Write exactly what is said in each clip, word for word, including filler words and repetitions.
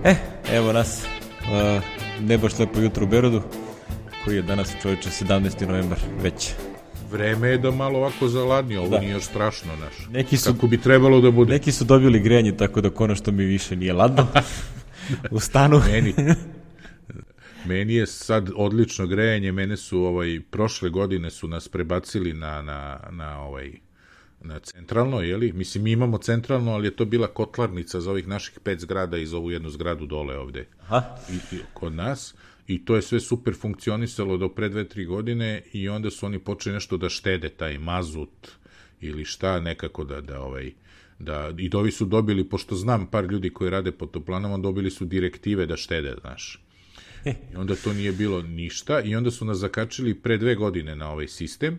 E, evo nas, uh, ne baš lepo jutro u Berodu, koji je danas, čovječe, sedamnaesti novembar već. Vreme je da malo ovako zaladnije, ovo da. Nije još strašno, naš. Neki su, kako bi trebalo da bude. Neki su dobili grejanje, tako da konačno mi više nije ladno u stanu. Meni, meni je sad odlično grejanje, mene su ovaj, prošle godine su nas prebacili na, na, na ovaj... na centralno, jeli? Mislim, mi imamo centralno, ali je to bila kotlarnica za ovih naših pet zgrada iz ovu jednu zgradu dole ovde. Aha. I, i, kod nas. I to je sve super funkcionisalo do pre dve, tri godine i onda su oni počeli nešto da štede, taj mazut ili šta, nekako da, da ovaj, da, i dovi su dobili, pošto znam par ljudi koji rade po toplanama, dobili su direktive da štede, znaš. I onda to nije bilo ništa i onda su nas zakačili pre dve godine na ovaj sistem.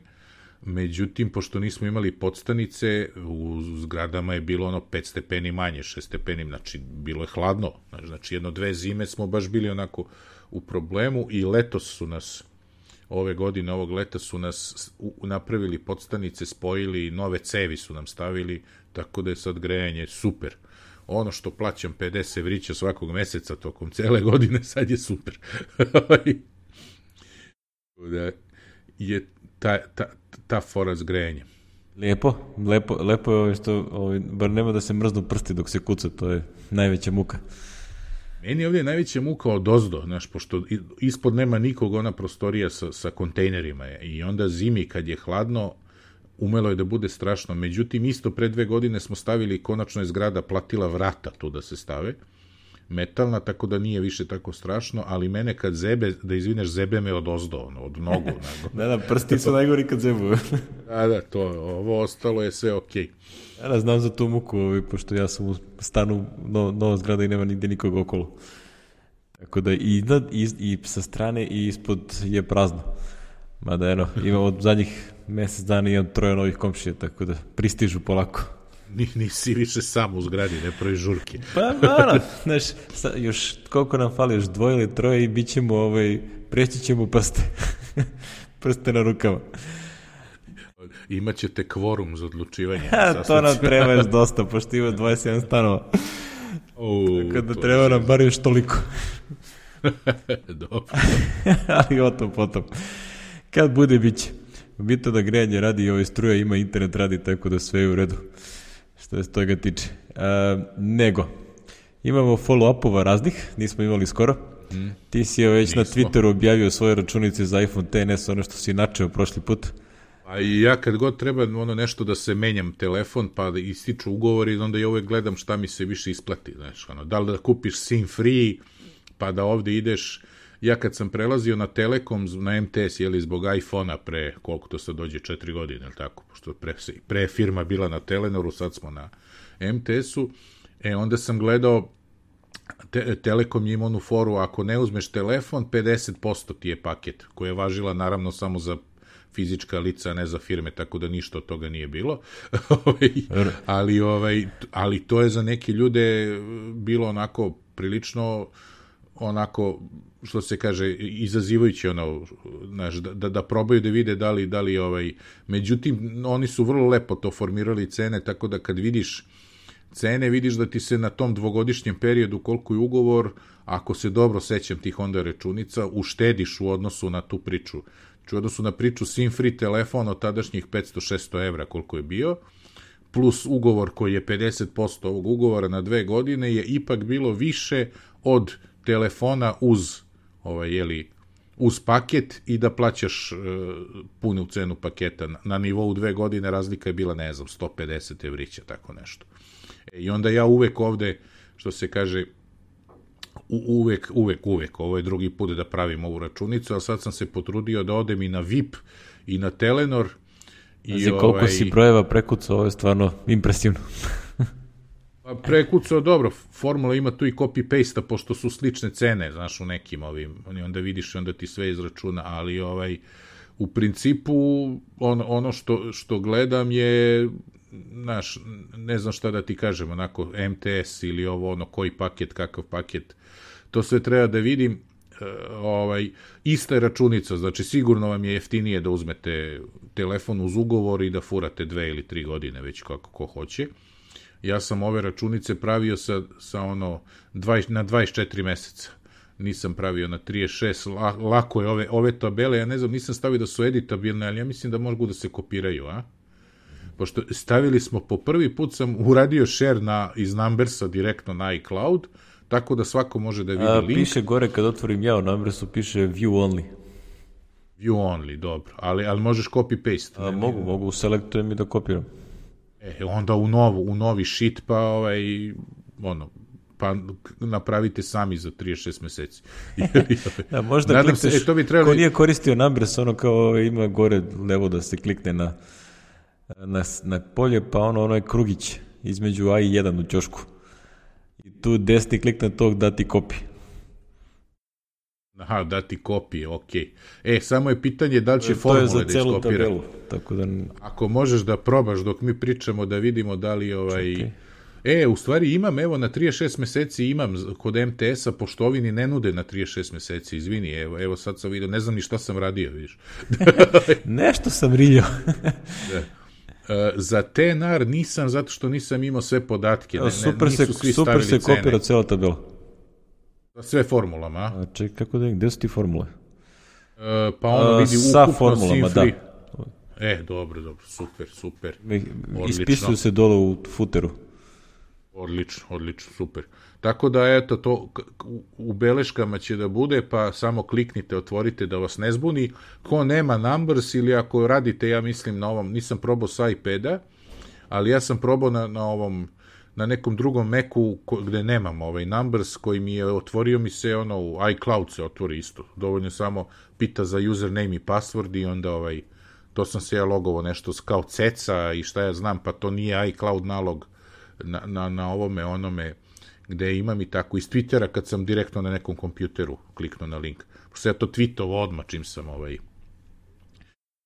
Međutim, pošto nismo imali podstanice, u zgradama je bilo ono pet stepeni manje, šest stepeni, znači bilo je hladno. Znači jedno dve zime smo baš bili onako u problemu i letos su nas, ove godine, ovog leta su nas napravili podstanice, spojili, nove cevi su nam stavili, tako da je sad grejanje super. Ono što plaćam pedeset evrića svakog meseca tokom cele godine, sad je super. Da je ta, ta, ta fora s grejanjem. Lijepo, lepo, lepo je ovo što, ovo, bar nema da se mrznu prsti dok se kuca, to je najveća muka. Meni ovdje je najveća muka od ozdo, znaš, pošto ispod nema nikog, ona prostorija sa, sa kontejnerima je, i onda zimi kad je hladno, umelo je da bude strašno. Međutim, isto pre dve godine smo stavili, konačno je zgrada platila vrata tu da se stave, metalna, tako da nije više tako strašno, ali mene kad zebe, da izvineš, zebe me od ozdo, ono, od nogu. Da, da, prsti su najgori kad zebuju. Da, da, to, ovo ostalo je sve okej. Ja da znam za tu muku, ovaj, pošto ja sam u stanu no, nova zgrada i nema nigde nikoga okolo. Tako da i, i, i sa strane i ispod je prazno. Mada, eno, imam od zadnjih mesec dana imam troje novih komšija, tako da pristižu polako. Nisi više sam u zgradi, ne pravi žurke. Pa, naravno, znaš, još koliko nam fali, još dvoje ili troje i bit ćemo, ovaj, preći ćemo prste. Prste na rukama. Imaćete kvorum za odlučivanje. Ha, to nam treba još dosta, pošto ima dvadeset sedam stanova. O, tako da treba nam bar još toliko. Dobro. Ali o tom potom. Kad bude, bit će. Bitno da grejanje radi i ovaj struja ima, internet radi, tako da sve je u redu. Što se toga tiče. A, nego, imamo follow-upova raznih, nismo imali skoro. Mm. Ti si već nismo. Na Twitteru objavio svoje računice za iPhone X S, ono što si načeo prošli put. A i ja kad god treba ono nešto da se menjam telefon, pa da ističu ugovori, onda ja uvek gledam šta mi se više isplati. Znaš, ono, da li da kupiš SIM free, pa da ovde ideš. Ja kad sam prelazio na Telekom, na M T S, jeli, zbog iPhone-a pre, koliko to sad dođe, četiri godine, ili tako, pošto pre, pre firma bila na Telenoru, sad smo na M T S-u, e, onda sam gledao, te, Telekom ima onu foru, ako ne uzmeš telefon, pedeset posto ti je paket, koja je važila naravno samo za fizička lica, a ne za firme, tako da ništa od toga nije bilo. ali, ovaj, ali to je za neke ljude bilo onako prilično onako, što se kaže, izazivajući ono, znaš, da, da probaju da vide da li, da li ovaj, međutim, oni su vrlo lepo to formirali cene, tako da kad vidiš cene, vidiš da ti se na tom dvogodišnjem periodu, koliko je ugovor, ako se dobro sećam tih onda računica, uštediš u odnosu na tu priču. U odnosu na priču SIM free telefon od tadašnjih petsto šesto evra koliko je bio, plus ugovor koji je pedeset posto ovog ugovora na dve godine, je ipak bilo više od telefona uz ovaj, jeli, uz paket i da plaćaš e, punu cenu paketa. Na, na nivou dve godine razlika je bila, ne znam, sto pedeset evrića, tako nešto. E, I onda ja uvek ovde, što se kaže, u, uvek, uvek, uvek, ovo je drugi put da pravim ovu računicu, ali sad sam se potrudio da odem i na V I P i na Telenor. I Znači, koliko ovaj, si brojeva prekucao, ovo je stvarno impresivno. Pa prekucao, dobro, formula ima tu i copy-paste, pošto su slične cene, znaš, u nekim ovim, onda vidiš i onda ti sve izračuna, ali ovaj, u principu on, ono što, što gledam je, znaš, ne znam šta da ti kažem, onako M T S ili ovo, ono, koji paket, kakav paket, to sve treba da vidim, ovaj, ista je računica, znači sigurno vam je jeftinije da uzmete telefon uz ugovor i da furate dve ili tri godine, već kako ko hoće. Ja sam ove računice pravio sa, sa ono dvadeset, na dvadeset četiri meseca. Nisam pravio na trideset šest, la, lako je ove, ove tabele, ja ne znam, nisam stavio da su editabilne, ali ja mislim da mogu da se kopiraju, a? Pošto stavili smo, po prvi put sam uradio share na, iz Numbersa direktno na iCloud, tako da svako može da vidi a, link. Piše gore kad otvorim ja u Numbersu, piše view only. View only, dobro, ali, ali možeš copy-paste. A, ne, mogu, ne, mogu, selektujem i da kopiram. E, onda u, novu, u novi sheet, pa ovaj, ono, pa napravite sami za trideset šest meseci. Da, možda nadam klikneš, se, e, to bi trebali... ko nije koristio Numbers, ono kao ima gore levo da se klikne na, na, na polje, pa ono, ono je krugić između A i jedan u ćošku. I tu desni klik na tog da ti kopi. Aha, da ti kopije, okej. Okay. E, samo je pitanje da li će formule da iskopira. To je za celu tabelu, tako da... Ako možeš da probaš dok mi pričamo da vidimo da li ovaj... Okay. E, u stvari imam, evo, na trideset šest meseci imam kod em te es-a, pošto ovi ni ne nude na trideset šest meseci, izvini, evo, evo sad sam vidio, ne znam ni šta sam radio, vidiš. Nešto sam riljao. Da. Uh, za te en ar nisam, zato što nisam imao sve podatke. Ne, super se, super se kopira cela tabela. Za sve formulama, a? A ček, kako da je, gde su ti formule? Uh, pa ono vidi sa ukupno formulama, da. E, dobro, dobro, super, super. Ispisuju se dole u footeru. Odlično, odlično, super. Tako da, eto, to u beleškama će da bude, pa samo kliknite, otvorite da vas ne zbuni. Ko nema Numbers ili ako radite, ja mislim na ovom, nisam probao sa iPada, ali ja sam probao na, na ovom, na nekom drugom Macu gde nemam ovaj Numbers, koji mi je otvorio mi se, ono, u iCloud se otvori isto. Dovoljno samo pita za username i password i onda ovaj, to sam se ja logovo nešto kao ceca i šta ja znam, pa to nije iCloud nalog na, na, na ovome, onome, gde imam i tako iz Twittera kad sam direktno na nekom kompjuteru kliknuo na link. Pošto ja to tweetovo odmah čim sam ovaj,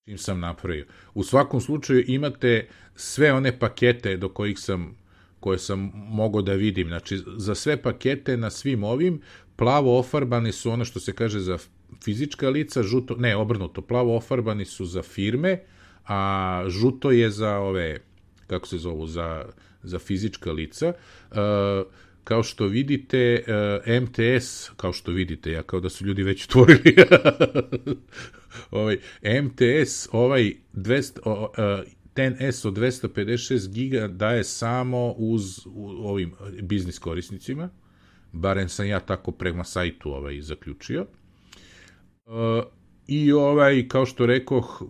čim sam napravio. U svakom slučaju imate sve one pakete do kojih sam, koje sam mogao da vidim. Znači, za sve pakete na svim ovim, plavo ofarbani su ono što se kaže za fizička lica, žuto, ne, obrnuto, plavo ofarbani su za firme, a žuto je za ove, kako se zovu, za, za fizička lica. Uh, kao što vidite, uh, em te es, kao što vidite, ja kao da su ljudi već otvorili, ovaj, em te es, ovaj dvesta, uh, ten es od dvesta pedeset šest giga daje samo uz u, ovim biznis korisnicima, barem sam ja tako prema sajtu ovaj, zaključio. Uh, I ovaj, kao što rekoh,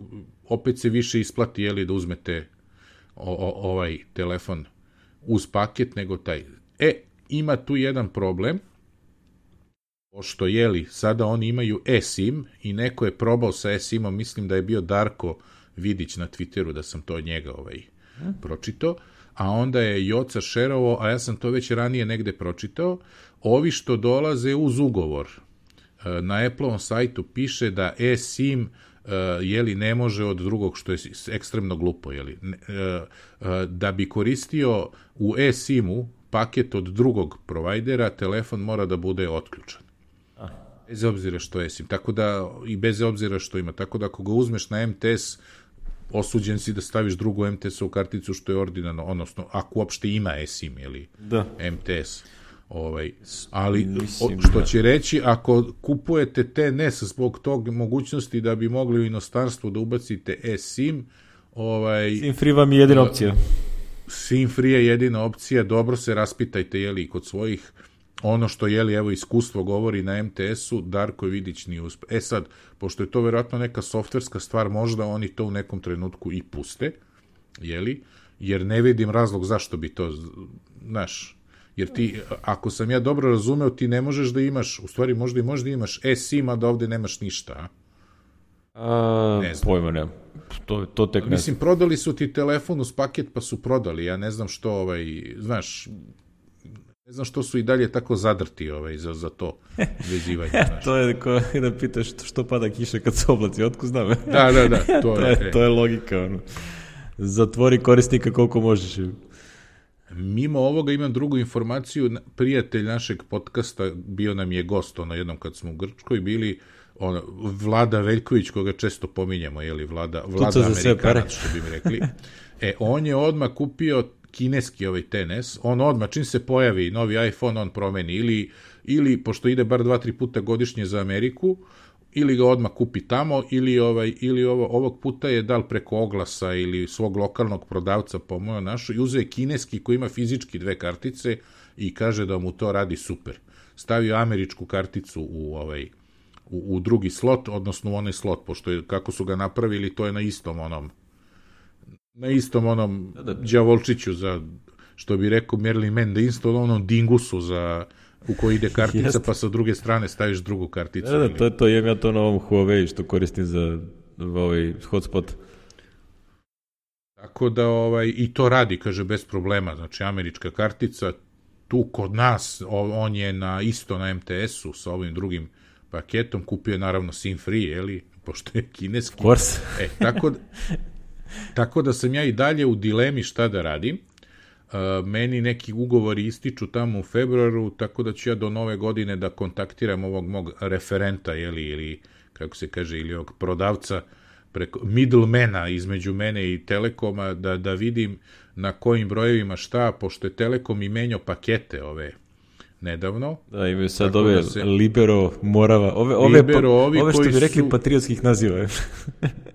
opet se više isplati, jeli, da uzmete o, o, ovaj telefon uz paket nego taj. E, ima tu jedan problem, pošto, jeli, sada oni imaju eSIM i neko je probao sa eSIM-om, mislim da je bio Darko Vidić na Twitteru, da sam to od njega ovaj, hmm. pročitao, a onda je Joca šerovo, a ja sam to već ranije negde pročitao, ovi što dolaze uz ugovor. Na Apple-ovom sajtu piše da eSIM uh, jeli, ne može od drugog, što je ekstremno glupo, jeli, uh, uh, da bi koristio u eSIM-u paket od drugog provajdera, telefon mora da bude otključan. Ah. Bez obzira što je eSIM. Tako da, i bez obzira što ima. Tako da, ako ga uzmeš na em te es, osuđen si da staviš drugu em te es-ovu karticu, što je ordinarno, odnosno, ako uopšte ima eSIM, jeli, da. em te es. Ovaj, ali Mislim, što će reći, ako kupujete te en es zbog tog mogućnosti da bi mogli u inostranstvu da ubacite eSIM, ovaj, SIM free vam je jedina opcija. SIM free je jedina opcija, dobro se raspitajte, jeli, kod svojih, ono što, jeli, evo, iskustvo govori na em te es-u, Darko Vidić nije uspe. E sad, pošto je to verovatno neka softverska stvar, možda oni to u nekom trenutku i puste, jeli, jer ne vidim razlog zašto bi to, znaš, jer ti, ako sam ja dobro razumeo, ti ne možeš da imaš, u stvari možda i možda imaš eSIM, a da ovde nemaš ništa, a? A, ne znam. Pojma nemam. To, to tek ne. Mislim, prodali su ti telefon uz paket, pa su prodali. Ja ne znam što, ovaj, znaš, ne znam što su i dalje tako zadrti ovaj, za, za to vezivanje. Znaš. To je ko da pitaš što pada kiša kad se oblaci, otko znam. Da, da, da. To, to, je, to je logika. Ono. Zatvori korisnika koliko možeš. Mimo ovoga imam drugu informaciju. Prijatelj našeg podcasta, bio nam je gost ono jednom kad smo u Grčkoj bili, ono, Vlada Veljković, koga često pominjamo, je li Vlada, Vlada Amerikanac, što bi mi rekli. E, on je odmah kupio kineski ovaj X S, on odmah, čim se pojavi novi iPhone, on promeni, ili, ili pošto ide bar dva, tri puta godišnje za Ameriku, ili ga odmah kupi tamo, ili, ovaj, ili ovo, ovog puta je dal preko oglasa ili svog lokalnog prodavca po mojo našo, i uzeo kineski koji ima fizički dve kartice i kaže da mu to radi super. Stavio američku karticu u ovaj u, u drugi slot, odnosno u onaj slot, pošto je, kako su ga napravili, to je na istom onom na istom onom đavolčiću za, što bi rekao Merlin Mann, da isto onom dingusu za u koji ide kartica, pa sa druge strane staviš drugu karticu. Da, da, to je to, imam ja to na ovom Huawei što koristim za ovaj hotspot. Tako da, ovaj, i to radi, kaže, bez problema, znači američka kartica, tu kod nas, on je na isto na em te esu sa ovim drugim paketom, kupio je naravno SIM free, jeli, pošto je kineski. Of course. E, tako, tako da sam ja i dalje u dilemi šta da radim. Uh, meni neki ugovori ističu tamo u februaru, tako da ću ja do nove godine da kontaktiram ovog mog referenta, jeli, ili, kako se kaže, ili ovog prodavca, preko middlemana između mene i Telekoma, da, da vidim na kojim brojevima šta, pošto je Telekom i menjao pakete ove nedavno. Da, imaju sad ove da se... Libero, Morava, ove, ove, Libero, pa, ovi ove što bi rekli su... patriotskih naziva.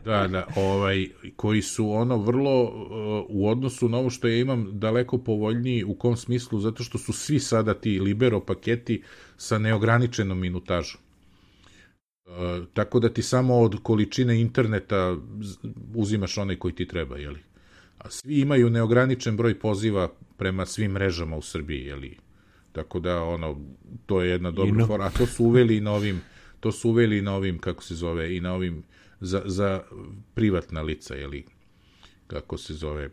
Da, da, ovaj, koji su ono vrlo uh, u odnosu na ovo što ja imam daleko povoljniji, u kom smislu, zato što su svi sada ti Libero paketi sa neograničenom minutažom. Uh, tako da ti samo od količine interneta uzimaš onaj koji ti treba, jeli? A svi imaju neograničen broj poziva prema svim mrežama u Srbiji, jeli? Tako da, ono, to je jedna dobra no. fora, a to su uveli i na ovim, to su uveli i na ovim, kako se zove, i na ovim za, za privatna lica, jeli, kako se zove,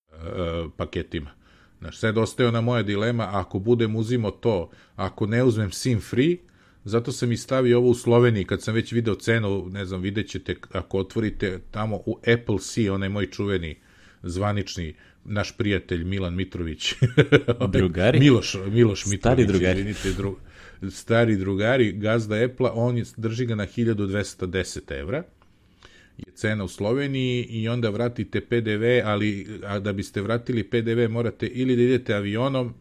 uh, paketima. Znaš, sad ostaje ona moja dilema, ako budem uzimo to, ako ne uzmem SIM free, zato sam i stavio ovo u Sloveniji, kad sam već video cenu, ne znam, vidjet ćete, ako otvorite tamo u Apple C, onaj moj čuveni, zvanični, naš prijatelj Milan Mitrović. Drugari? Miloš, Miloš Mitrović. Stari drugari. Izvinite, dru, stari drugari, gazda Apple-a, on je, drži ga na hiljadu dvesta deset evra. Je cena u Sloveniji i onda vratite pe de ve, ali a da biste vratili pe de ve morate ili da idete avionom,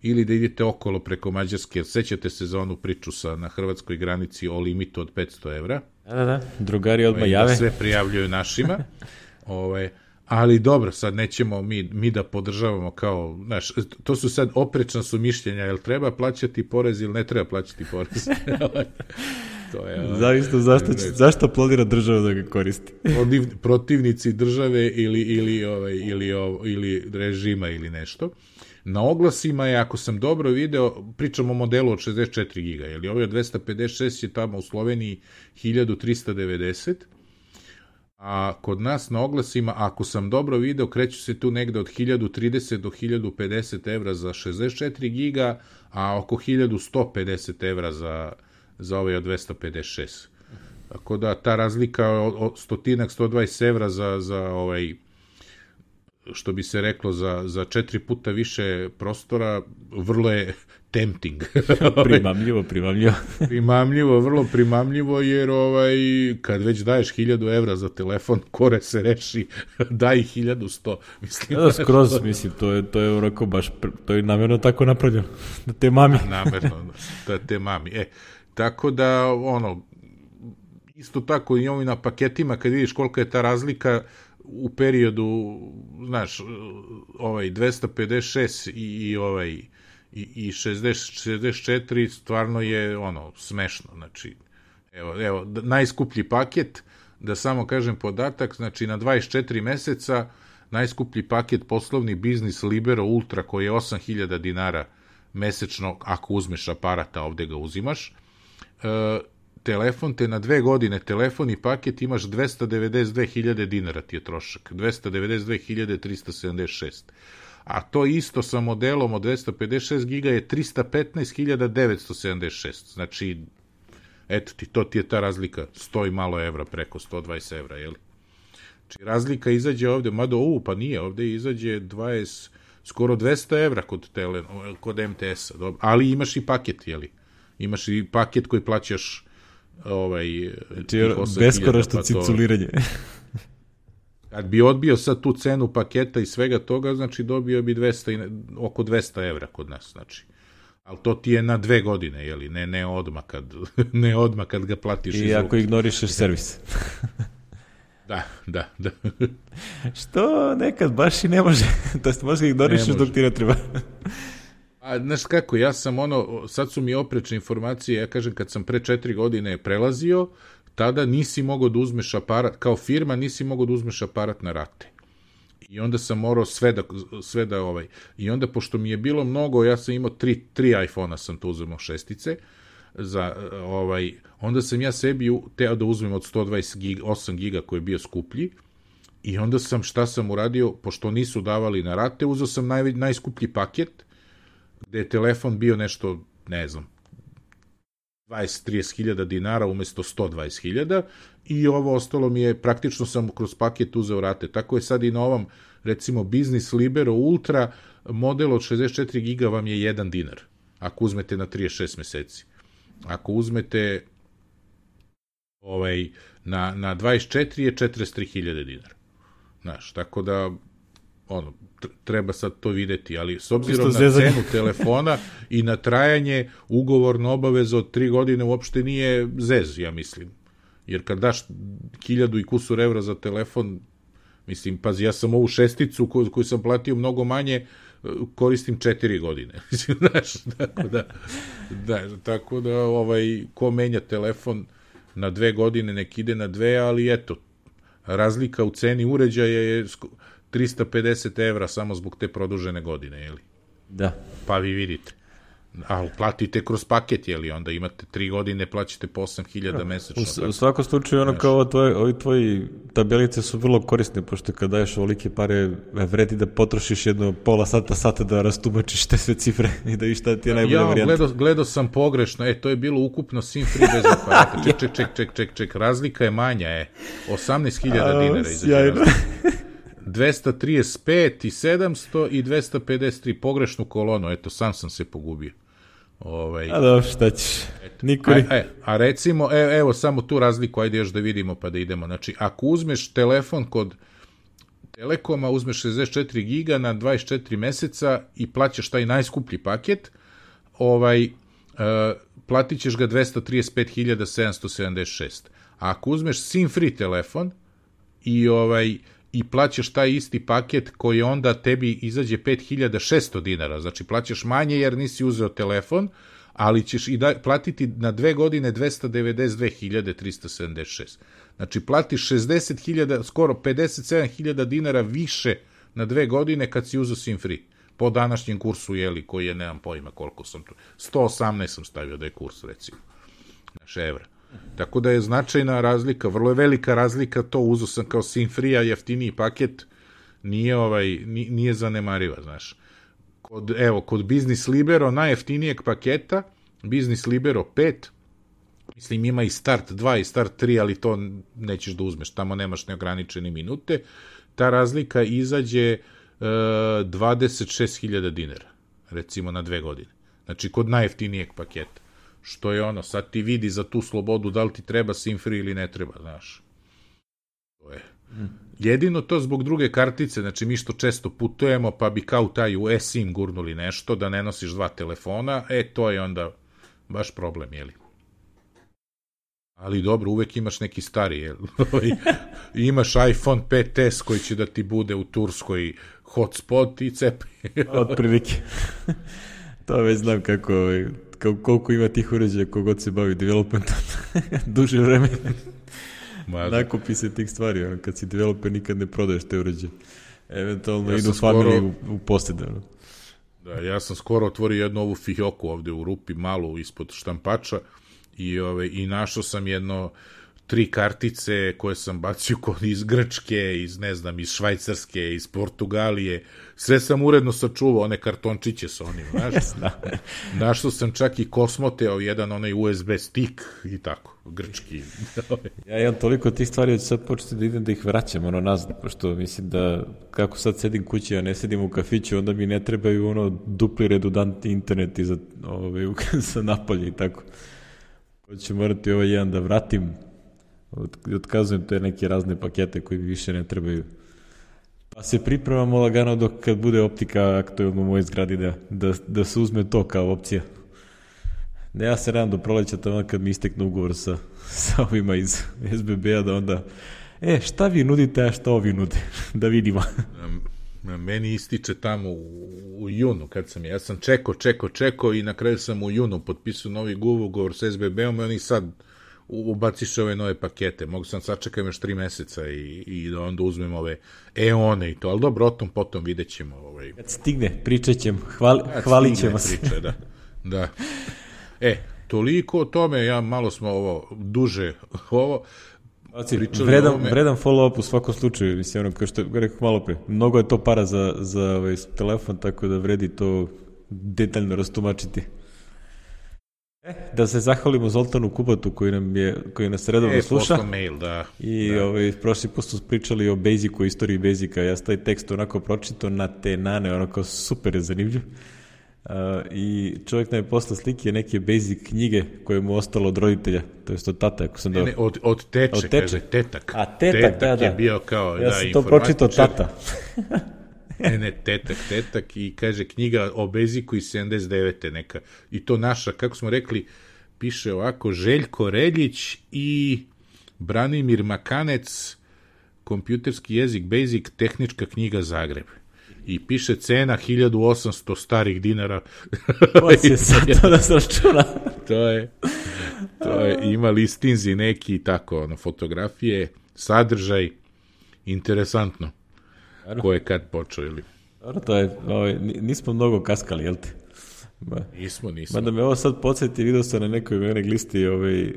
ili da idete okolo preko Mađarske. Sećate se za onu priču sa, na hrvatskoj granici o limitu od petsto evra. Da, da, da. Drugari odmah jave. Da sve prijavljuju našima. Ove, ali dobro, sad nećemo mi, mi da podržavamo kao, znaš, to su sad oprečna su mišljenja, jel treba plaćati porez ili ne treba plaćati porez. To je, zavisno zašto, će, zašto planira država da ga koristi. Protivnici države ili, ili, ovaj, ili, ili režima ili nešto. Na oglasima je, ako sam dobro video, pričamo o modelu od šezdeset četiri giga, jer ovaj od dvesta pedeset šest je tamo u Sloveniji hiljadu trista devedeset, a kod nas na oglasima, ako sam dobro video, kreću se tu negde od hiljadu trideset do hiljadu pedeset evra za šezdeset četiri giga, a oko hiljadu sto pedeset evra za, za ovaj od dvesta pedeset šest. Tako da ta razlika od stotinak, sto dvadeset evra za, za ovaj, što bi se reklo, za, za četiri puta više prostora, vrlo je tempting. primamljivo, primamljivo. primamljivo, vrlo primamljivo, jer ovaj, kad već daješ hiljadu evra za telefon, kore se reši, daj hiljadu sto. Mislim, da, skroz, mislim, to je, to je onako baš, to je namjerno tako napravljeno, da te mami. Namjerno, da te mami. E, tako da, ono, isto tako i ovi na paketima, kad vidiš kolika je ta razlika, u periodu, znaš, ovaj dvesta pedeset šest i, i ovaj i, i šezdeset, šezdeset četiri stvarno je ono smešno, znači evo, evo, najskuplji paket, da samo kažem podatak, znači na dvadeset četiri meseca najskuplji paket poslovni biznis Libero Ultra koji je osam hiljada dinara mesečno, ako uzmeš aparata, ovde ga uzimaš, e, telefon te na dve godine, telefon i paket imaš dvesta devedeset dve hiljade dinara ti je trošak, dvesta devedeset dve hiljade trista sedamdeset šest. A to isto sa modelom od dvesta pedeset šest giga je trista petnaest hiljada devetsto sedamdeset šest. Znači, eto ti, to ti je ta razlika, sto i malo evra, preko sto dvadeset evra, jeli? Znači, razlika izađe ovde, mada, u, pa nije, ovde izađe dvadeset, skoro dvesta evra kod, tele, kod em te esa, dobro, ali imaš i paket, jeli? Imaš i paket koji plaćaš ovaj, znači, beskoračno pa ciculiranje. Kad bi odbio sad tu cenu paketa i svega toga, znači dobio bi dvesta, oko dvesta evra kod nas, znači. Ali to ti je na dve godine, jeli, ne, ne odmah kad, ne odmah kad ga platiš. I ako ignorišeš servis. Da, da, da. Što nekad baš i ne može. To jest možda ignorišeš dok ti ne treba. A znaš kako, ja sam ono, sad su mi oprečne informacije, ja kažem kad sam pre četiri godine prelazio, tada nisi mogao da uzmeš aparat, kao firma nisi mogao da uzmeš aparat na rate. I onda sam morao sve da, sve da ovaj, i onda pošto mi je bilo mnogo, ja sam imao tri, tri iPhone-a sam to uzmeo šestice, za, ovaj, onda sam ja sebi teo da uzmem od sto dvadeset osam giga koji je bio skuplji, i onda sam, šta sam uradio, pošto nisu davali na rate, uzeo sam naj, najskuplji paket, gde je telefon bio nešto, ne znam, dvadeset do trideset hiljada dinara umesto sto dvadeset hiljada, i ovo ostalo mi je, praktično sam kroz paket uzeo rate. Tako je sad i na ovom, recimo, Business Libero Ultra, model od šezdeset četiri giga vam je jedan dinar, ako uzmete na trideset šest meseci. Ako uzmete ovaj, na, na dvadeset četiri je četrdeset tri hiljade dinara. Znaš, tako da, ono, treba sad to videti, ali s obzirom na cenu telefona i na trajanje, ugovorna obaveza od tri godine uopšte nije zez, ja mislim. Jer kad daš hiljadu i kusur evra za telefon, mislim, pazi, ja sam ovu šesticu koju, koju sam platio mnogo manje, koristim četiri godine. Znaš, tako da, da, tako da ovaj, ko menja telefon na dve godine, nek ide na dve, ali eto, razlika u ceni uređaja je trista pedeset evra samo zbog te produžene godine, jeli? Da. Pa vi vidite. Ali platite kroz paket, jeli? Onda imate tri godine, plaćate po osam hiljada mesečno. U, u svakom slučaju, ono kao tvoje, ovi tvoji tabelice su vrlo korisne, pošto kad daješ ovolike pare, vredi da potrošiš jedno pola sata, sata da rastumačiš te sve cifre i da viš šta ti je najbolja ja, varijanta. Gledao, gledao sam pogrešno, e, to je bilo ukupno SIM free bez aparata. Ček, ček, ček, ček, ček, ček, razlika je manja, e. osamnaest hiljada dinara izađe. dvesta trideset pet i sedamsto i dvesta pedeset tri, pogrešnu kolonu, eto, sam sam se pogubio. Ovaj, a dobro, šta ćeš? Niko a, e, a recimo, e, evo samo tu razliku, ajde još da vidimo pa da idemo. Znači, ako uzmeš telefon kod Telekoma, uzmeš šezdeset četiri giga na dvadeset četiri meseca i plaćaš taj najskuplji paket, ovaj, uh, platit ćeš ga dvesta trideset pet hiljada sedamsto sedamdeset šest. A ako uzmeš SIM free telefon i ovaj i plaćaš taj isti paket koji onda tebi izađe pet hiljada šesto dinara, znači plaćaš manje jer nisi uzeo telefon, ali ćeš i da, platiti na dve godine dvesta devedeset dve hiljade trista sedamdeset šest. Znači platiš šezdeset hiljada, skoro pedeset sedam hiljada dinara više na dve godine kad si uzeo SIM free. Po današnjem kursu, jeli, koji je, nemam pojma koliko sam tu, sto osamnaest sam stavio da je kurs, recimo, naš evra. Tako da je značajna razlika, vrlo je velika razlika, to uzeo sam kao SIM free, a jeftiniji paket nije, ovaj, nije zanemariva, znaš. Kod, evo, kod Business Libero najjeftinijeg paketa, Business Libero pet, mislim ima i Start dva i Start tri, ali to nećeš da uzmeš, tamo nemaš neograničene minute, ta razlika izađe uh, dvadeset šest hiljada dinara, recimo na dve godine. Znači kod najjeftinijeg paketa. Što je ono, sad ti vidi za tu slobodu da li ti treba SIM free ili ne treba, znaš. To je. Jedino to zbog druge kartice, znači mi što često putujemo, pa bi kao taj u eSIM gurnuli nešto, da ne nosiš dva telefona, e, to je onda baš problem, jeli. Ali dobro, uvek imaš neki stari, jel? Imaš iPhone pet es koji će da ti bude u Turskoj hotspot i cepi. Od prilike. To već znam kako, koliko ima tih uređaja kogod se bavi developmentom. Duže vreme. Nakupi se tih stvari, ono, kad si developer nikad ne prodaješ te uređaje. Eventualno ja idu familiji skoro... u, u posjede. Ono. Da, ja sam skoro otvorio jednu ovu fijoku ovde u rupi, malu ispod štampača i, ove, i našao sam jedno tri kartice koje sam bacio kod iz Grčke, iz ne znam, iz Švajcarske, iz Portugalije, sve sam uredno sačuvao, one kartončiće sa onim, znaš. Našao sam čak i Kosmoteo, jedan onaj U S B stick i tako, grčki. Ja imam toliko tih stvari, da ću sad početi da idem da ih vraćam, ono nazad, pošto mislim da kako sad sedim kući, a ne sedim u kafiću, onda mi ne trebaju ono dupli redundantni internet za, ove, za napolje i tako. Pa ću morati ovaj jedan da vratim, otkazujem te neke razne pakete koji mi više ne trebaju. Pa se pripremamo lagano dok kad bude optika aktuelno u mojoj zgradi da, da, da se uzme to kao opcija. Ne, ja se radam do proleća tamo kad mi istekne ugovor sa, sa ovima iz S B B-a da onda, e, šta vi nudite, a šta ovi nude? Da vidimo. Meni ističe tamo u, u junu kad sam, ja sam čekao, čekao, čekao i na kraju sam u junu potpisao novi ugovor sa S B B-om i oni sad ubaciš ove nove pakete. Mogu sam sačekam još tri meseca i, i da onda uzmem ove E-one i to, ali dobro, o tom potom vidjet ćemo. Ovaj. Kad stigne, pričat ćemo, hvali, hvalit ćemo se. Priče, da. Da. E, toliko o tome, ja malo smo ovo, duže ovo, Vredan, vredan follow-up u svakom slučaju, mislim, ono, kao što rekao malo pre, mnogo je to para za, za ovaj, telefon, tako da vredi to detaljno rastumačiti. E, da se zahvalimo Zoltanu Kubatu koji nam je, koji nas redovno e, sluša. Mail, da. I da. Ovaj, prošli put smo pričali o Basicu, o istoriji Basica, ja sam taj tekst onako pročito na te nane, onako super je zanimljiv. Uh, i čovjek nam je poslao slike neke basic knjige koje mu ostalo od roditelja, to je od tata, ako sam ne, ne, od, od teče, od teče, kaže tetak. A tetak, tetak da, da. je bio kao, ja da, sam to pročitao tata. ne, ne, tetak, tetak i kaže knjiga o Basicu iz sedamdeset devete neka. I to naša, kako smo rekli, piše ovako, Željko Reljić i Branimir Makanec, kompjuterski jezik Basic, tehnička knjiga Zagreb. I piše cena hiljadu osamsto starih dinara. Ko će sad to da se računa? to je, to je, ima listinzi neki tako, ono, fotografije, sadržaj, interesantno. Ano. Ko je kad počeo ili? Dobro, to je, ovaj, nismo mnogo kaskali, jel te? Ba, nismo, nismo. Mada me ovo sad podsjeti, vidio sam na nekoj mailing listi, ovaj, uh,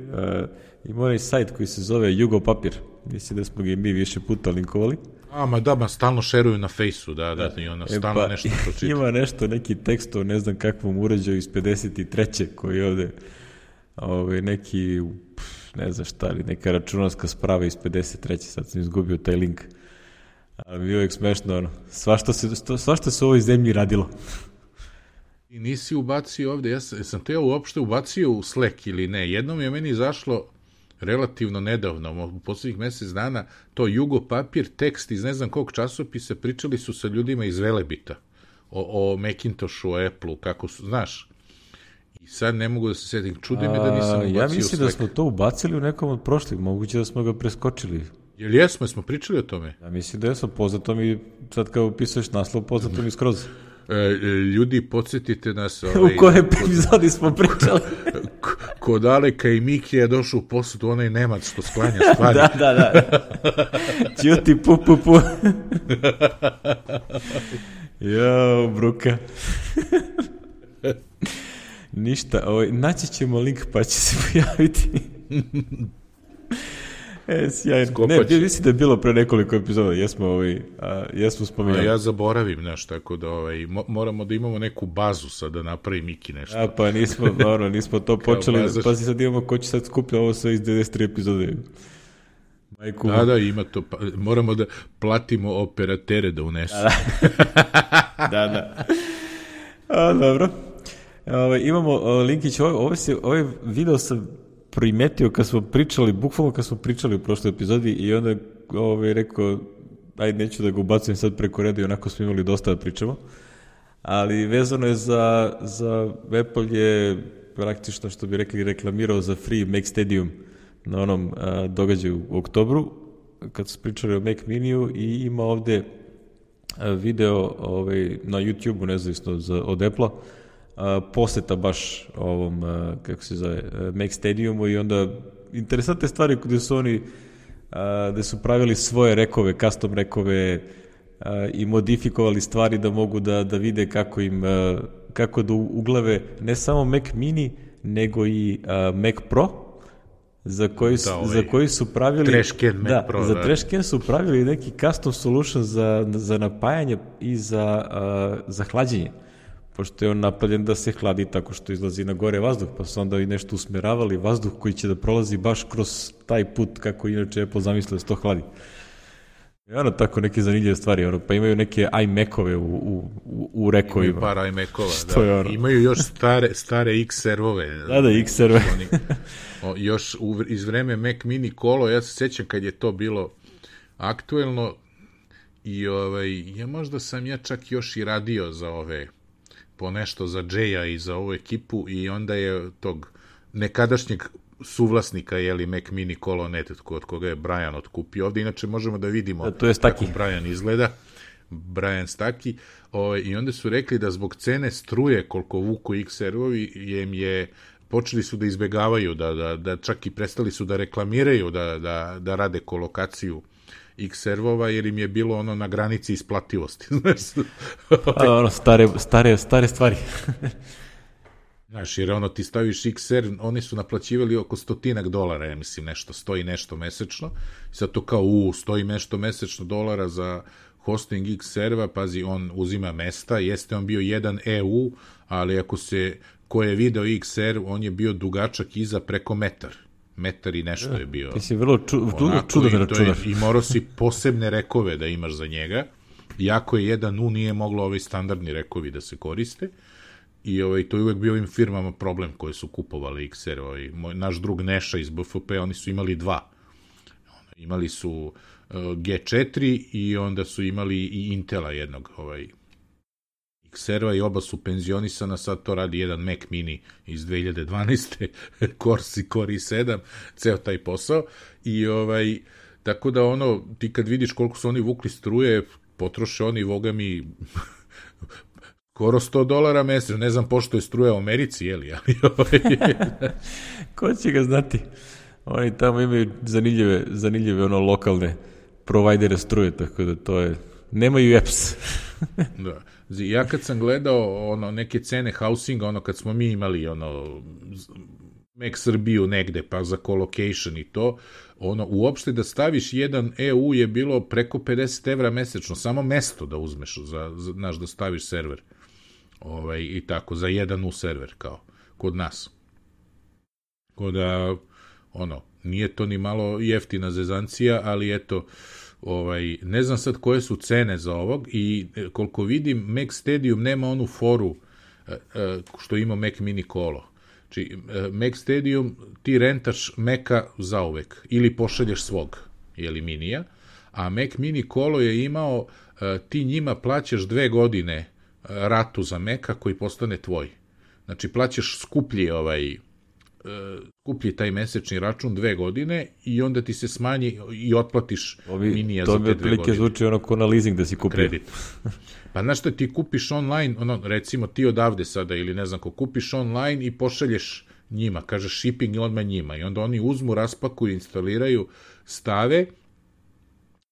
ima onaj sajt koji se zove Jugo Papir. Mislim da smo ga i mi više puta linkovali. A, ma da, ma stalno šeruju na fejsu, da, da, da i ona stalno e, pa, nešto pročita. Ima nešto, neki tekst o ne znam kakvom uređaju iz pedeset treće koji je ovde ovaj, neki, ne znam šta li, neka računarska sprava iz pedeset treće sad sam izgubio taj link. Ali mi je uvijek smešno, ono, svašta se, svašta se u ovoj zemlji radilo. I nisi ubacio ovde, ja sam, sam te ja uopšte ubacio u Slack ili ne, jednom je meni izašlo relativno nedavno, u posljednjih mjesec dana, to Jugo Papir, tekst iz ne znam kog časopisa, pričali su sa ljudima iz Velebita o, o Macintoshu, o Apple-u, kako su, znaš, i sad ne mogu da se sjetim, čudi me da nisam ubacio u Slack. Ja mislim da smo to ubacili u nekom od prošlih, moguće da smo ga preskočili. Jel jesmo, smo pričali o tome? Ja mislim da jesmo, poznato mi, sad kao upisuješ naslov, poznato mi skroz. E, ljudi, podsjetite nas... Ovaj, u kojoj epizodi smo pričali? Kod Aleka i Miki je došao u posudu onaj Nemac što sklanja stvari. da, da, da. Ćuti, pu, pu, pu. Jao, bruka. Ništa, ovaj, naći ćemo link pa će se pojaviti. E, sjajno. Ne, mislim da je bilo pre nekoliko epizoda, jesmo, ovaj, a, jesmo spominjali. A ja zaboravim nešto, tako da ovaj, mo, moramo da imamo neku bazu sad da napravi Miki nešto. A, pa nismo, dobro, nismo to počeli, bazaš... pa si sad imamo ko će sad skuplja ovo sve iz devedeset tri epizode. Majku. Da, da, ima to, pa, moramo da platimo operatere da unesu. Da, da. da. A, dobro. Ove, imamo linkić, ovaj, ovaj, ovaj video sam primetio kad smo pričali, bukvalno kad smo pričali u prošloj epizodi i onda ovaj, rekao, ajde neću da ga ubacujem sad preko reda i onako smo imali dosta da pričamo, ali vezano je za, za Apple je praktično što bi rekli reklamirao za free Mac Stadium na onom a, događaju u oktobru kad su pričali o Mac Miniju i ima ovde a, video ovaj, na YouTube-u nezavisno za, od Apple-a Uh, poseta baš ovom, uh, kako se zove, uh, Mac Stadiumu i onda interesantne stvari gde su oni uh, gde su pravili svoje rekove, custom rekove uh, i modifikovali stvari da mogu da, da vide kako im uh, kako da uglave ne samo Mac Mini nego i uh, Mac Pro za koji su, da, ovaj, za koji su pravili Trashcan Mac da, Pro, za da. Trashcan su pravili neki custom solution za, za napajanje i za, uh, za hlađenje, pošto je on napravljen da se hladi tako što izlazi na gore vazduh, pa su onda i nešto usmeravali vazduh koji će da prolazi baš kroz taj put kako inače Apple zamislio da se to hladi. I ono tako neke zanimljive stvari, ono, pa imaju neke iMac-ove u, u, u rekovima. Imaju par iMac-ova, da. Ono? Imaju još stare, stare X-servove. Da, da, X-serve. O, još u, iz vreme Mac Mini Kolo, ja se sjećam kad je to bilo aktuelno, i ovaj, ja možda sam ja čak još i radio za ove, po nešto za Jaya i za ovu ekipu i onda je tog nekadašnjeg suvlasnika, jeli, Mac Mini Colonet, od koga je Brian otkupio. Ovde inače možemo da vidimo da, to je kako Brian izgleda. Brian Staki. O, i onda su rekli da zbog cene struje koliko vuku X R-ovi jem je počeli su da izbegavaju, da, da, da čak i prestali su da reklamiraju, da, da, da rade kolokaciju X R-ova, jer im je bilo ono na granici isplativosti. A, ono, stare, stare, stare stvari. Znaš, jer ono ti staviš X R, oni su naplaćivali oko stotinak dolara, ja mislim, nešto, stoji nešto mesečno. Sad to kao, u, stoji nešto mesečno dolara za hosting X R-va, pazi, on uzima mesta, jeste on bio jedan E U, ali ako se, ko je video X R, on je bio dugačak iza preko metar. Metar i nešto je bio. Ti si vrlo ču, onako, čudo da računaš. I morao si posebne rekove da imaš za njega. Iako je jedan U, nije moglo ovaj standardni rekovi da se koriste. I ovaj, to je uvek bio ovim firmama problem koje su kupovali X R. Ovaj, moj, naš drug Neša iz B F P, oni su imali dva. Imali su uh, G četiri i onda su imali i Intela jednog ovaj, X R-a i oba su penzionisana, sad to radi jedan Mac Mini iz dve hiljade dvanaeste. Corsi Core i sedam, ceo taj posao. I ovaj, tako da ono, ti kad vidiš koliko su oni vukli struje, potroše oni, voga mi... skoro sto dolara mesečno, ne znam pošto je struja u Americi, jeli? Ko će ga znati? Oni tamo imaju zanimljive, zanimljive ono lokalne provajdere struje, tako da to je... Nemaju apps. Da. Ja kad sam gledao ono, neke cene housinga, ono kad smo mi imali ono Mac Srbiju negde, pa za colocation i to, ono, uopšte da staviš jedan E U je bilo preko pedeset evra mesečno, samo mesto da uzmeš, za, za, znaš, da staviš server. Ovaj, i tako, za jedan U server, kao, kod nas. Kod da, ono, nije to ni malo jeftina zezancija, ali eto, ovaj, ne znam sad koje su cene za ovog i koliko vidim, Mac Stadium nema onu foru što ima Mac Mini Colo. Znači, Mac Stadium ti rentaš Maca zauvek ili pošalješ svog, jeli minija, a Mac Mini Colo je imao, ti njima plaćaš dve godine ratu za Maca koji postane tvoj. Znači, plaćaš skuplji ovaj skuplji taj mesečni račun dve godine i onda ti se smanji i otplatiš Ovi, minija za te dve godine. To bi otprilike zvuči ono ko na leasing da si kupio. Kredit. Pa znaš šta, ti kupiš online, ono, recimo ti odavde sada ili ne znam ko, kupiš online i pošalješ njima, kažeš shipping i odmah njima i onda oni uzmu, raspakuju, instaliraju, stave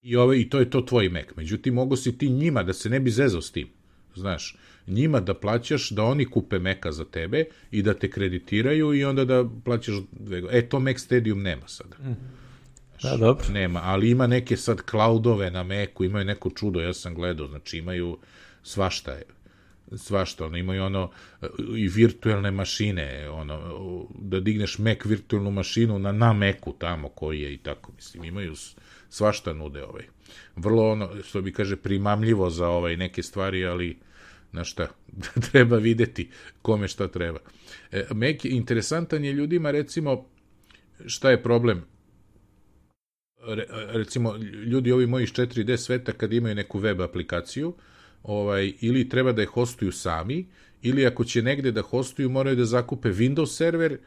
i, ove, i to je to tvoj Mac. Međutim, mogo si ti njima da se ne bi zezao s tim, znaš, njima da plaćaš, da oni kupe Maca za tebe i da te kreditiraju i onda da plaćaš dve godine. E, to Mac Stadium nema sada. Mm. Da, dobro. Nema, ali ima neke sad cloudove na Macu, imaju neko čudo, ja sam gledao, znači imaju svašta je. Svašta, ono, imaju ono i virtualne mašine, ono, da digneš Mac virtualnu mašinu na, na Macu tamo koji je i tako, mislim, imaju svašta nude ovaj. Vrlo ono, što bi kaže, primamljivo za ovaj neke stvari, ali na šta, treba videti kome šta treba. E, Mac, interesantan je ljudima, recimo, šta je problem? Re, recimo, ljudi ovi moji iz četiri D sveta kad imaju neku web aplikaciju, ovaj, ili treba da je hostuju sami, ili ako će negde da hostuju, moraju da zakupe Windows server,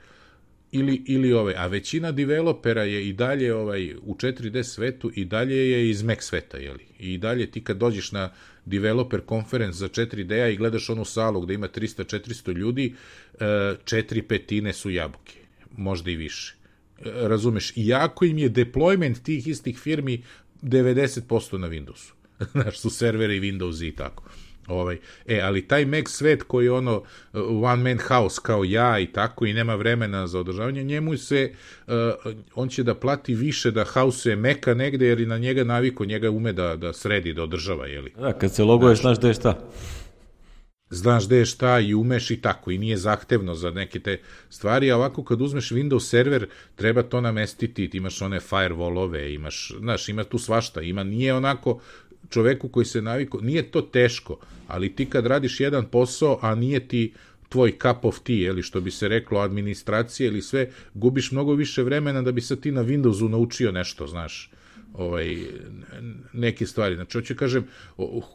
ili, ili ovaj, a većina developera je i dalje ovaj, u četiri D svetu i dalje je iz Mac sveta, jeli? I dalje ti kad dođeš na developer conference za četiri D-a i gledaš onu salu gde ima trista četiristo ljudi, četiri petine su jabuke, možda i više. Razumeš, iako im je deployment tih istih firmi devedeset posto na Windowsu. Znaš, su serveri Windows i tako. Ovaj, e, ali taj Mac svet koji je ono one man house kao ja i tako i nema vremena za održavanje, njemu se, uh, on će da plati više da hausuje Maca negde jer i na njega naviko, njega ume da, da sredi, da održava, jeli? Da, kad se loguješ, znaš da je šta. Znaš gde je šta i umeš i tako, i nije zahtevno za neke te stvari, a ovako kad uzmeš Windows server, treba to namestiti, ti imaš one firewallove, imaš, znaš, ima tu svašta, ima, nije onako čoveku koji se naviko, nije to teško, ali ti kad radiš jedan posao, a nije ti tvoj cup of tea, ili što bi se reklo, administracije ili sve, gubiš mnogo više vremena da bi sad ti na Windowsu naučio nešto, znaš, ovaj, neke stvari. Znači, hoću kažem,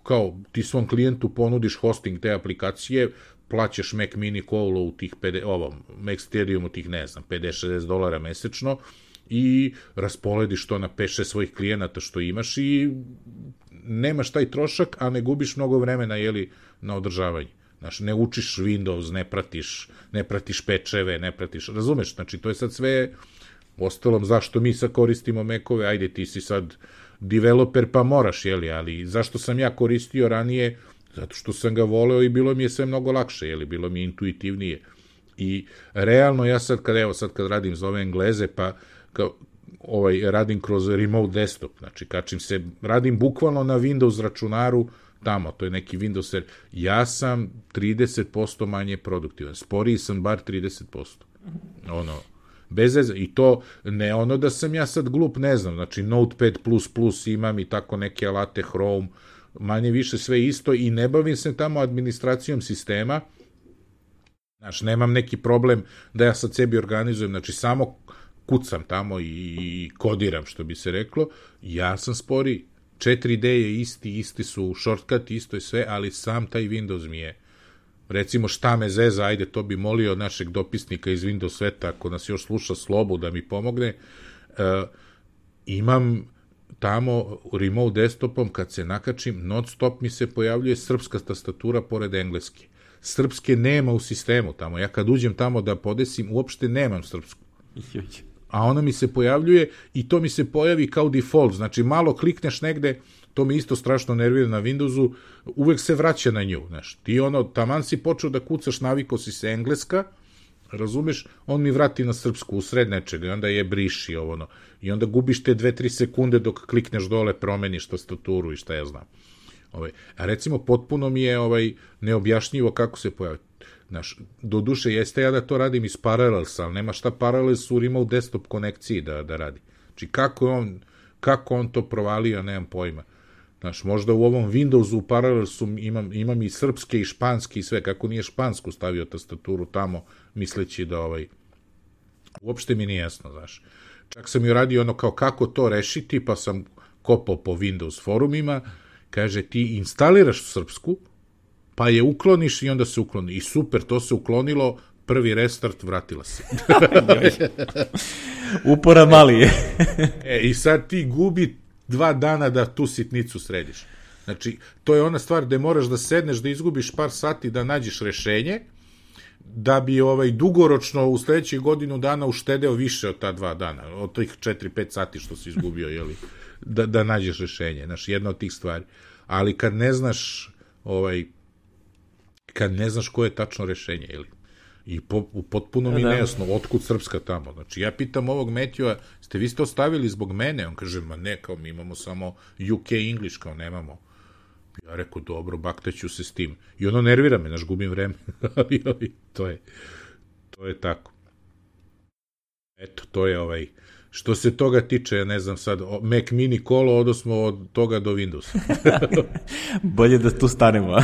kao ti svom klijentu ponudiš hosting te aplikacije, plaćaš Mac Mini Colo u tih, ovom, Maxterium u tih, ne znam, pedeset šezdeset dolara mesečno i raspolediš to na pet šest svojih klijenata što imaš i nemaš taj trošak, a ne gubiš mnogo vremena, jeli, na održavanje. Znači, ne učiš Windows, ne pratiš, ne pratiš pečeve, ne pratiš, razumeš? Znači, to je sad sve, ostalom, zašto mi sad koristimo Macove, ajde, ti si sad developer, pa moraš, jeli, ali zašto sam ja koristio ranije? Zato što sam ga voleo i bilo mi je sve mnogo lakše, jeli, bilo mi je intuitivnije. I realno ja sad, kad, evo, sad kad radim za ove Engleze, pa kao, ovaj, radim kroz remote desktop, znači, kačim se, radim bukvalno na Windows računaru, tamo, to je neki Windows, jer ja sam trideset posto manje produktivan, sporiji sam bar trideset posto. Ono, bez veze, i to ne ono da sam ja sad glup, ne znam, znači Notepad plus plus imam i tako neke alate, Chrome, manje više sve isto i ne bavim se tamo administracijom sistema, znači nemam neki problem da ja sad sebi organizujem, znači samo kucam tamo i kodiram, što bi se reklo, ja sam sporiji. četiri D je isti, isti su shortcut, isto je sve, ali sam taj Windows mi je, recimo šta me zeza, ajde, to bi molio našeg dopisnika iz Windows sveta, ako nas još sluša Slobu da mi pomogne, uh, imam tamo remote desktopom, kad se nakačim, non stop mi se pojavljuje srpska tastatura pored engleske. Srpske nema u sistemu tamo, ja kad uđem tamo da podesim, uopšte nemam srpsku. A ona mi se pojavljuje i to mi se pojavi kao default, znači malo klikneš negde, to mi isto strašno nervira na Windowsu, uvek se vraća na nju, znaš, ti ono, taman si počeo da kucaš, navikao si se engleska, razumeš, on mi vrati na srpsku, u sred nečega, i onda je briši ovo, no, i onda gubiš te dve tri sekunde dok klikneš dole, promeniš tastaturu i šta ja znam. Ovaj, a recimo, potpuno mi je ovaj, neobjašnjivo kako se pojavi. Znaš, do duše jeste ja da to radim iz Parallelsa, ali nema šta Parallels u remote desktop konekciji da, da radi. Znači, kako on, kako on to provalio, nemam pojma. Znaš, možda u ovom Windowsu u Parallelsu imam, imam i srpske i španski i sve, kako nije špansku stavio tastaturu tamo, misleći da ovaj, uopšte mi nije jasno, znaš. Čak sam ju radio ono kao kako to rešiti, pa sam kopao po Windows forumima, kaže ti instaliraš srpsku, pa je ukloniš i onda se ukloni. I super, to se uklonilo, prvi restart, vratila se. Upora mali je. E, i sad ti gubi dva dana da tu sitnicu središ. Znači, to je ona stvar gde moraš da sedneš, da izgubiš par sati da nađeš rešenje, da bi ovaj dugoročno u sledećih godinu dana uštedeo više od ta dva dana, od tih četiri pet sati što si izgubio, jeli, da, da nađeš rešenje. Znači, jedna od tih stvari. Ali kad ne znaš, ovaj, kad ne znaš koje je tačno rešenje, ili i po, potpuno mi nejasno otkud srpska tamo. Znači, ja pitam ovog Metjua, ste vi ste ostavili zbog mene? On kaže, ma ne, kao mi imamo samo U K English, kao nemamo. Ja rekao, dobro, baktaću se s tim. I ono nervira me, znaš, gubim vreme. ali, ali, to je, to je tako. Eto, to je ovaj, što se toga tiče, ja ne znam sad, Mac Mini Colo, odnosno od toga do Windowsa. Bolje da tu stanemo, a?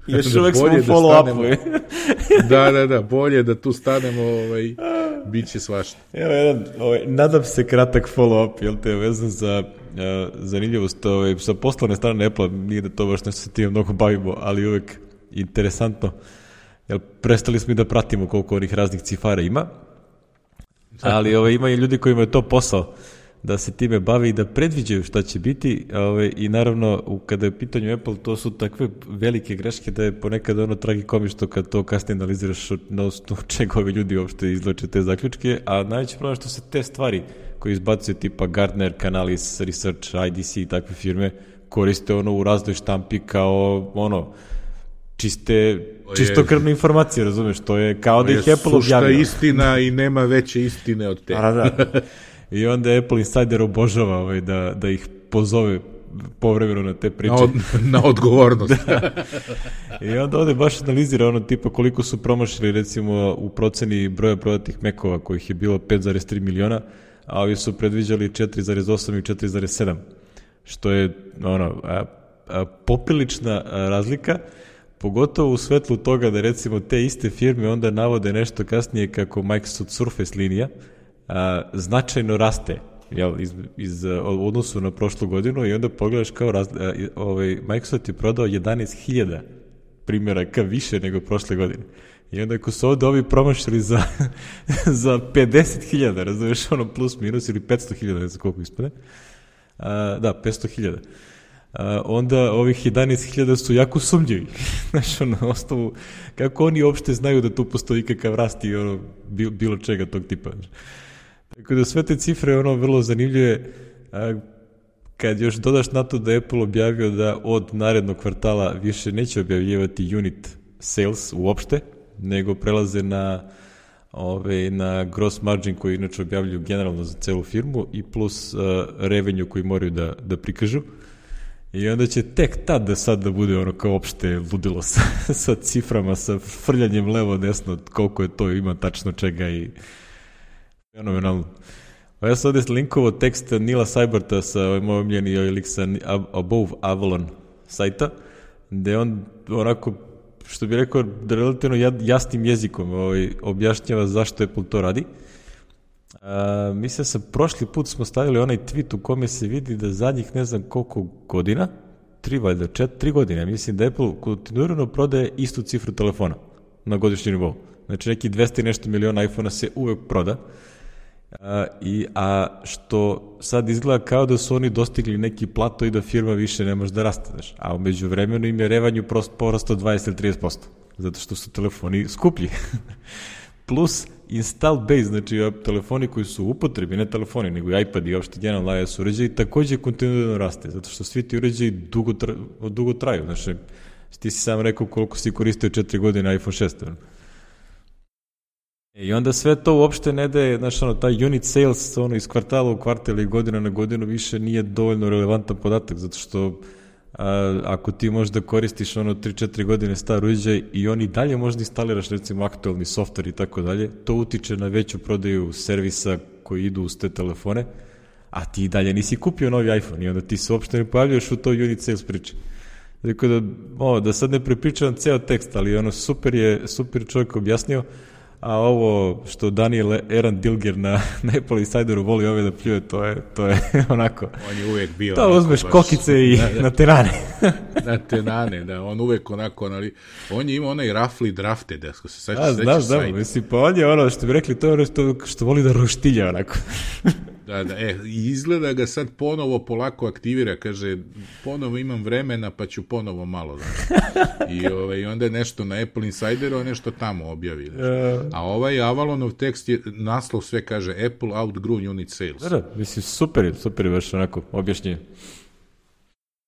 Još uvek smo u follow-upu. da, da, da, bolje da tu stanemo, ovaj, bit će svašta. Evo jedan, ovaj, nadam se kratak follow-up, jel te, vezan za uh, zanimljivost, ovaj, sa poslovne strane Apple, nije da to baš nešto se time mnogo bavimo, ali uvek interesantno, jel, prestali smo i da pratimo koliko onih raznih cifara ima, ali ovaj, ima i ljudi kojima je to posao, da se time bavi i da predviđaju šta će biti, ovaj, i naravno kada je u pitanju Apple, to su takve velike greške da je ponekad ono tragikomično kad to kasnije analiziraš na osnovu čega ovi ljudi uopšte izvlače te zaključke, a najveći problem što se te stvari koje izbacuje tipa Gartner, Canalys, Research, I D C i takve firme koriste ono u raznoj štampi kao ono čiste, čistokrvne informacije, razumeš, to je kao da ih Apple objavio. Sušta istina i nema veće istine od te. A, da. I onda Apple Insider obožava ovaj, da, da ih pozove povremeno na te priče. Na, od, na odgovornost. I onda ovde baš analizira ono tipa koliko su promašili recimo u proceni broja prodatih Macova kojih je bilo pet zarez tri miliona, a ovi su predviđali četiri zarez osam i četiri zarez sedam, što je ono, a, a, poprilična razlika, pogotovo u svetlu toga da recimo te iste firme onda navode nešto kasnije kako Microsoft Surface linija a, značajno raste jel, iz, iz, u odnosu na prošlu godinu i onda pogledaš kao raz, ovaj, Microsoft je prodao jedanaest hiljada primjeraka više nego prošle godine. I onda ako su ovde ovi promašili za, za pedeset hiljada, razumiješ, ono plus minus ili petsto hiljada, ne znam koliko ispade. A, da, petsto hiljada. A, onda ovih jedanaest hiljada su jako sumnjivi. Znaš, ono, osnovu, kako oni uopšte znaju da tu postoji kakav rast i ono, bilo čega tog tipa. Tako da sve te cifre ono vrlo zanimljive. A, kad još dodaš na to da je Apple objavio da od narednog kvartala više neće objavljivati unit sales uopšte, nego prelaze na, ove, na gross margin koji inače objavljuju generalno za celu firmu i plus uh, revenue koji moraju da, da prikažu. I onda će tek tad da sad da bude ono kao opšte ludilo sa, sa ciframa, sa frljanjem levo desno, koliko je to, ima tačno čega i fenomenalno. Ja sam ovdje linkovo tekst Nila Seiberta sa ovaj moj omljeni lik sa Above Avalon sajta, gde on onako, što bi rekao, relativno jasnim jezikom ovaj, objašnjava zašto Apple to radi. A, mislim sa prošli put smo stavili onaj tweet u kome se vidi da zadnjih ne znam koliko godina, tri valjda, čet, tri godine, mislim da Apple kontinuirano prodaje istu cifru telefona na godišnji nivou. Znači neki dvesta i nešto miliona iPhone-a se uvek proda. A, i, a što sad izgleda kao da su oni dostigli neki plato i da firma više ne može da raste, znaš. A umeđu vremenu im je revenju porastao dvadeset ili trideset posto, zato što su telefoni skuplji. Plus install base, znači telefoni koji su u upotrebi, ne telefoni, nego i iPad i uopšte generalno iOS uređaji, takođe kontinuirano raste, zato što svi ti uređaji dugo, tra, dugo traju. Znači, ti si sam rekao koliko si koristio četiri godine iPhone šest. I onda sve to uopšte ne daje, znaš, ono, taj unit sales ono, iz kvartala u kvartal i godina na godinu više nije dovoljno relevantan podatak, zato što a, ako ti možeš da koristiš ono tri četiri godine star uređaj i on i dalje možda instaliraš recimo aktualni softver i tako dalje, to utiče na veću prodaju servisa koji idu uz te telefone, a ti i dalje nisi kupio novi iPhone i onda ti se uopšte ne pojavljaš u toj unit sales priči. Dakle, da, o, da sad ne prepričavam ceo tekst, ali ono super je, super čovjek objasnio. A ovo što Daniel Eran Dilger na, na Apple Insideru voli ove da pljuje, to je, to je onako... On je uvek bio... To uzmeš baš, kokice i da, da, na tenane. Na tenane, da, on uvek onako... Ali, on je imao onaj roughly drafted, ako se seća, da, znaš, da, mislim, pa on je ono što bi rekli, to je ono što, što voli da roštilja onako. Da, da, e, izgleda ga sad ponovo polako aktivira, kaže, ponovo imam vremena, pa ću ponovo malo, znači. I ovaj, onda je nešto na Apple Insideru, a nešto tamo objavi. Znači. A ovaj Avalonov tekst je, naslov sve kaže, Apple outgrew unit sales. Da, da, mislim, super je, super je baš onako objašnjenje.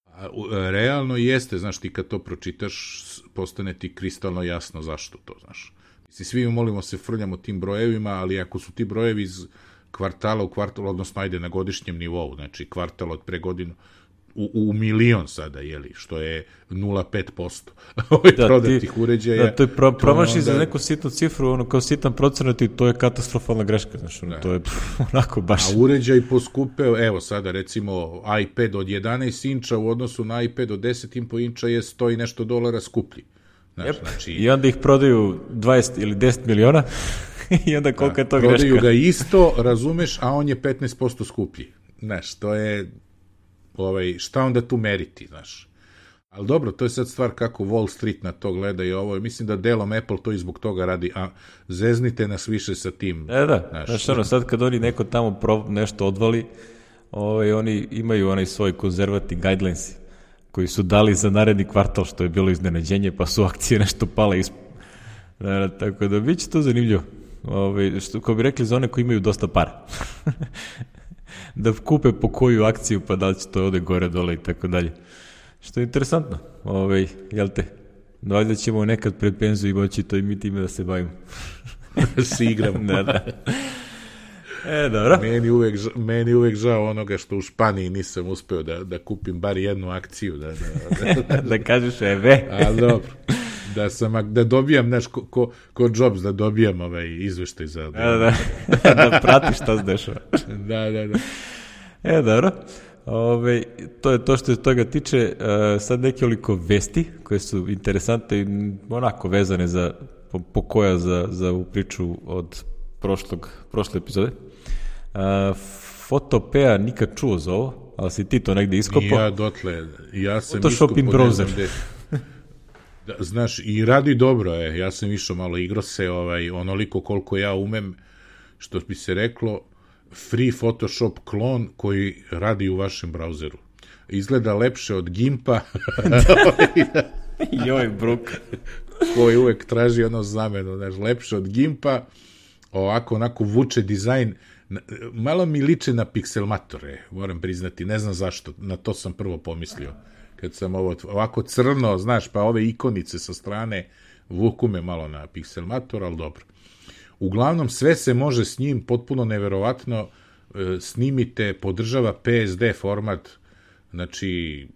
A, realno jeste, znaš, ti kad to pročitaš, postane ti kristalno jasno zašto to, znaš. Mislim, svi molimo se frljamo tim brojevima, ali ako su ti brojevi iz kvartala u kvartal, odnosno ajde na godišnjem nivou, znači kvartal od pre godinu, u, u milion sada, jeli, što je nula zarez pet posto ovih da, prodatih ti, uređaja. Da, to je pro, promaši onda... za neku sitnu cifru, ono kao sitan procenat i to je katastrofalna greška, znači, ono, to je pff, onako baš... A uređaj poskupeo, evo sada recimo iPad od jedanaest inča u odnosu na iPad od deset i po inča je sto i nešto dolara skuplji. Znaš, yep. Znači... I onda ih prodaju dvadeset ili deset miliona i onda koliko da, je to greška. Prodaju ga isto, razumeš, a on je petnaest posto skuplji. Znaš, to je, ovaj, šta onda tu meriti, znaš. Ali dobro, to je sad stvar kako Wall Street na to gleda i ovo. Mislim da delom Apple to i zbog toga radi, a zeznite nas više sa tim. E da, znaš, znaš ono, sad kad oni neko tamo pro, nešto odvali, ovaj, oni imaju onaj svoj conservative guidelines koji su dali za naredni kvartal, što je bilo iznenađenje, pa su akcije nešto pale ispod. Da, tako da bit će to zanimljivo. Ove, što, ko bi rekli, za one koji imaju dosta para. Da kupe po koju akciju, pa da li će to ode gore, dole i tako dalje. Što je interesantno. Ove, jel te? Valjda ćemo nekad pred penziju i moći to i mi time da se bavimo. Se igramo. Da, da. E, dobro. Meni uvek, meni uvek žao onoga što u Španiji nisam uspeo da, da kupim bar jednu akciju. Da, da, da, da, da kažeš eve. A dobro. Da, sam, da dobijam, znaš, ko, ko, ko Jobs, da dobijam ovaj izveštaj za... Da, da, da pratiš šta se dešava. Da, da, da. E, dobro. Ove, to je to što se toga tiče. Uh, sad nekoliko vesti koje su interesantne i onako vezane za, po, po koja za, za u priču od prošlog, prošle epizode. Uh, Photopea nikad čuo za ovo, ali si ti to negde iskopao. Ja dotle, ja sam Photoshop in browser. Da, znaš, i radi dobro je, ja sam išao malo igro se, ovaj, onoliko koliko ja umem, što bi se reklo, free Photoshop klon koji radi u vašem brauzeru. Izgleda lepše od Gimpa. Joj, bruk. Koji uvek traži ono znameno, znaš, lepše od Gimpa, ovako, onako vuče dizajn, malo mi liče na pikselmatore, moram priznati, ne znam zašto, na to sam prvo pomislio. Kad sam ovo, ovako crno, znaš, pa ove ikonice sa strane vuku me malo na pikselmator, ali dobro. Uglavnom, sve se može s njim, potpuno neverovatno, snimite, podržava P S D format, znači,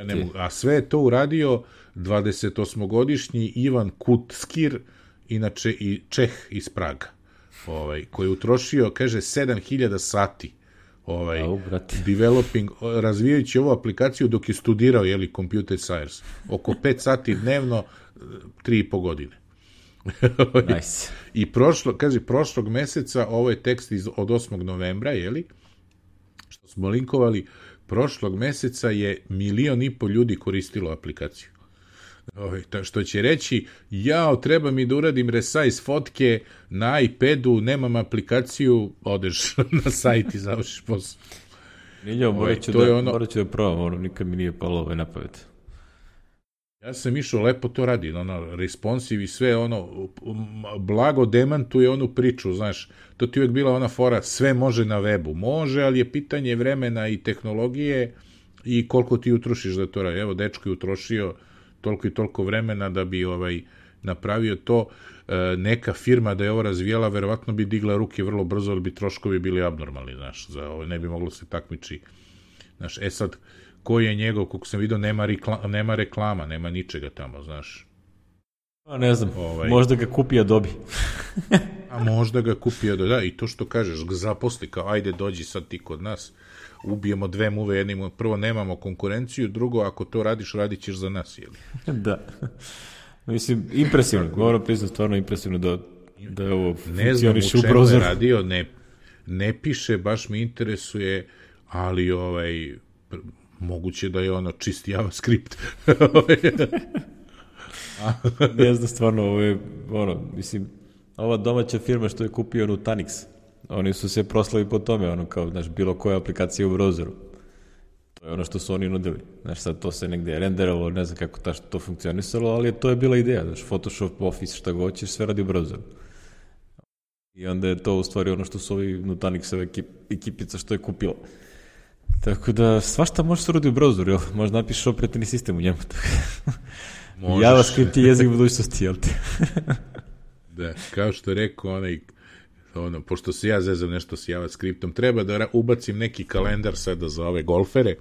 ne, a sve je to uradio dvadesetosmogodišnji Ivan Kutskir, inače i Čeh iz Praga, ovaj, koji je utrošio, kaže, sedam hiljada sati ovaj, Au, developing, razvijajući ovu aplikaciju dok je studirao, jeli, computer science. Oko pet sati dnevno, tri i po godine. Nice. I prošlo, kaže, prošlog meseca, ovo je tekst iz, od osmog novembra, jeli, što smo linkovali, prošlog meseca je milion i po ljudi koristilo aplikaciju. Ovaj, što će reći, jao, treba mi da uradim resize fotke na iPadu, nemam aplikaciju, odeš na sajt i završiš posao. Miljo, morat ću da, ono... da provam, ono, nikad mi nije palo ovaj napamet. Ja sam išao, lepo to radi, ono, responsive i sve, ono, blago demantuje onu priču, znaš, to ti uvek bila ona fora, sve može na webu, može, ali je pitanje vremena i tehnologije i koliko ti utrošiš da to radi. Evo, dečko je utrošio toliko i toliko vremena da bi ovaj napravio to, e, neka firma da je ovo razvijala, verovatno bi digla ruke vrlo brzo, ali bi troškovi bili abnormalni, znaš, za ovo ne bi moglo se takmiči. Znaš, e sad, koji je njegov, kako sam vidio, nema, rekla, nema reklama, nema ničega tamo, znaš. A ne znam, ovaj, možda ga kupi Adobe. A možda ga kupi Adobe, da, i to što kažeš, ga zaposli, kao, ajde, dođi sad ti kod nas, ubijemo dve muve, jednimo, prvo nemamo konkurenciju, drugo, ako to radiš, radit ćeš za nas, jeli? Da. Mislim, impresivno, moram priznati, stvarno impresivno da, da je ovo funkcioniše u browseru. Ne znam u čemu je radio, ne, ne piše, baš me interesuje, ali ovaj, moguće da je ono čisti JavaScript. Ne znam, stvarno, ovo je, ono, mislim, ova domaća firma što je kupio Nutanix, oni su se proslavi po tome, ono, kao, znaš, bilo koja aplikacija u browseru. To je ono što su oni nudili. Znaš, sad to se negde renderalo, ne znam kako ta, to funkcionisalo, ali to je bila ideja, znaš, Photoshop, Office, šta god ćeš, sve radi u browseru. I onda je to u stvari ono što su ovi Nutanixove ekip, ekipica što je kupila. Tako da, svašta može se radi u browseru, jel? Možda napišeš operativni sistem u njemu. JavaScript je jezik budućnosti, jel te? Da, kao što je rekao onaj, ono, pošto se ja zezam nešto s JavaScriptom, treba da ubacim neki kalendar sada za ove golfere.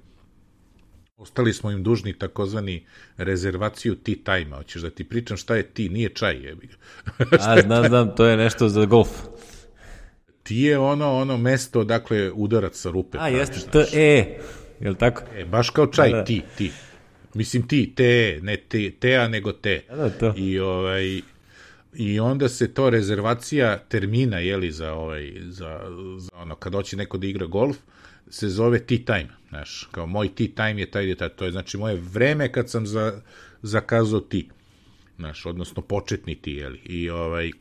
Ostali smo im dužni takozvani rezervaciju tea time-a. Hoćeš da ti pričam šta je tea, nije čaj, jebi ga. A, znam, znam, to je nešto za golf. Ti je ono, ono mesto, dakle, udarac sa rupe. A, jeste, T E, je li tako? E, baš kao čaj, da, da. ti, ti. Mislim ti, te, ne te, tea, nego te. Da, da, to. I, ovaj, i onda se to rezervacija termina, jeli, za, ovaj, za, za ono, kad hoće neko da igra golf, se zove tea time, znaš, kao moj tea time je taj detalj, to je znači moje vreme kad sam za, zakazao tea, znaš, odnosno početni tea, jeli, i ovaj,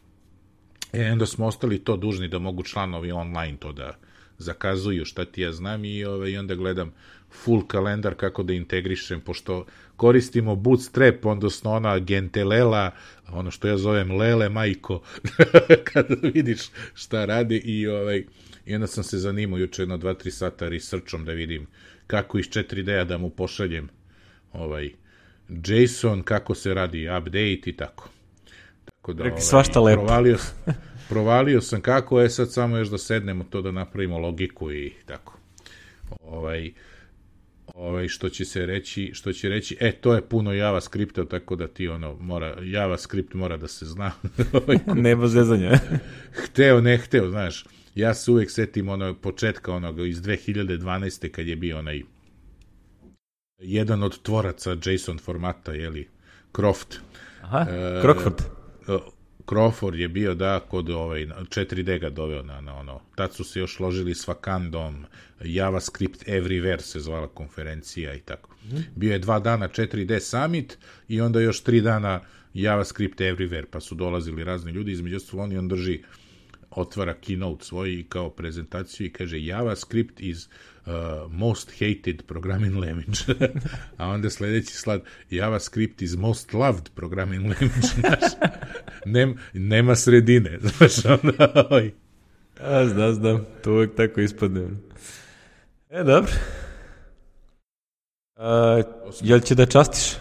e, onda smo ostali to dužni da mogu članovi online to da zakazuju, šta ti ja znam, i, ovaj, i onda gledam full kalendar kako da integrišem, pošto koristimo Bootstrap, odnosno ona Gentelela, ono što ja zovem Lele majko, kada vidiš šta radi, i ovaj, i onda sam se zanimao juče jedno dva tri sata researchom da vidim kako iz četiri D-a da mu pošaljem ovaj JSON, kako se radi update i tako. Tako da, ovaj, svašta lepo. Provalio, provalio sam kako je, sad samo još da sednemo to da napravimo logiku i tako. Ovaj, ovaj, što će se reći, što će reći, e, to je puno JavaScripta, tako da ti ono, mora, JavaScript mora da se zna. Nema zezanja. Hteo, ne hteo, znaš. Ja se uvek setim ono početka onoga iz dve hiljade dvanaeste kad je bio onaj jedan od tvoraca JSON formata, jeli, Croft. Aha, uh, Crockford. Uh, Crawford je bio, da, kod ovaj, četiri D ga doveo na, na ono, tad su se još ložili s Wakandom, JavaScript Everywhere se zvala konferencija i tako. Mm. Bio je dva dana četiri D Summit i onda još tri dana JavaScript Everywhere, pa su dolazili razni ljudi, između ostalog on drži, otvara keynote svoj i kao prezentaciju i kaže JavaScript is uh, most hated programming language. A onda sledeći slad JavaScript is most loved programming language. Znaš, Nem, nema sredine. Znaš, onda, oj. A, znam, znam. To uvijek tako ispadne. E, dobro. A, jel će da častiš?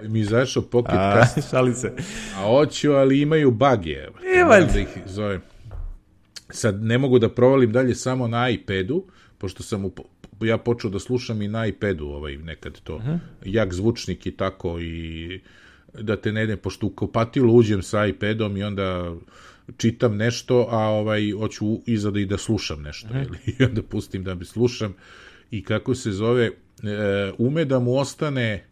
Mi izašao Pocket Cast. Šali se. A hoću, ali imaju bugje. Ima da ih zovem. Sad ne mogu da provalim dalje samo na iPadu, pošto sam u, ja počeo da slušam i na iPadu ovaj, nekad to. Uh-huh. Jak zvučnik i tako i da te ne ne, pošto u kompatilu uđem sa iPadom i onda čitam nešto, a ovaj hoću iza da i da slušam nešto. Uh-huh. I onda pustim da bi slušam i kako se zove, e, ume da mu ostane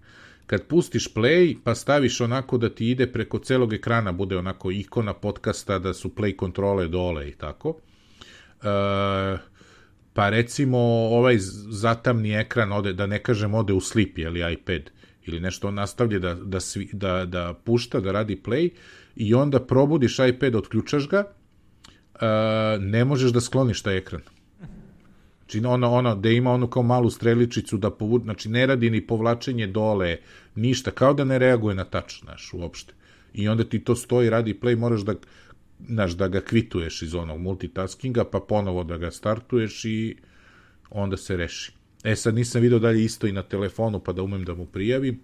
kad pustiš play, pa staviš onako da ti ide preko celog ekrana, bude onako ikona podcasta, da su play kontrole dole i tako. E, pa recimo ovaj zatamni ekran, ode, da ne kažem ode u sleep, ili iPad, ili nešto on nastavlja da, da, svi, da, da pušta, da radi play, i onda probudiš iPad, otključaš ga, e, ne možeš da skloniš taj ekran. Znači, ono, ono, da ima onu kao malu streličicu da povuče, znači, ne radi ni povlačenje dole, ništa, kao da ne reaguje na touch, znaš, uopšte. I onda ti to stoji, radi play, moraš da, znaš, da ga kvituješ iz onog multitaskinga, pa ponovo da ga startuješ i onda se reši. E, sad nisam vidio dalje isto i na telefonu, pa da umem da mu prijavim,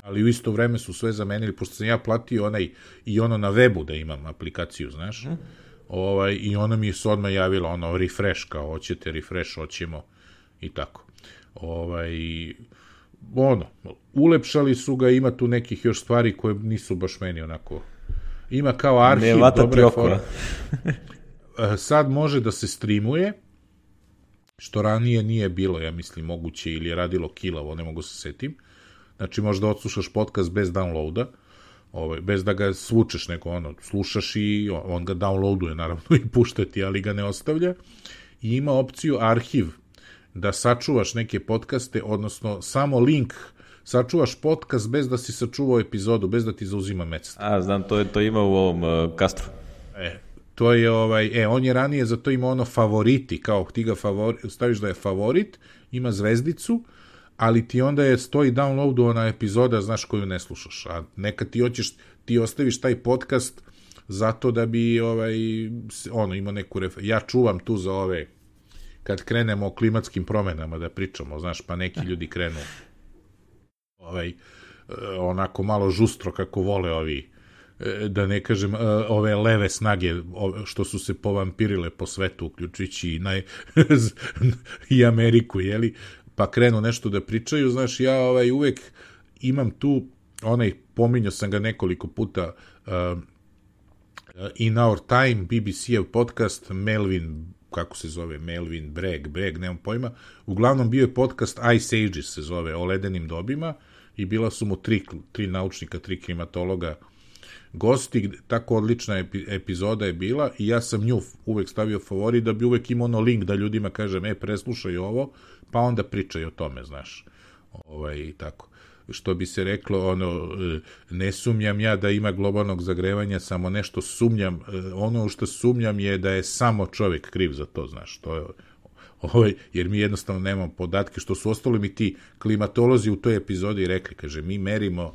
ali u isto vreme su sve zamenili, pošto sam ja platio onaj, i ono na webu da imam aplikaciju, znaš, mm. Ovaj, i ona mi se odmah javila, ono, refresh, kao, hoćete refresh, hoćemo, i tako. Ovaj, ono, ulepšali su ga, ima tu nekih još stvari koje nisu baš meni onako, ima kao arhiv, dobre fora. Sad može da se streamuje, što ranije nije bilo, ja mislim, moguće, ili je radilo kilavo, ne mogu se setim. Znači, možda odslušaš podcast bez downloada, ovaj, bez da ga svučeš, neko ono, slušaš i on ga downloaduje, naravno, i pušta ti, ali ga ne ostavlja. I ima opciju arhiv, da sačuvaš neke podcaste, odnosno samo link, sačuvaš podcast bez da si sačuvao epizodu, bez da ti zauzima mesto. A, znam, to je to ima u ovom uh, Castru. E, to je, ovaj, e, on je ranije za to ima ono favoriti, kao ti ga favori, staviš da je favorit, ima zvezdicu, ali ti onda je stoji downloadovana epizoda, znaš, koju ne slušaš. A nekad ti hoćeš, ti ostaviš taj podcast zato da bi, ovaj, ono, imao neku ref... Ja čuvam tu za ove, kad krenemo o klimatskim promenama da pričamo, znaš, pa neki ljudi krenu ovaj, onako malo žustro kako vole ovi, da ne kažem, ove leve snage što su se povampirile po svetu, uključujući i, naj... i Ameriku, jeli? Pa krenu nešto da pričaju, znaš, ja ovaj, uvek imam tu, onaj, pominjao sam ga nekoliko puta, uh, In Our Time, B B C-ev podcast, Melvin, kako se zove, Melvin Bragg, Bragg, nemam pojma, uglavnom bio je podcast Ice Ages, se zove, o ledenim dobima, i bila su mu tri, tri naučnika, tri klimatologa gosti, tako odlična epi, epizoda je bila, i ja sam nju uvek stavio favorit, da bi uvek imao ono link da ljudima kažem, e, preslušaj ovo, pa onda pričaj o tome, znaš, ovaj, tako. Što bi se reklo, ono, ne sumnjam ja da ima globalnog zagrevanja, samo nešto sumnjam, ono što sumnjam je da je samo čovjek kriv za to, znaš, to je, ovaj, jer mi jednostavno nemamo podatke, što su ostali mi ti klimatolozi u toj epizodi rekli, kaže, mi merimo,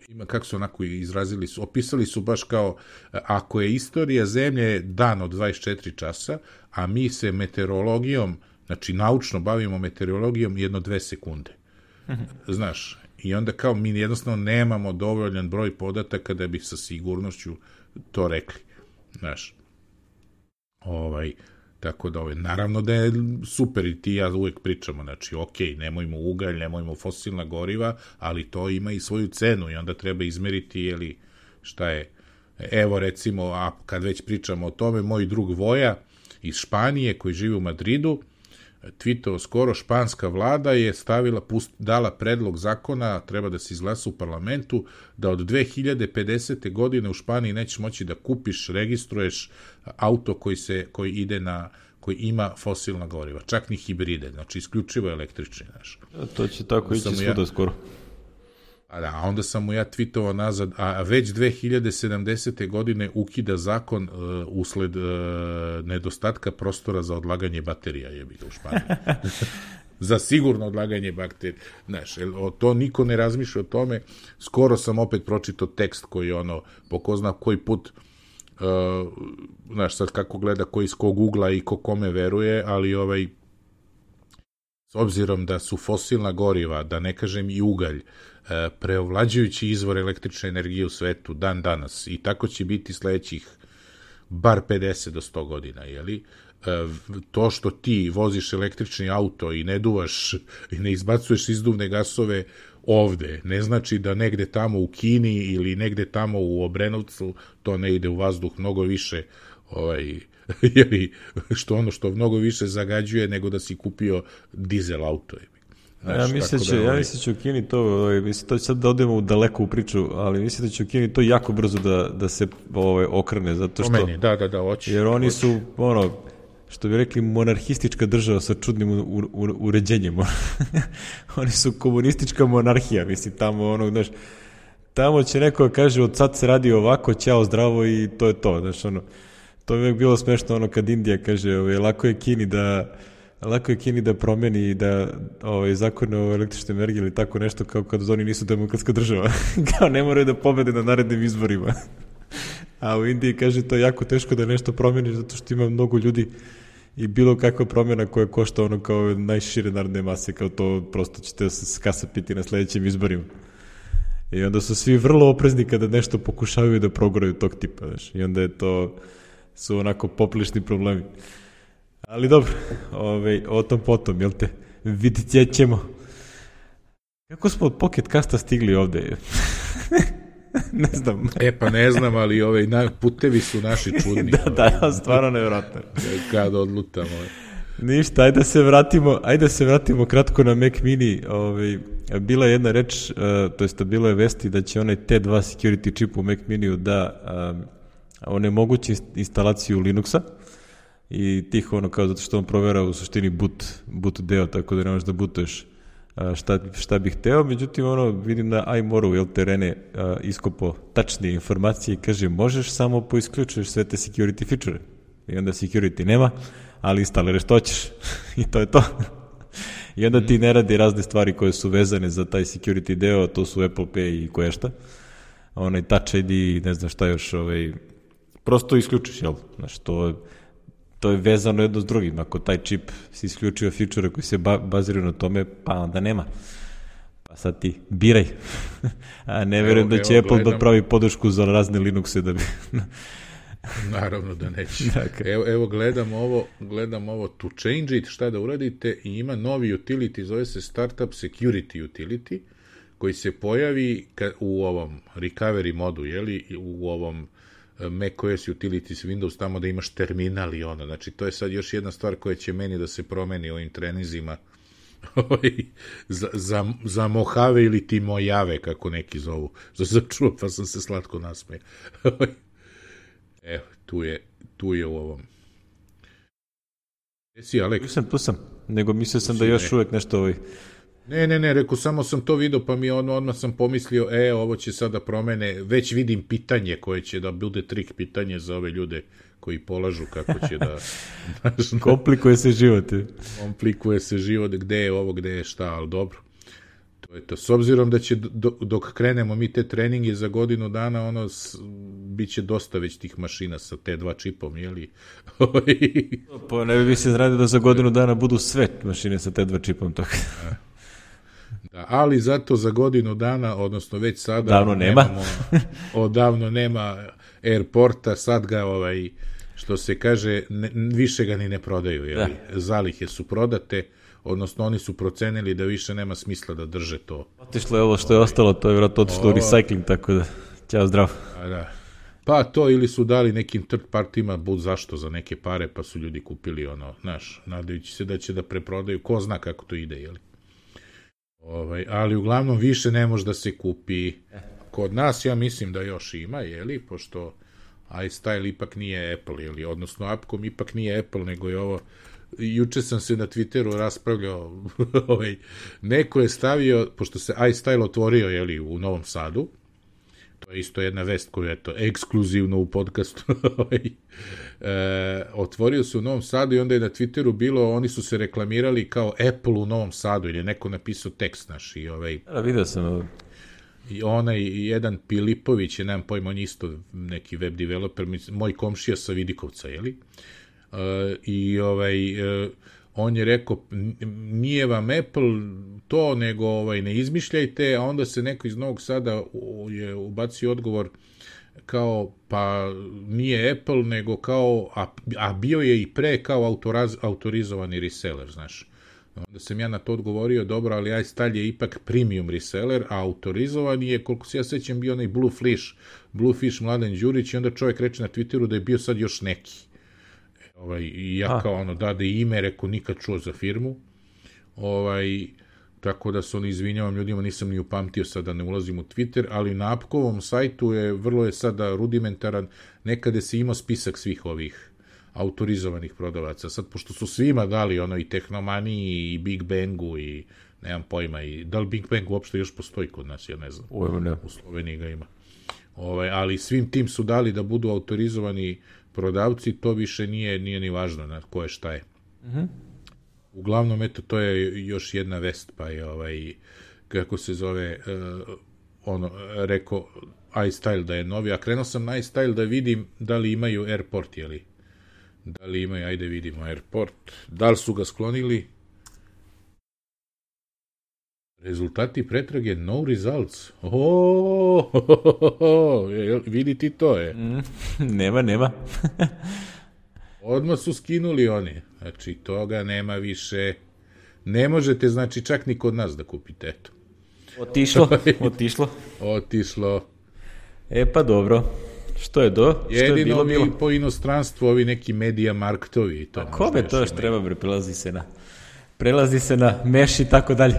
ima, kako su onako izrazili su, opisali su baš kao, ako je istorija zemlje dan od dvadeset četiri časa, a mi se meteorologijom, znači naučno bavimo meteorologijom jedno dve sekunde. Znaš, i onda kao mi jednostavno nemamo dovoljan broj podataka da bi sa sigurnošću to rekli. Znaš, ovaj, tako da, ovaj, naravno da je super i ti ja uvek pričamo, znači, ok, nemojmo ugalj, nemojmo fosilna goriva, ali to ima i svoju cenu i onda treba izmeriti, jeli, šta je, evo recimo, a kad već pričamo o tome, moj drug Voja iz Španije koji živi u Madridu, tweetovao skoro, španska vlada je stavila, pust, dala predlog zakona, treba da se izglasa u parlamentu, da od dve hiljade pedesete. godine u Španiji nećeš moći da kupiš, registruješ auto koji, se, koji ide na koji ima fosilna goriva, čak ni hibride, znači isključivo električni, znaš. To će tako ići svuda ja, skoro. A da, onda sam mu ja tweetovao nazad, a već dve hiljade sedamdesete. godine ukida zakon uh, usled uh, nedostatka prostora za odlaganje baterija, je bilo u Španiji. Za sigurno odlaganje baterija. Znaš, to niko ne razmišlja o tome. Skoro sam opet pročitao tekst koji ono, po ko zna koji put, uh, znaš, sad kako gleda ko iz kog ugla i ko kome veruje, ali ovaj, s obzirom da su fosilna goriva, da ne kažem i ugalj, preovlađujući izvor električne energije u svetu dan danas i tako će biti sledećih bar pedeset do sto godina, jeli? To što ti voziš električni auto i ne duvaš i ne izbacuješ izduvne gasove ovde, ne znači da negde tamo u Kini ili negde tamo u Obrenovcu to ne ide u vazduh mnogo više, ovaj, jeli, što ono što mnogo više zagađuje nego da si kupio dizel auto. Znaš, ja mislim da će, ja mislim da će u Kini to, ovaj, mislim, to će sad da odemo u daleko u priču, ali mislim da će u Kini to jako brzo da, da se ovaj, okrene, zato što... Meni, da, da, da, hoće. Jer oni hoće. su, ono, što bi rekli, monarhistička država sa čudnim u, u, uređenjem. Oni su komunistička monarhija, mislim, tamo, ono, znaš, tamo će neko kaže, od sad se radi ovako, ćao, zdravo i to je to, znaš, ono, to je uvijek bilo smešno, ono, kad Indija kaže, ovaj, lako je Kini da... Lako je Kini da promeni i da ovaj, zakone o električnoj energiji ili tako nešto kao kad oni nisu demokratska država. Kao ne moraju da pobede na narednim izborima. A u Indiji kaže to je jako teško da nešto promeniš zato što ima mnogo ljudi i bilo kakva promjena koja košta ono kao najšire narodne mase, kao to prosto ćete se skasapiti na sledećim izborima. I onda su svi vrlo oprezni kada nešto pokušavaju da progoraju tog tipa. Znaš. I onda je to su onako poprilični problemi. Ali dobro, ovaj, o tom potom, jel te, vidjet ćemo. Kako smo od Pocket Casta stigli ovde? Ne znam. E pa ne znam, ali ovaj, na, putevi su naši čudni. Da, da, stvarno nevjerojatno. Kad odlutamo. Ništa, ajde da se vratimo, ajde da se vratimo kratko na Mac Mini. Ovaj, bila je jedna reč, uh, to jest bilo je vesti da će onaj T dva security chip u Mac Miniju da um, onemogući instalaciju Linuxa. I tiho ono kao zato što on provera u suštini boot, boot deo, tako da ne možeš da bootuješ šta, šta bih hteo, međutim ono vidim na iMoru, jel te Rene iskopo tačnije informacije i kaže možeš samo poisključuješ sve te security feature i onda security nema, ali instaliraš što hoćeš i to je to. I onda ti ne radi razne stvari koje su vezane za taj security deo, to su Apple Pay i koje šta, onaj Touch I D i ne znam šta još, ovaj, prosto isključiš, jel, znaš, to je to je vezano jedno s drugim. Ako taj čip si isključio feature koji se ba- baziraju na tome, pa onda nema. Pa sad ti biraj. A ne verujem da će evo, Apple gledam. Da pravi podršku za razne Linuxe da bi... Naravno da neće. Dakle. Evo, evo gledam ovo, gledam ovo to change it, šta da uradite, i ima novi utility, zove se Startup Security Utility, koji se pojavi ka, u ovom recovery modu, jeli, u ovom macOS Utilities Windows, tamo da imaš terminal i ono, znači to je sad još jedna stvar koja će meni da se promeni ovim trenizima za, za, za Mojave ili ti Mojave, kako neki zovu, što sam čuo pa sam se slatko nasmeo. Evo, tu je, tu je u ovom. Jesi, Alek? Tu sam, tu sam, nego mislio sam da još uvek nešto ovaj... Ne, ne, ne, rekao, samo sam to vidio, pa mi odmah, odmah sam pomislio, e, ovo će sada promene, već vidim pitanje koje će da bude trik pitanje za ove ljude koji polažu kako će da... Komplikuje se život. Komplikuje se život, gde je ovo, gde je šta, ali dobro. To je to. S obzirom da će, dok krenemo mi te treninge za godinu dana, ono, bit će dosta već tih mašina sa T dva čipom, jeli? Pa ne bi se zradio da za godinu dana budu sve mašine sa T dva čipom, tako. Da, ali zato za godinu dana, odnosno već sada davno nema. Nemamo, odavno nema Airporta, sad ga ovaj, što se kaže, ne, više ga ni ne prodaju, jeli? Da. Zalihe su prodate, odnosno oni su procenili da više nema smisla da drže to. Otišlo je ovo što je ostalo, to je vjerojatno otišlo u recycling, tako da, ćao, zdravo. A da. Pa to ili su dali nekim third partima bud zašto za neke pare, pa su ljudi kupili ono, znaš, nadajući se da će da preprodaju, ko zna kako to ide, jeli? Ovaj, ali uglavnom više ne može da se kupi. Kod nas ja mislim da još ima, jeli, pošto iStyle ipak nije Apple, jeli, odnosno Appcom ipak nije Apple, nego je ovo, juče sam se na Twitteru raspravljao, ovaj, neko je stavio, pošto se iStyle otvorio, jeli, u Novom Sadu, to je isto jedna vest koju je to ekskluzivno u podcastu, e, otvorio se u Novom Sadu i onda je na Twitteru bilo, oni su se reklamirali kao Apple u Novom Sadu, ili je neko napisao tekst naš i ovaj... Da, vidio sam. I onaj jedan Pilipović, je, nemam pojma, on isto neki web developer, moj komšija sa Vidikovca, jeli? Uh, I ovaj, uh, on je rekao, nije vam Apple to, nego ovaj, ne izmišljajte, a onda se neko iz Novog Sada je ubacio odgovor kao, pa nije Apple, nego kao, a, a bio je i pre kao autoraz, autorizovani reseller, znaš. Onda sam ja na to odgovorio, dobro, ali iStyle je ipak premium reseller, a autorizovan je, koliko se ja sećam, bio onaj Bluefish, Bluefish Mladen Đurić, i onda čovjek reče na Twitteru da je bio sad još neki. Ovaj, i ja a. kao ono, dade ime, rekao, nikad čuo za firmu. Ovaj, tako da se ono, izvinjavam ljudima, nisam ni upamtio sada, ne ulazim u Twitter, ali na Appkovom sajtu je, vrlo je sada rudimentaran, nekada se imao spisak svih ovih autorizovanih prodavaca. Sad, pošto su svima dali ono i Tehnomaniji i Big Bangu i nemam pojma, i da li Big Bang uopšte još postoji kod nas, ja ne znam. Uvo, ne. U Sloveniji ga ima. Ovaj, ali svim tim su dali da budu autorizovani prodavci, to više nije, nije ni važno na ko je šta je. Mm-hmm. Uglavnom, eto, to je još jedna vest, pa je ovaj, kako se zove, uh, ono, rekao iStyle da je novi, a krenuo sam na iStyle da vidim da li imaju Airport, jeli? Da li imaju, ajde vidimo, Airport. Da li su ga sklonili? Rezultati pretrage, no results. Oh, oh, oh, oh. Vidi ti to je. Mm, nema, nema. Odmah su skinuli oni. Znači, toga nema više. Ne možete, znači, čak ni kod nas da kupite, eto. Otišlo, otišlo. Otišlo. E pa dobro. Što je do? Što jedino je bilo, mi bilo? Po inostranstvu ovi neki media marktovi. To a kome to još treba, bre, prelazi se na... Prelazi se na meš i tako dalje.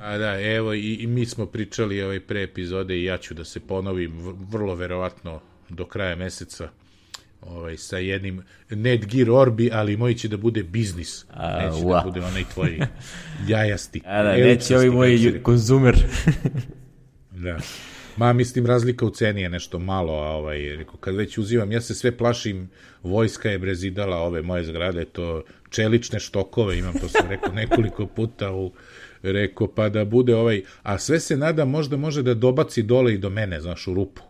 A da, evo, i, i mi smo pričali ovaj pre epizode i ja ću da se ponovim vrlo verovatno do kraja meseca ovaj, sa jednim Netgear Orbi, ali moj će da bude biznis. A, neće ua. da bude onaj tvoj jajasti. A da, neće ovi moji konzumer. Da. Ma, mislim, razlika u ceni je nešto malo, a ovaj, reko, kad već uzivam, ja se sve plašim, vojska je brezidala ove moje zgrade, to čelične štokove, imam, to sam rekao nekoliko puta u, rekao, pa da bude ovaj, a sve se nada možda može da dobaci dole i do mene, znaš, u rupu.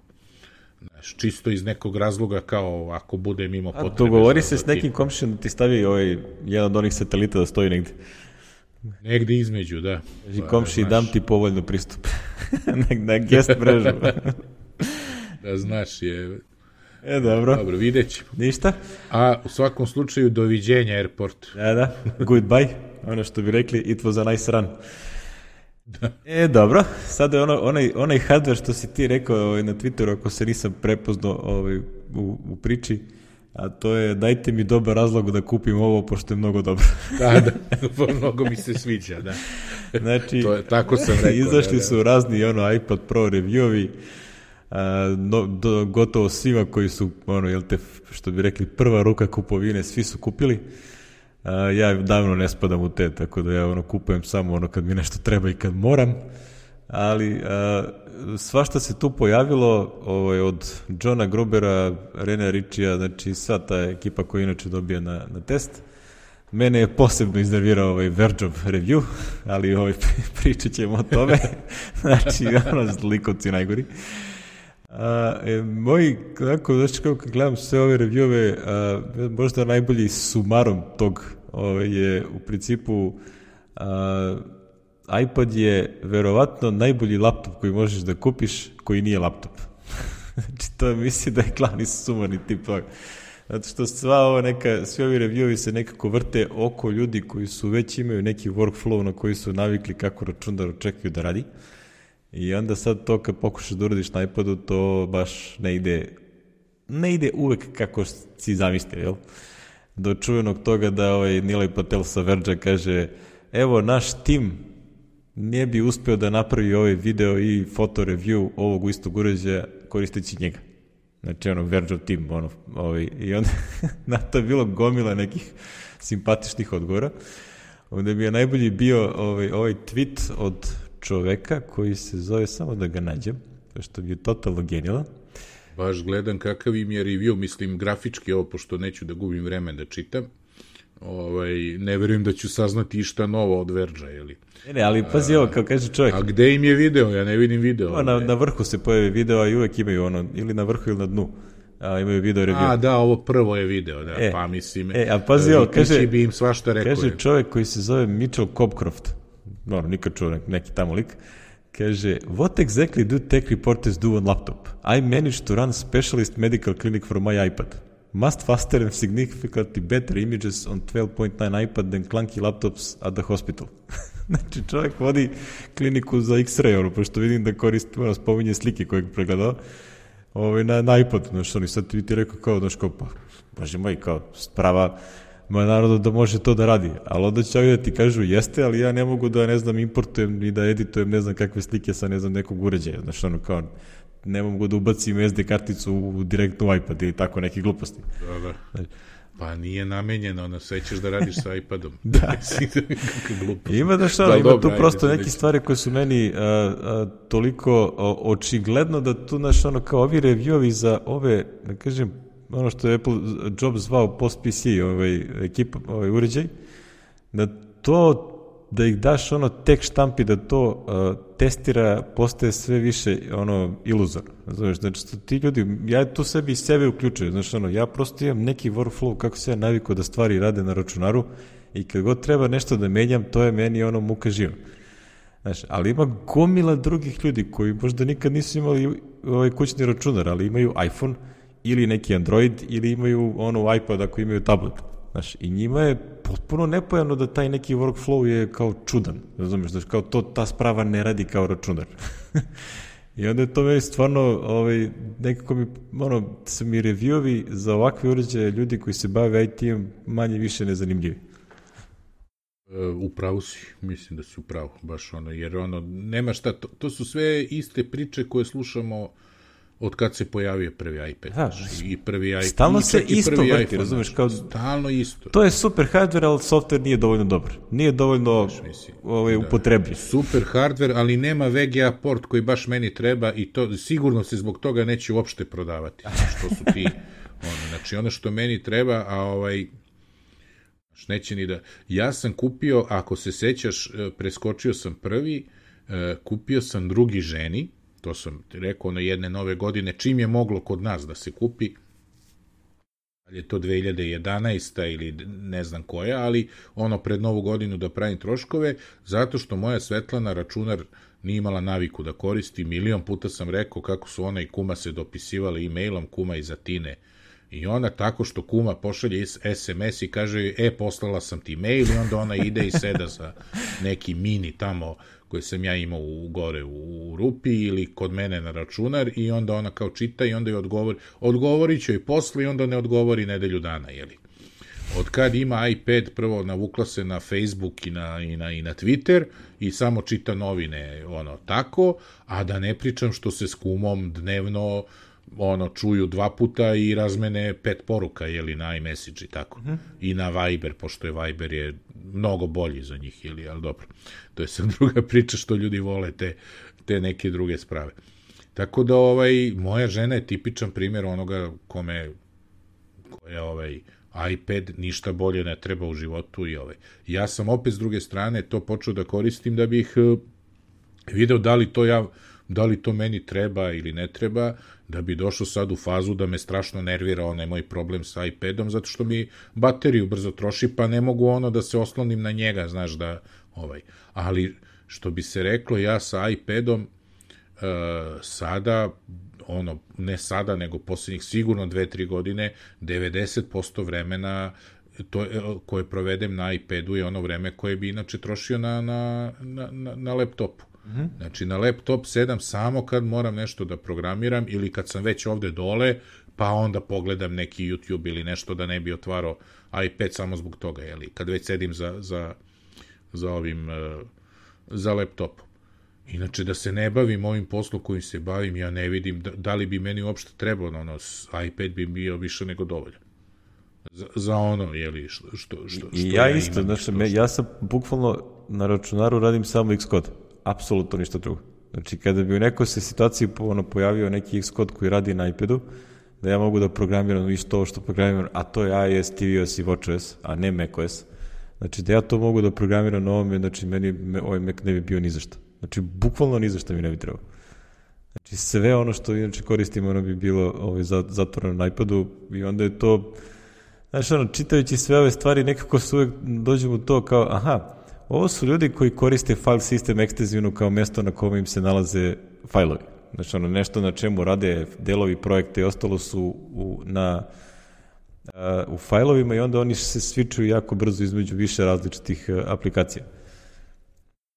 Znaš, čisto iz nekog razloga, kao ako bude mimo potrebe. A dogovori se s nekim komšijom da ti stavi ovaj, jedan od onih satelita da stoji negde. Negde između, da. Kaži komši, dam ti povoljno pristup. na, na guest mrežu. Da znaš je... E, dobro. Dobro, vidjet ćemo. Ništa? A u svakom slučaju, doviđenja Airport. Da, da, goodbye. Ono što bi rekli, it was a nice run. Da. E, dobro. Sada je ono, onaj, onaj hardware što si ti rekao ovaj, na Twitteru, ako se nisam prepoznao ovaj, u, u priči, a to je dajte mi dobar razlog da kupim ovo, pošto je mnogo dobro. Da, da, mnogo mi se sviđa, da. Znači, to je, tako sam rekao. Izašli da, da. su razni ono, iPad Pro review-ovi, a, no, do, gotovo svima koji su, ono, jel te, što bi rekli, prva ruka kupovine, svi su kupili. A, ja davno ne spadam u te, tako da ja ono, kupujem samo ono kad mi nešto treba i kad moram. Ali a, svašta se tu pojavilo ovaj, od Johna Grubera, Rene Ritchija, znači sva ta ekipa koja inače dobija na, na test. Mene je posebno iznervirao ovaj Vergeov review, ali ovaj, pričat ćemo o tome. Znači, ono, zlikovci najgori. A, e, moji, kako, znači kako gledam sve ove reviewove, a, možda najbolji sumarom tog ovaj, je u principu a, iPad je verovatno najbolji laptop koji možeš da kupiš koji nije laptop. Znači, to misli da je glavni sumarni tip toga. Zato što sva ova neka, svi ovi reviewovi se nekako vrte oko ljudi koji su već imaju neki workflow na koji su navikli kako računar očekuju da radi. I onda sad to kad pokušaš da uradiš na iPadu, to baš ne ide ne ide uvek kako si zamislio, jel? Do čuvenog toga da ovaj Nilay Patel sa Verge kaže, evo naš tim ne bi uspeo da napravi ovaj video i foto review ovog istog uređaja koristeći njega. Znači, ono, Verge tim, ono, ovaj, i onda na to je bilo gomila nekih simpatičnih odgovora. Onda mi je najbolji bio ovaj, ovaj tweet od čoveka koji se zove, samo da ga nađem, što mi je totalno genijalan. Baš gledam kakav im je review, mislim grafički, ovo, pošto neću da gubim vreme da čitam. Ovaj, ne verujem da ću saznati išta novo od Verge-a, jeli? Ne, ne, ali pazi ovo, kao kaže čovjek. A gde im je video? Ja ne vidim video. Na, na vrhu se pojavi video, a i uvek imaju ono, ili na vrhu ili na dnu. A, imaju video review. A, da, ovo prvo je video, da, e, pa mislim, e, a pazi ovo, kaže, bi im svašta rekao. Kaže čovjek koji se zove Mitchell Cobcroft, no, nikad čuo neki tamo lik, kaže, what exactly do tech reporters do on laptop? I managed to run specialist medical clinic for my iPad. Must faster and significantly better images on twelve point nine iPad than clunky laptops at the hospital. Znači, čovjek vodi kliniku za X-ray, ono, pošto vidim da koristi, ono, spominje slike koje je pregledao, ovaj, na, na iPad, znaš, oni sad ti rekao kao, znaš, kao, pa, bože moj, kao, sprava, ma naravno da može to da radi, ali onda će da ti kažu, jeste, ali ja ne mogu da, ne znam, importujem i da editujem, ne znam, kakve slike sa, ne znam, nekog uređaja, znaš, ono, kao, ne mogu da ubacim es de karticu u direktnu iPad ili tako neke gluposti. Dobro. Pa nije namenjeno, ono, sve ćeš da radiš sa iPadom. Da. Ima da što, ima tu prosto neke stvari koje su meni a, a, toliko o, očigledno da tu, naš, ono, kao ovi reviewovi za ove, da kažem, ono što je Apple Jobs zvao post-P C, ovaj, ekipa, ovaj uređaj, da to, da ih daš ono tek štampi, da to uh, testira, postaje sve više ono iluzorno. Znači, znači ti ljudi, ja tu sebi i sebe uključujem, znači ono, ja prosto imam neki workflow kako se ja navikao da stvari rade na računaru i kad god treba nešto da menjam, to je meni ono muka živa. Znači, ali ima gomila drugih ljudi koji možda nikad nisu imali ovaj kućni računar, ali imaju iPhone ili neki Android ili imaju ono iPad ako imaju tablet. Znaš, i njima je potpuno nepojavno da taj neki workflow je kao čudan, razumiješ, znači kao to, ta sprava ne radi kao računar. I onda je to meni stvarno, ovaj, nekako mi, ono, su mi reviewovi za ovakve uređaje ljudi koji se bave I T-om manje više nezanimljivi. U pravu si, mislim da si u pravu, baš ono, jer ono, nema šta, to, to su sve iste priče koje slušamo od kad se pojavio prvi iPad. Da, i prvi iPad. Stalno se isto vrti, razumeš, kao... Stalno isto. To je super hardware, ali software nije dovoljno dobar. Nije dovoljno ovaj, upotrebljiv. Super hardware, ali nema V G A port koji baš meni treba i to sigurno se zbog toga neće uopšte prodavati. Što su ti... Ono, znači, ono što meni treba, a ovaj... neće ni da... Ja sam kupio, ako se sećaš, preskočio sam prvi, kupio sam drugi ženi, to sam rekao na jedne nove godine, čim je moglo kod nas da se kupi, ali je to dve hiljade jedanaesta ili ne znam koja, ali ono pred novu godinu da pravim troškove, zato što moja Svetlana računar nije imala naviku da koristi, milion puta sam rekao kako su ona i kuma se dopisivali e-mailom, kuma iz Atine, i ona tako što kuma pošalje es em es i kaže, e, poslala sam ti mail, i onda ona ide i seda za neki mini tamo koje sam ja imao u, gore u, u rupi ili kod mene na računar, i onda ona kao čita i onda joj odgovori, odgovorit će joj posle i onda ne odgovori nedelju dana, jeli. Od kad ima iPad, prvo navukla se na Facebook i na, i na, i na Twitter i samo čita novine, ono, tako, a da ne pričam što se s kumom dnevno ono, čuju dva puta i razmene pet poruka, jeli, na iMessage i tako. Mm-hmm. I na Viber, pošto je Viber je mnogo bolji za njih, jeli, ali dobro. To je sad druga priča što ljudi vole te, te neke druge sprave. Tako da, ovaj, moja žena je tipičan primjer onoga kome, koja, ovaj, iPad ništa bolje ne treba u životu i ovaj. Ja sam opet s druge strane to počeo da koristim da bih uh, video da li to ja da li to meni treba ili ne treba, da bi došao sad u fazu da me strašno nervira onaj moj problem sa iPadom, zato što mi bateriju brzo troši, pa ne mogu ono da se oslonim na njega, znaš, da, ovaj, ali što bi se reklo, ja sa iPadom uh, sada, ono, ne sada, nego posljednjih sigurno dve, tri godine, devedeset posto vremena to, koje provedem na iPadu je ono vreme koje bi inače trošio na, na, na, na laptopu. Mm-hmm. Znači, na laptop sedam samo kad moram nešto da programiram ili kad sam već ovde dole, pa onda pogledam neki YouTube ili nešto da ne bi otvarao iPad samo zbog toga, jeli, kad već sedim za, za, za ovim, za laptopom. Inače, da se ne bavim ovim poslom kojim se bavim, ja ne vidim da, da li bi meni uopšte trebalo, ono, iPad bi bio više nego dovoljan. Za, za ono, jeli, što, što, što, što I ja, ja isto, imam, znači, što, me, što... ja sam bukvalno na računaru radim samo Xcode, apsolutno ništa drugo. Znači, kada bi u nekoj se situaciji ono, pojavio neki Xcode koji radi na iPadu, da ja mogu da programiram isto ovo što programiram, a to je iOS, tvOS i watchOS, a ne macOS. Znači, da ja to mogu da programiram na ovome, znači, meni me, ovaj Mac ne bi bio ni za šta. Znači, bukvalno ni za šta mi ne bi trebao. Znači, sve ono što inače koristimo, ono bi bilo ovaj, zatvoreno na iPadu i onda je to, znači, ono, čitajući sve ove stvari, nekako se uvek dođemo u to kao, aha, ovo su ljudi koji koriste file system ekstenzivno kao mesto na kome im se nalaze fajlovi. Znači, ono, nešto na čemu rade delovi projekta i ostalo su u, na, a, u fajlovima i onda oni se switchuju jako brzo između više različitih a, aplikacija.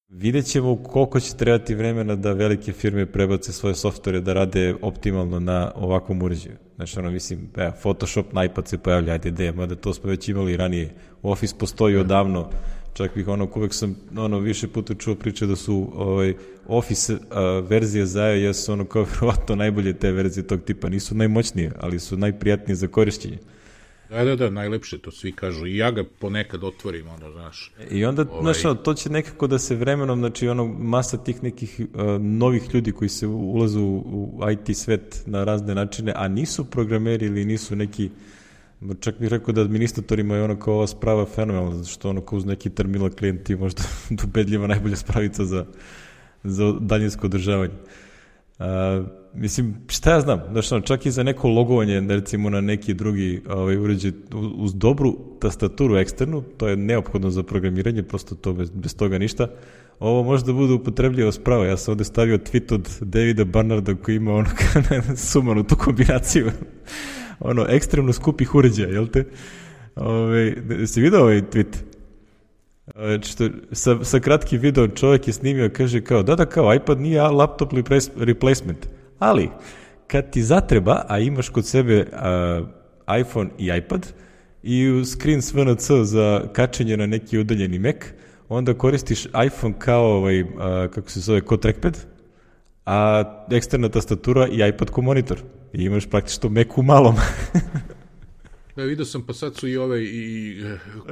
Vidjet ćemo koliko će trebati vremena da velike firme prebace svoje softvere da rade optimalno na ovakvom uređaju. Znači, ono, mislim, e, Photoshop na iPad se pojavlja, ajde de, mada to smo već imali ranije. Office postoji odavno, čak bih ono, uvek sam ono, više puta čuo priče da su ovaj, Office a, verzije za iOS ono kao vjerovatno najbolje te verzije tog tipa. Nisu najmoćnije, ali su najprijatnije za korišćenje. Da, da, da, najlepše, to svi kažu. I ja ga ponekad otvorim, ono, znaš. I onda, ovaj... znaš, to će nekako da se vremenom, znači, ono, masa tih nekih uh, novih ljudi koji se ulazu u, u I T svet na razne načine, a nisu programeri ili nisu neki, čak bih rekao da administratorima je ono kao ova sprava fenomenalna, zato što ono kao uz neki terminal klijent je možda ubedljiva najbolja spravica za, za daljinsko održavanje. Uh, mislim, šta ja znam, znači, čak i za neko logovanje, recimo na neki drugi ovaj, uređaj uz dobru tastaturu eksternu, to je neophodno za programiranje, prosto to bez, bez toga ništa, ovo može da bude upotrebljivo spravo. Ja sam ovde stavio tweet od Davida Barnarda koji ima ono sumanu tu kombinaciju ono, ekstremno skupih uređaja, jel te? Ove, si vidio ovaj tweet? Što, sa, sa kratkim videom čovjek je snimio, kaže kao, da da kao, iPad nije laptop replacement, ali kad ti zatreba, a imaš kod sebe uh, iPhone i iPad i screen S V N C za kačenje na neki udaljeni Mac, onda koristiš iPhone kao, ovaj, uh, kako se zove, kao trackpad, a eksterna tastatura i iPad kao monitor. I imaš praktično Mac u malom. Da, vidio sam, pa sad su i ove i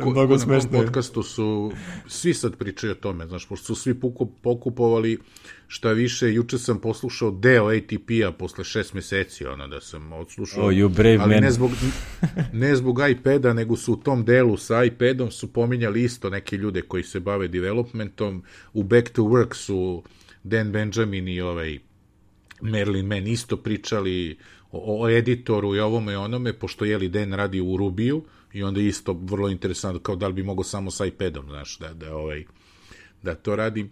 ko, ko na tom podcastu su svi sad pričaju o tome, znaš, pošto su svi pokupovali, šta više, juče sam poslušao deo A T P-a posle šest meseci, ono, da sam odslušao, oh, you brave ali man. ne zbog, ne zbog iPada, nego su u tom delu sa iPadom su pominjali isto neke ljude koji se bave developmentom, u Back to Work su Dan Benjamin i ovaj Merlin Mann isto pričali o, o editoru i ovome i onome, pošto jeli Dan radi u Rubiju i onda isto vrlo interesantno, kao da li bi mogao samo sa iPadom, znaš, da, da, ovaj, da to radim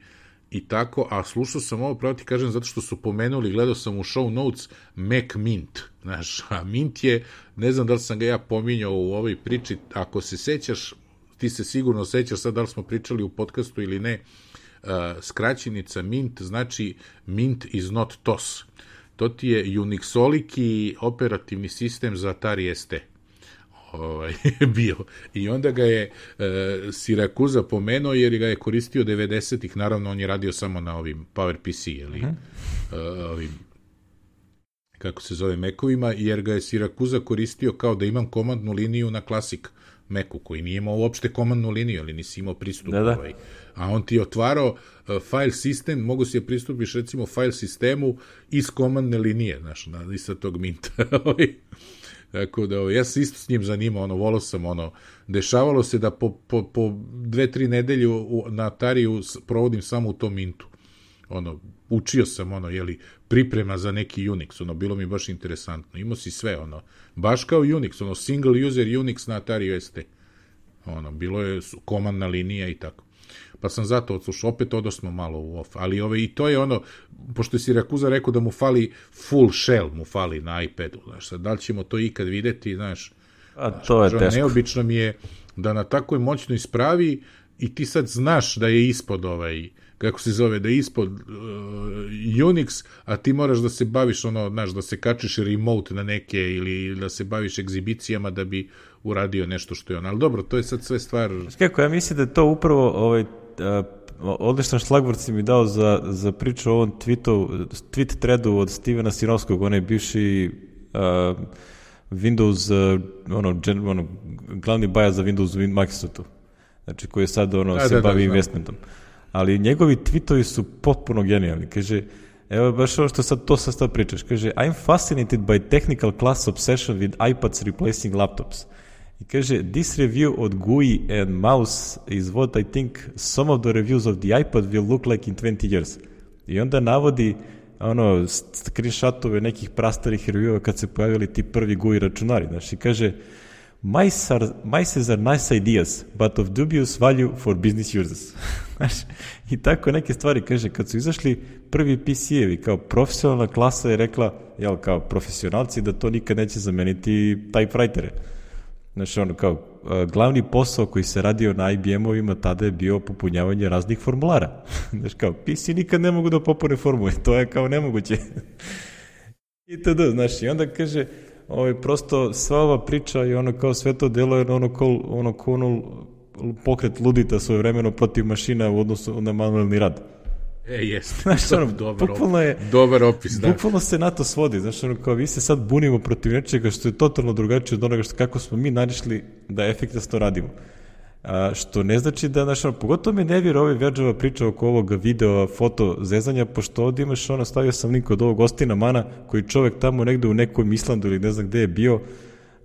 i tako, a slušao sam ovo, pravo ti kažem, zato što su pomenuli, gledao sam u show notes Mac Mint, znaš, a Mint je, ne znam da li sam ga ja pominjao u ovoj priči, ako se sećaš, ti se sigurno sećaš, sad da li smo pričali u podcastu ili ne, uh, skraćenica Mint znači Mint is not T O S. To ti je Unixoliki operativni sistem za Atari S T. Ovaj, bio. I onda ga je uh, Sirakuza pomenuo jer ga je koristio devedesetih, naravno on je radio samo na ovim PowerPC, ili uh-huh. uh, ovim, kako se zove, Mac-ovima, jer ga je Sirakuza koristio kao da imam komandnu liniju na Classic Macu, koji nije imao uopšte komandnu liniju, ali nisi imao pristup. Da, da. Ovaj. A on ti je otvarao uh, file sistem, mogu si je pristupiš recimo file sistemu iz komandne linije, znaš, na, iz tog Minta. Tako da, ovaj, ja se isto s njim zanimao, ono, volao sam, ono, dešavalo se da po, po, po dve, tri nedelje u, na Atariju provodim samo u tom Mintu. Ono, učio sam, ono, jeli, priprema za neki Unix, ono, bilo mi baš interesantno. Imao si sve, ono, baš kao Unix, ono, single user Unix na Atari S T. Ono, bilo je komandna linija i tako. Pa sam zato odslušao, opet odosmo malo u off, ali ove, i to je ono, pošto je Sirakuza rekao da mu fali full shell, mu fali na iPadu, znaš, sad, da li ćemo to ikad videti, znaš, a to je teško. Neobično mi je da na takvoj moćnoj spravi i ti sad znaš da je ispod ovaj, kako se zove, da je ispod uh, Unix, a ti moraš da se baviš, ono, znaš, da se kačiš remote na neke ili da se baviš egzibicijama da bi uradio nešto što je on. Ali dobro, to je sad sve stvar... Kako, ja mislim da je to upravo ovaj, odličan šlagvort si mi dao za, za priču o ovom tweetu, tweet threadu od Stevena Sinovskog, onaj bivši uh, Windows, uh, ono, gen, ono, glavni baja za Windows u Microsoftu, znači koji je sad ono, da, se da, bavi da, investmentom. Ali njegovi tweetovi su potpuno genijalni. Kaže, evo baš ovo što sad to sad sad pričaš, kaže, I'm fascinated by technical class obsession with iPads replacing laptops. I kaže, this review od G U I and mouse is what I think some of the reviews of the iPad will look like in twenty years. I onda navodi ono, screenshotove nekih prastarih reviewova kad se pojavili ti prvi G U I računari. Znači, kaže, mice are, mice are nice ideas, but of dubious value for business users. Znači, i tako neke stvari, kaže, kad su izašli prvi P C-evi, kao profesionalna klasa je rekla, jel, kao profesionalci, da to nikad neće zameniti typewritere. Znači, ono, kao, glavni posao koji se radio na I B M-ovima tada je bio popunjavanje raznih formulara. Znači, kao, P C nikad ne mogu da popune formule, to je kao nemoguće. I tada, znači, i onda kaže, ovaj, prosto sva ova priča i ono kao sve to delo je ono kao ono, ono pokret ludita svoje vremeno protiv mašina u odnosu na manuelni rad. E, jeste. Znaš, ono, dobar, bukvalno je, dobar opis, da. Bukvalno se na to svodi. Znaš, ono, kao vi se sad bunimo protiv nečega što je totalno drugačije od onoga što kako smo mi narišli da efektno radimo. A, što ne znači da, znaš, ono, pogotovo me ne vjera ove Verđeva priča oko ovog video, foto zezanja, pošto ovdje imaš, ono, stavio sam link od ovog Ostina Mana, koji čovek tamo negde u nekom Islandu ili ne znam gde je bio,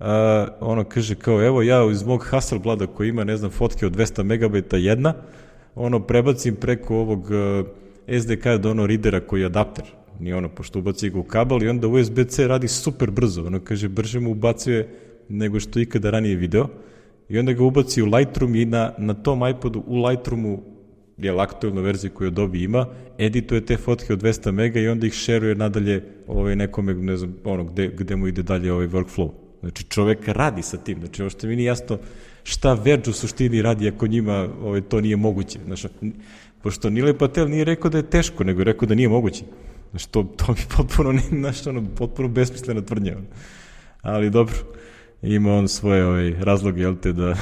a, ono, kaže kao, evo ja iz mog Hasselblada koji ima, ne znam, fotke od dvesta megabajta jedna, ono, prebacim preko ovog a, S D K do ono readera koji je adapter, ni ono, pošto ubaci ga u kabel i onda U S B C radi super brzo, ono, kaže, brže mu ubacuje nego što ikada ranije video. I onda ga ubaci u Lightroom i na, na tom iPodu u Lightroomu, je aktualna verzija koju Adobe ima, edituje te fotke od dvesta mega i onda ih šeruje nadalje ovaj, nekome, ne znam, ono, gde, gde mu ide dalje ovaj workflow. Znači, čovek radi sa tim. Znači, ovo što mi nije jasno šta Verge u suštini radi ako njima ovaj, to nije moguće. Znači, pošto Nilay Patel nije rekao da je teško, nego je rekao da nije moguće. Znači, to, to mi potpuno, ne, znači, ono, potpuno besmislena tvrdnja. Ali dobro. Ima on svoje ovaj, razloge, jel te, da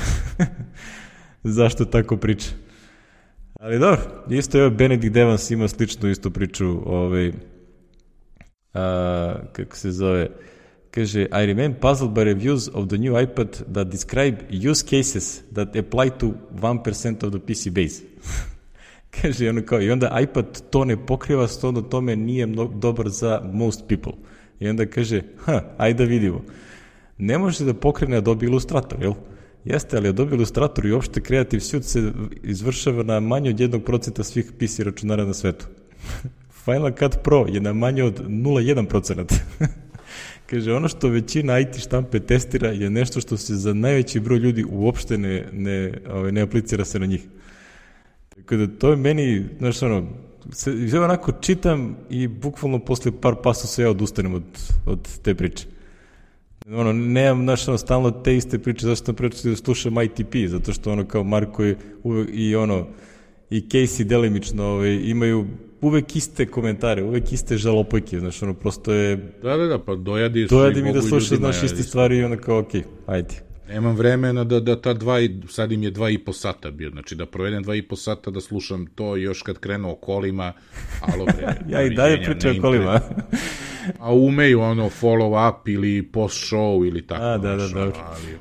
zašto tako priča. Ali dobro, isto je Benedict Evans ima sličnu istu priču, ovaj, a, kako se zove, kaže, I remain puzzled by reviews of the new iPad that describe use cases that apply to one percent of the P C base. Kaže, ono kao, i onda iPad to ne pokriva, stono tome nije mno, dobar za most people. I onda kaže, ha, ajde da vidimo. Ne može da pokrene Adobe Illustrator, jel? Jeste, ali Adobe Illustrator i uopšte Creative Suite se izvršava na manje od jednog procenta svih P C računara na svetu. Final Cut Pro je na manje od nula zarez jedan procent. Kaže, ono što većina I T štampe testira je nešto što se za najveći broj ljudi uopšte ne, ne, ne aplicira se na njih. Tako da to je meni, znaš ono, se, onako čitam i bukvalno posle par pasusa ja odustanem od, od te priče. Ono, nemam, znaš, ono, stalno te iste priče, zašto sam pričao da slušam I T P, zato što ono kao Marko je uvek, i ono, i Casey delimično ovaj, imaju uvek iste komentare, uvek iste žalopojke, znaš, ono, prosto je... Da, da, da, pa dojadi su dojadi mi da slušaš, znaš, iste stvari i ono kao, okej, okay, ajde. Nemam vremena da, da ta dva, sad im je dva i po sata bio, znači da provedem dva i po sata da slušam to još kad krenu o kolima, alo bre. Ja i dalje pričam o kolima. A umeju ono follow up ili post show ili tako. A, da, da, dobro.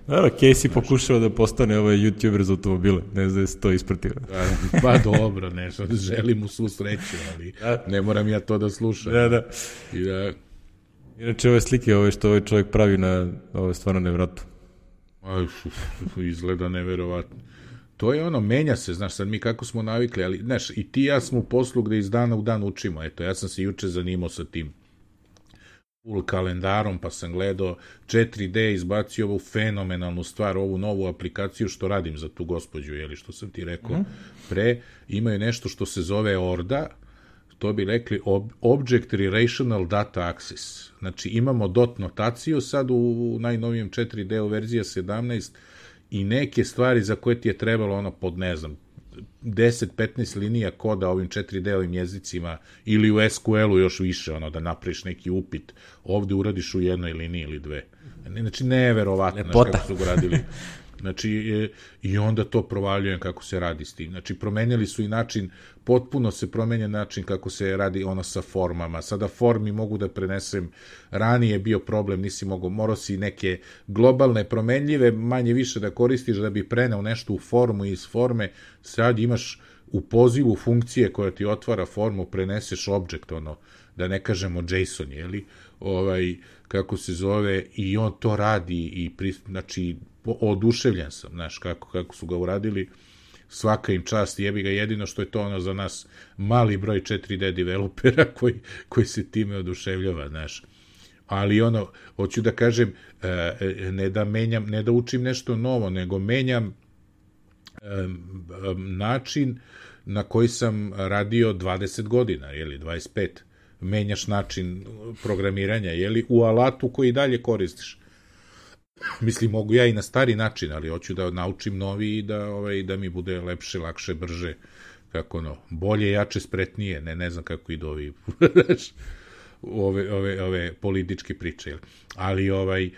Dobro, Casey pokušao da postane ovaj YouTuber za automobile, ne znam da se to ispratio. Da, pa dobro, nešto, želim mu svu sreću, ali da. Ne moram ja to da slušam. Da, da. I da... Inače, ove slike ove što ovaj čovjek pravi na ove stvarno nevratno. Aj, izgleda neverovatno. To je ono, menja se, znaš, sad mi kako smo navikli, ali, znaš, i ti ja smo u poslu gde iz dana u dan učimo, eto, ja sam se juče zanimao sa tim full kalendarom, pa sam gledao četiri D, izbacio ovu fenomenalnu stvar, ovu novu aplikaciju što radim za tu gospođu, jeli, što sam ti rekao mm. pre, imaju nešto što se zove Orda, to bi rekli ob- Object Relational Data Access. Znači, imamo dot notaciju sad u, u najnovijem četiri D u verzija sedamnaest i neke stvari za koje ti je trebalo ono pod, ne znam, deset petnaest linija koda ovim četiri D-ovim jezicima ili u es ku el-u još više, ono, da napraviš neki upit, ovde uradiš u jednoj liniji ili dve. Znači, neverovatno, znači, kako su ga radili. Znači, e, i onda to provaljujem kako se radi s tim. Znači, promenjali su i način, potpuno se promenja način kako se radi ono sa formama. Sada formi mogu da prenesem, ranije je bio problem, nisi mogao, morao si neke globalne promenljive, manje više da koristiš da bi preneo nešto u formu i iz forme, sad imaš u pozivu funkcije koja ti otvara formu, preneseš object, ono, da ne kažemo JSON, jeli, ovaj, kako se zove, i on to radi i, pri, znači, oduševljen sam, znaš, kako, kako su ga uradili, svaka im čast, jebi ga, jedino što je to ono za nas mali broj četiri D developera koji, koji se time oduševljava, znaš. Ali ono, hoću da kažem, ne da menjam, ne da učim nešto novo, nego menjam način na koji sam radio dvadeset godina, jeli, dvadeset pet. Menjaš način programiranja, jeli, u alatu koji dalje koristiš. Mislim, mogu ja i na stari način, ali hoću da naučim novi i da, ovaj, da mi bude lepše, lakše, brže, kako ono, bolje, jače, spretnije, ne, ne znam kako idu ovi, ove, ove, ove političke priče, jel? Ali, ovaj,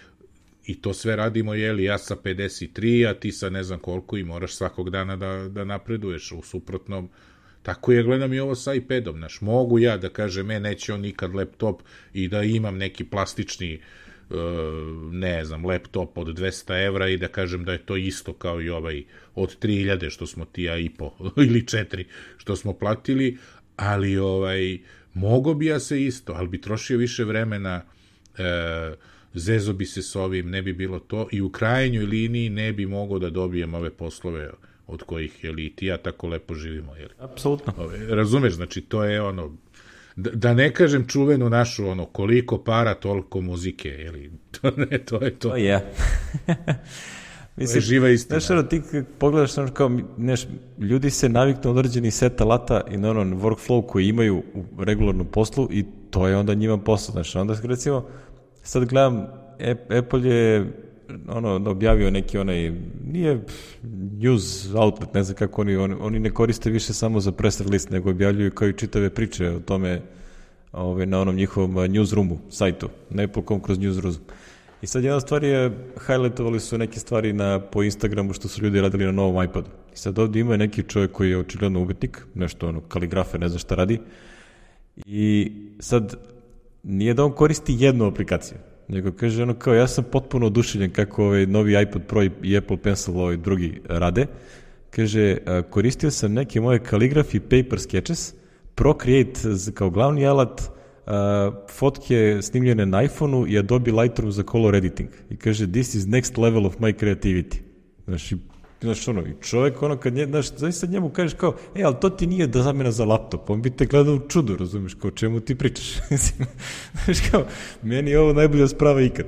i to sve radimo, jeli, ja sa pedeset tri, a ti sa ne znam koliko i moraš svakog dana da, da napreduješ, u suprotnom, tako je, gledam i ovo sa iPadom, znaš, mogu ja da kažem, e, neće on nikad laptop i da imam neki plastični, ne znam, laptop od dvesta evra i da kažem da je to isto kao i ovaj od tri hiljade što smo ti ja i po ili četiri što smo platili, ali ovaj, mogo bi ja se isto, ali bi trošio više vremena, e, zezo bi se s ovim, ne bi bilo to i u krajnjoj liniji ne bi mogao da dobijem ove poslove od kojih, jeli, ti ja tako lepo živimo, jeli. Apsolutno. Razumeš, znači to je ono, Da, da ne kažem čuvenu našu, ono, koliko para, toliko muzike, jeli, to ne, to je to. To je. Mislim, to je živa istina. Znaš, ono, ti pogledaš, ono, kao, neš, ljudi se naviknu određeni set alata i na onom workflow koji imaju u regularnom poslu i to je onda njima posao, znaš, onda, recimo, sad gledam, Apple je, ono, objavio neki onaj, nije news outlet, ne znam kako oni, oni, oni ne koriste više samo za press release, nego objavljuju kao i čitave priče o tome ove, na onom njihovom newsroomu, sajtu, na Apple dot com kroz newsroom. I sad jedna stvar je, highlightovali su neke stvari na, po Instagramu što su ljudi radili na novom iPadu. I sad ovdje ima neki čovjek koji je očigledno umetnik, nešto ono, kaligrafe, ne znam šta radi. I sad, nije da on koristi jednu aplikaciju, nego kaže ono kao, ja sam potpuno oduševljen kako ovaj novi iPad Pro i Apple Pencil ovaj drugi rade. Kaže, koristio sam neke moje Calligraphy Paper Sketches, Procreate kao glavni alat, fotke snimljene na iPhone-u i Adobe Lightroom za color editing. I kaže, this is next level of my creativity. Znači, znaš, ono, i čovjek, ono, kad nje, znaš, zaista njemu kažeš kao, e, ali to ti nije da zamena za laptop, on bi te gledao u čudu, razumiješ, kao, čemu ti pričaš? Znaš, kao, meni je ovo najbolja sprava ikad.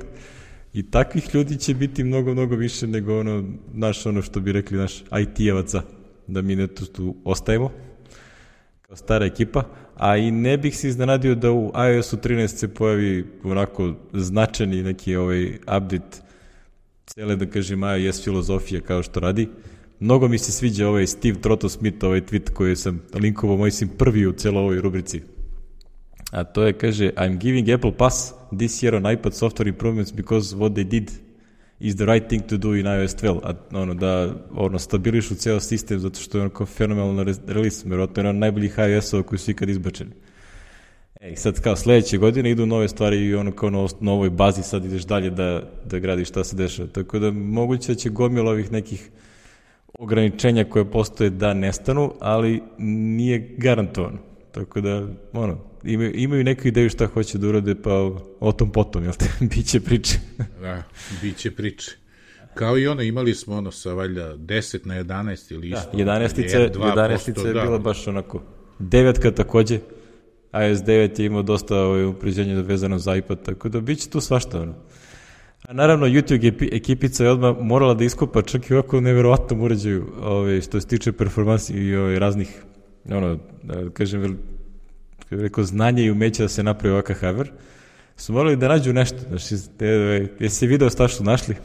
I takvih ljudi će biti mnogo, mnogo više nego ono, naš, ono što bi rekli, naš I T-evaca, da mi ne tu ostajemo, kao stara ekipa, a i ne bih se iznenadio da u iOS-u trinaest se pojavi onako značajni neki ovaj update cele, da kažem, iOS filozofija kao što radi. Mnogo mi se sviđa ovaj Steve Trotto-Smith, ovaj tweet koji sam linkovao, moj sam prvi u celoj ovoj rubrici. A to je, kaže, I'm giving Apple pass this year on iPad software improvements because what they did is the right thing to do in iOS twelve. A ono, da ono, stabilišu ceo sistem zato što je onako fenomenalan release, vjerojatno je ono najboljih iOS-ova koji su ikad izbačeni. E, sad kao sledeće godine idu nove stvari i ono kao na novoj bazi sad ideš dalje da, da gradiš šta se dešava. Tako da moguće da će gomila ovih nekih ograničenja koje postoje da nestanu, ali nije garantovano. Tako da, ono, imaju, imaju neku ideju šta hoće da urade, pa o tom potom, jel te, biće priče. Da, biće priče. Kao i ono, imali smo ono sa valjda deset na jedanaest ili isto. Da, jedanaestica je bila baš onako. Devetka takođe. iOS devet je imao dosta ovaj, upređenja vezano za iPad, tako da bit će tu svašta. Ono. A naravno, YouTube ekipica je odmah morala da iskopa čak i ovako neverovatnom uređaju ovaj, što se tiče performansi i ovaj, raznih, ono, da kažem, rekao, znanje i umeće da se napravi ovakav hardware, su morali da nađu nešto. Znači, jesi video šta što našli?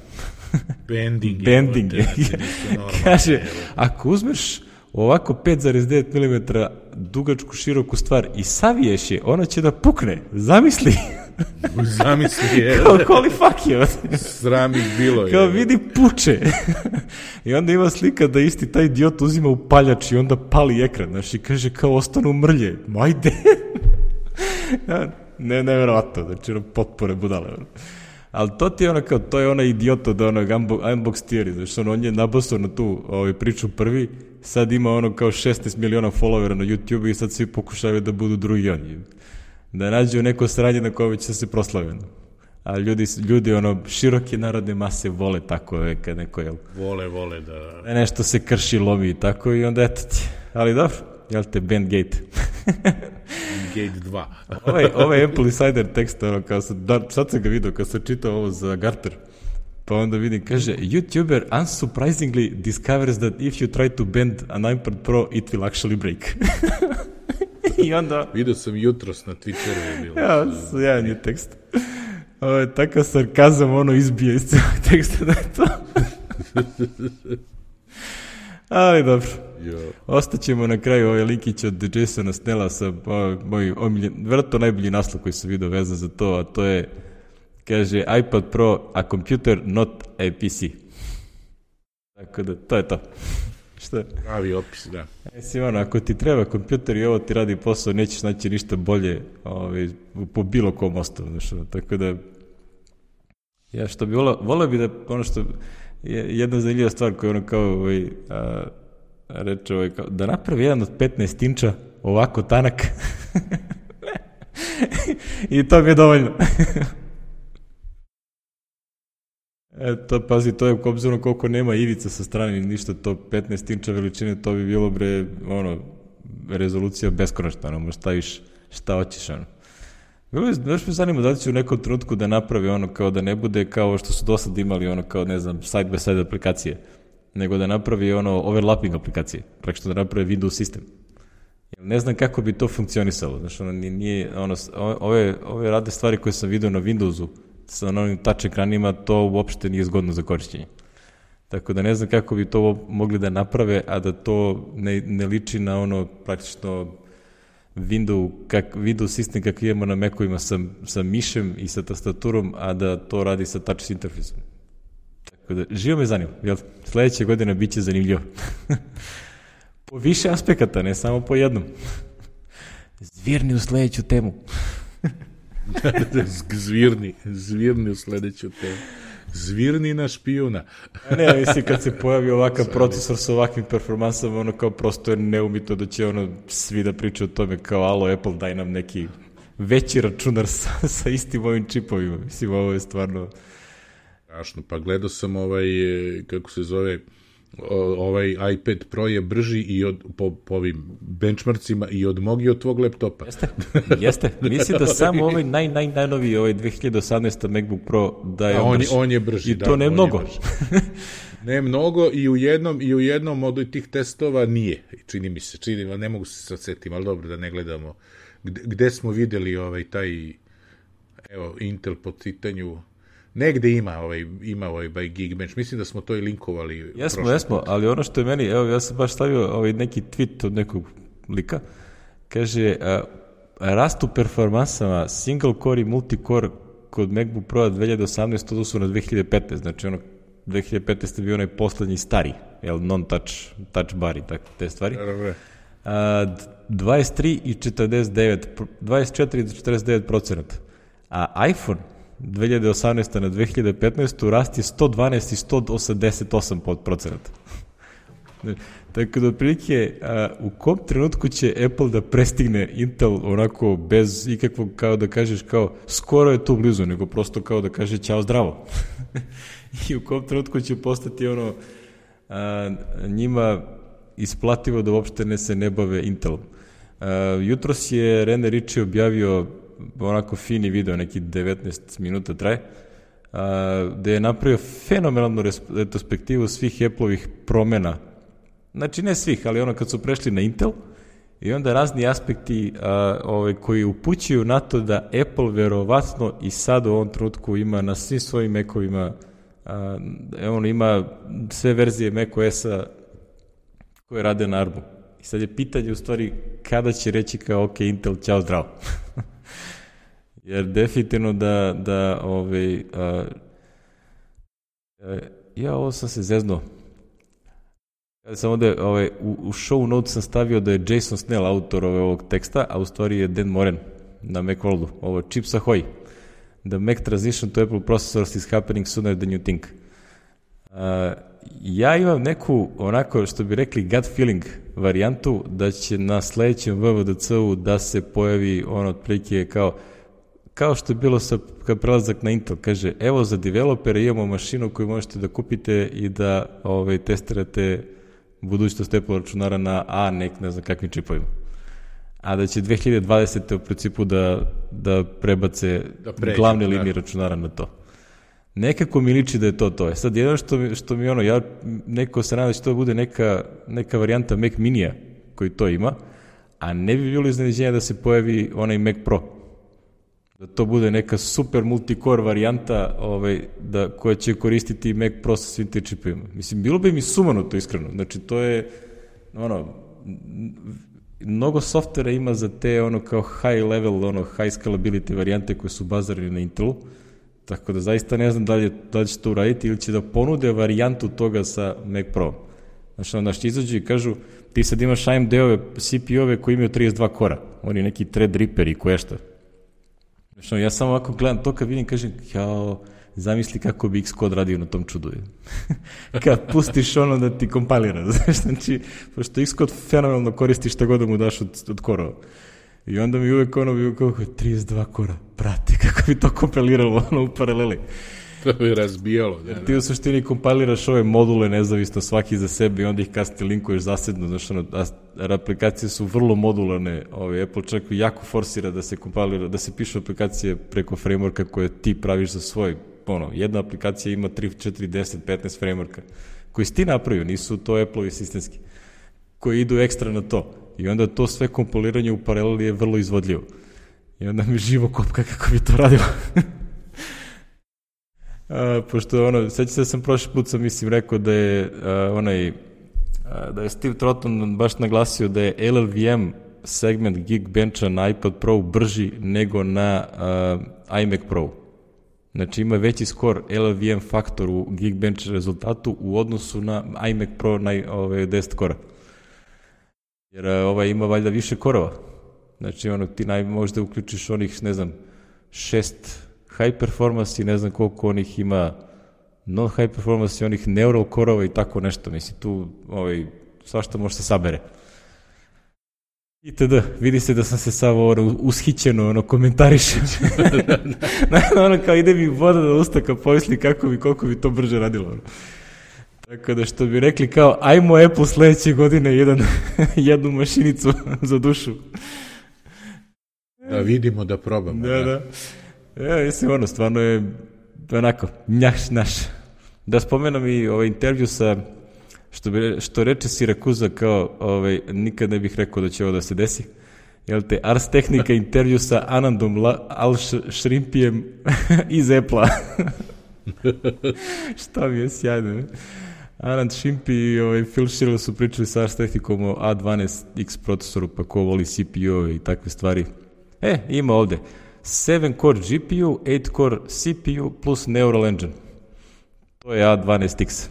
Bending. Bending. Kaže, ako uzmeš ovako pet zarez devet milimetara dugačku, široku stvar i saviješ je, ona će da pukne. Zamisli. Zamisli je. Kao, holy fuck je. Sram ih bilo je. Kao, vidi, puče. I onda ima slika da isti taj idiot uzima upaljač i onda pali ekran, znaš, i kaže kao, ostanu mrlje. Majde. ne, nevjerovatno, znači, ono, potpore budale. Ali to ti je ono kao, to je ona idiot od onog Unbox Theory, znači, ono, on je nabosao na tu ovaj, priču prvi, sad ima ono kao šesnaest miliona followera na YouTube i sad svi pokušavaju da budu drugi oni. Da nađu neko sranje na koje će se proslaviti. A ljudi, ljudi ono, široke narodne mase vole tako, je, kad neko, jel? Vole, vole, da... Nešto se krši, lomi i tako i onda eto ti. Ali dobro, jel te, Bandgate. Gate dva. ovaj, ovaj Apple Insider tekst, ono, kao sam, da, sad sam ga vidio, kad sam čitao ovo za Gartner, pa onda vidim, kaže, YouTuber unsurprisingly discovers that if you try to bend an iPad Pro, it will actually break. I onda... Vidio sam jutros na Twitteru je bilo. Ja, sjajan je tekst. Ovo je takav sarkazam, ono izbije iz celog teksta da je to. Ali dobro. Jo. Ostaćemo na kraju ovaj linkić od Jasona Snella sa moj omiljen, vjerojatno najbolji naslov koji sam vidio vezan za to, a to je, kaže, iPad Pro, a computer, not a P C. Tako da, to je to. Šta? Pravi opis, da. Mislim, ono, ako ti treba kompjuter i ovo ti radi posao, nećeš naći ništa bolje ovaj, po bilo kom osnovu. Znači, tako da, ja što bi volao, volao bi da, ono što je jedna zanimljiva stvar koja ono kao, ovaj, a, reče, ovaj, kao, da napravi jedan od petnaest inča ovako tanak i to mi je dovoljno. Eto, pazi, to je obzirom koliko nema ivica sa strane, ništa, to petnaest inča veličine, to bi bilo, bre, ono, rezolucija beskonačna, ono, možda staviš šta hoćeš, ono. Još me zanima da li će u nekom trenutku da napravi ono, kao da ne bude kao što su do sad imali, ono, kao, ne znam, side-by-side aplikacije, nego da napravi, ono, overlapping aplikacije, preko što da napravi Windows sistem. Ne znam kako bi to funkcionisalo, znači, ono, nije, ono, ove, ove rade stvari koje sam vidio na Windowsu, sa onim touch ekranima, to uopšte nije zgodno za korišćenje. Tako da ne znam kako bi to mogli da naprave, a da to ne, ne liči na ono praktično Windows, kak, Windows sistem kakav imamo na Macu-ima sa, sa mišem i sa tastaturom, a da to radi sa touch interfejsom. Tako da, živo me zanima, jel? Sledeća godina bit će zanimljivo. Po više aspekata, ne samo po jednom. Zvirni u sledeću temu. Zvirni, zvirni u sledeću temu. Zvirni na špijuna. Ne, mislim, kad se pojavi ovakav procesor sa ovakvim performansama, ono kao prosto je neumito da će ono svi da pričaju o tome kao, alo, Apple, daj nam neki veći računar sa, sa istim ovim čipovima. Mislim, ovo je stvarno... Strašno, pa gledao sam ovaj, kako se zove, ovaj iPad Pro je brži i od, po, po ovim benchmarkcima i od mog i od tvog laptopa. Jeste, jeste. Mislim da samo ovaj naj, naj, najnoviji, ovaj dve hiljade osamnaesti MacBook Pro da je on, on, brži. on je brži. I to da, ne mnogo. Ne mnogo i u jednom, i u jednom od tih testova nije. Čini mi se, čini mi, ne mogu se sad setim, ali dobro da ne gledamo. Gde, gde smo videli ovaj taj, evo, Intel po pitanju. Negde ima ovaj, ima ovaj by Geekbench. Mislim da smo to i linkovali. Jesmo, jesmo, put. Ali ono što je meni, evo, ja sam baš stavio ovaj neki tweet od nekog lika, kaže, a, rastu performansama single core i multicore kod MacBook Pro dve hiljade osamnaeste odnosu na dve hiljade petnaeste, znači ono, dve hiljade petnaeste bio onaj poslednji stari, jel, non-touch, touch bar i tako, te stvari. A, dvadeset tri i četrdeset devet, dvadeset četiri i četrdeset devet procenata. A iPhone dve hiljade osamnaeste na dve hiljade petnaeste rast je sto dvanaest i sto osamdeset osam procenata. Tako da otprilike u kom trenutku će Apple da prestigne Intel onako bez ikakvog, kao da kažeš, kao skoro je tu blizu, nego prosto kao da kaže ćao zdravo. I u kom trenutku će postati ono a, njima isplativo da uopšte ne se ne bave Intelom. A, jutros je Rene Ritchie objavio onako fini video, neki devetnaest minuta traje, a, gde je napravio fenomenalnu retrospektivu svih Apple-ovih promena. Znači ne svih, ali ono kad su prešli na Intel i onda razni aspekti a, ovaj, koji upućuju na to da Apple verovatno i sad u ovom trenutku ima na svim svojim Mac-ovima, a, on ima sve verzije macOS-a koje rade na Armu. I sad je pitanje u stvari kada će reći kao ok, Intel, ćao, zdravo. Jer definitivno da, da ovaj, a, a, ja ovo sam se zeznuo. Kada sam ovde, ovaj, u, u show notes sam stavio da je Jason Snell autor ove, ovog teksta, a u stvari je Dan Moren na Macworldu. Ovo je Chips Ahoy. The Mac transition to Apple processors is happening sooner than you think. Uh, ja imam neku, onako što bi rekli, gut feeling varijantu da će na sledećem V V D C-u da se pojavi ono otprilike kao kao što je bilo sa, kad prelazak na Intel, kaže, evo za developere imamo mašinu koju možete da kupite i da ovaj, testirate budućnost Apple računara na A, nek, ne znam kakvim čipovima. A da će dve hiljade dvadesete u principu da, da prebace da pređe, glavne linije računara na to. Nekako mi liči da je to to. E sad, jedno što mi, što mi ono, ja neko se nada da će to bude neka, neka varijanta Mac Minija koji to ima, a ne bi bilo iznenađenja da se pojavi onaj Mac Pro. Da to bude neka super multicore varijanta ovaj, da, koja će koristiti Mac Pro sa svim te čipovima. Mislim, bilo bi mi sumano to iskreno. Znači, to je, ono, mnogo softvera ima za te, ono, kao high level, ono, high scalability varijante koje su bazirane na Intelu, tako da zaista ne znam da li, je, da li će to uraditi ili će da ponude varijantu toga sa Mac Pro. Znači, onda što izađu i kažu, ti sad imaš A M D-ove, C P U-ove koji imaju trideset dva kora, oni neki Threadripper i koje šta. Znači, ja samo ovako gledam to kad vidim, kažem, jao, zamisli kako bi Xcode radio na tom čudu. Kad pustiš ono da ti kompilira, znači, pošto Xcode fenomenalno koristi šta god da mu daš od, od korova. I onda mi uvek ono bi kako trideset dva kora, prate, kako bi to kompiliralo ono u paraleli. To bi razbijalo. Jer ti u suštini kompiliraš ove module nezavisno svaki za sebe i onda ih kasnije linkuješ zasedno, znači ono, a aplikacije su vrlo modularne, ovaj, Apple čak jako forsira da se kompilira, da se pišu aplikacije preko frameworka koje ti praviš za svoj, ono, jedna aplikacija ima tri, četiri, deset, petnaest frameworka, koji si ti napravio, nisu to Apple-ovi sistemski, koji idu ekstra na to. I onda to sve kompiliranje u paraleli je vrlo izvodljivo. I onda mi živo kopka kako bi to radilo. A, pošto ono, seća se da sam prošli put sam mislim rekao da je a, onaj a, da je Steve Trotton baš naglasio da je L L V M segment Geekbencha na iPad Pro brži nego na a, iMac Pro. Znači ima veći skor L L V M faktor u Geekbench rezultatu u odnosu na iMac Pro na ove deset kora. Jer a, ovaj ima valjda više korova. Znači ono ti naj, možda uključiš onih, ne znam, šest high performance i ne znam koliko onih ima non high performance i onih neural korova i tako nešto. Mislim, tu ovaj, svašta može se sabere. Itd. Vidi se da sam se samo ono, ushićeno ono, komentarišem. ono kao ide mi voda na usta kad pomisli kako bi, koliko bi to brže radilo. Ono. Tako da što bi rekli kao ajmo Apple sledeće godine jedan, jednu mašinicu za dušu. Da vidimo, da probamo. Da, da. da. Ja, mislim, ono, stvarno je onako, njaš naš. Da spomenem i ovaj intervju sa, što, bi, što reče Sirakuza, kao, ovaj, nikad ne bih rekao da će ovo da se desi, jel te, Ars Technica intervju sa Anandom Al-Shrimpijem iz Apple-a. Šta mi je sjajno, ne? Anand Shrimpi i ovaj, Phil Schiller su pričali sa Ars Technicom o A dvanaest X procesoru, pa ko voli C P U i takve stvari. E, ima ovde. sedam core G P U, osam core C P U plus Neural Engine. To je A dvanaest X.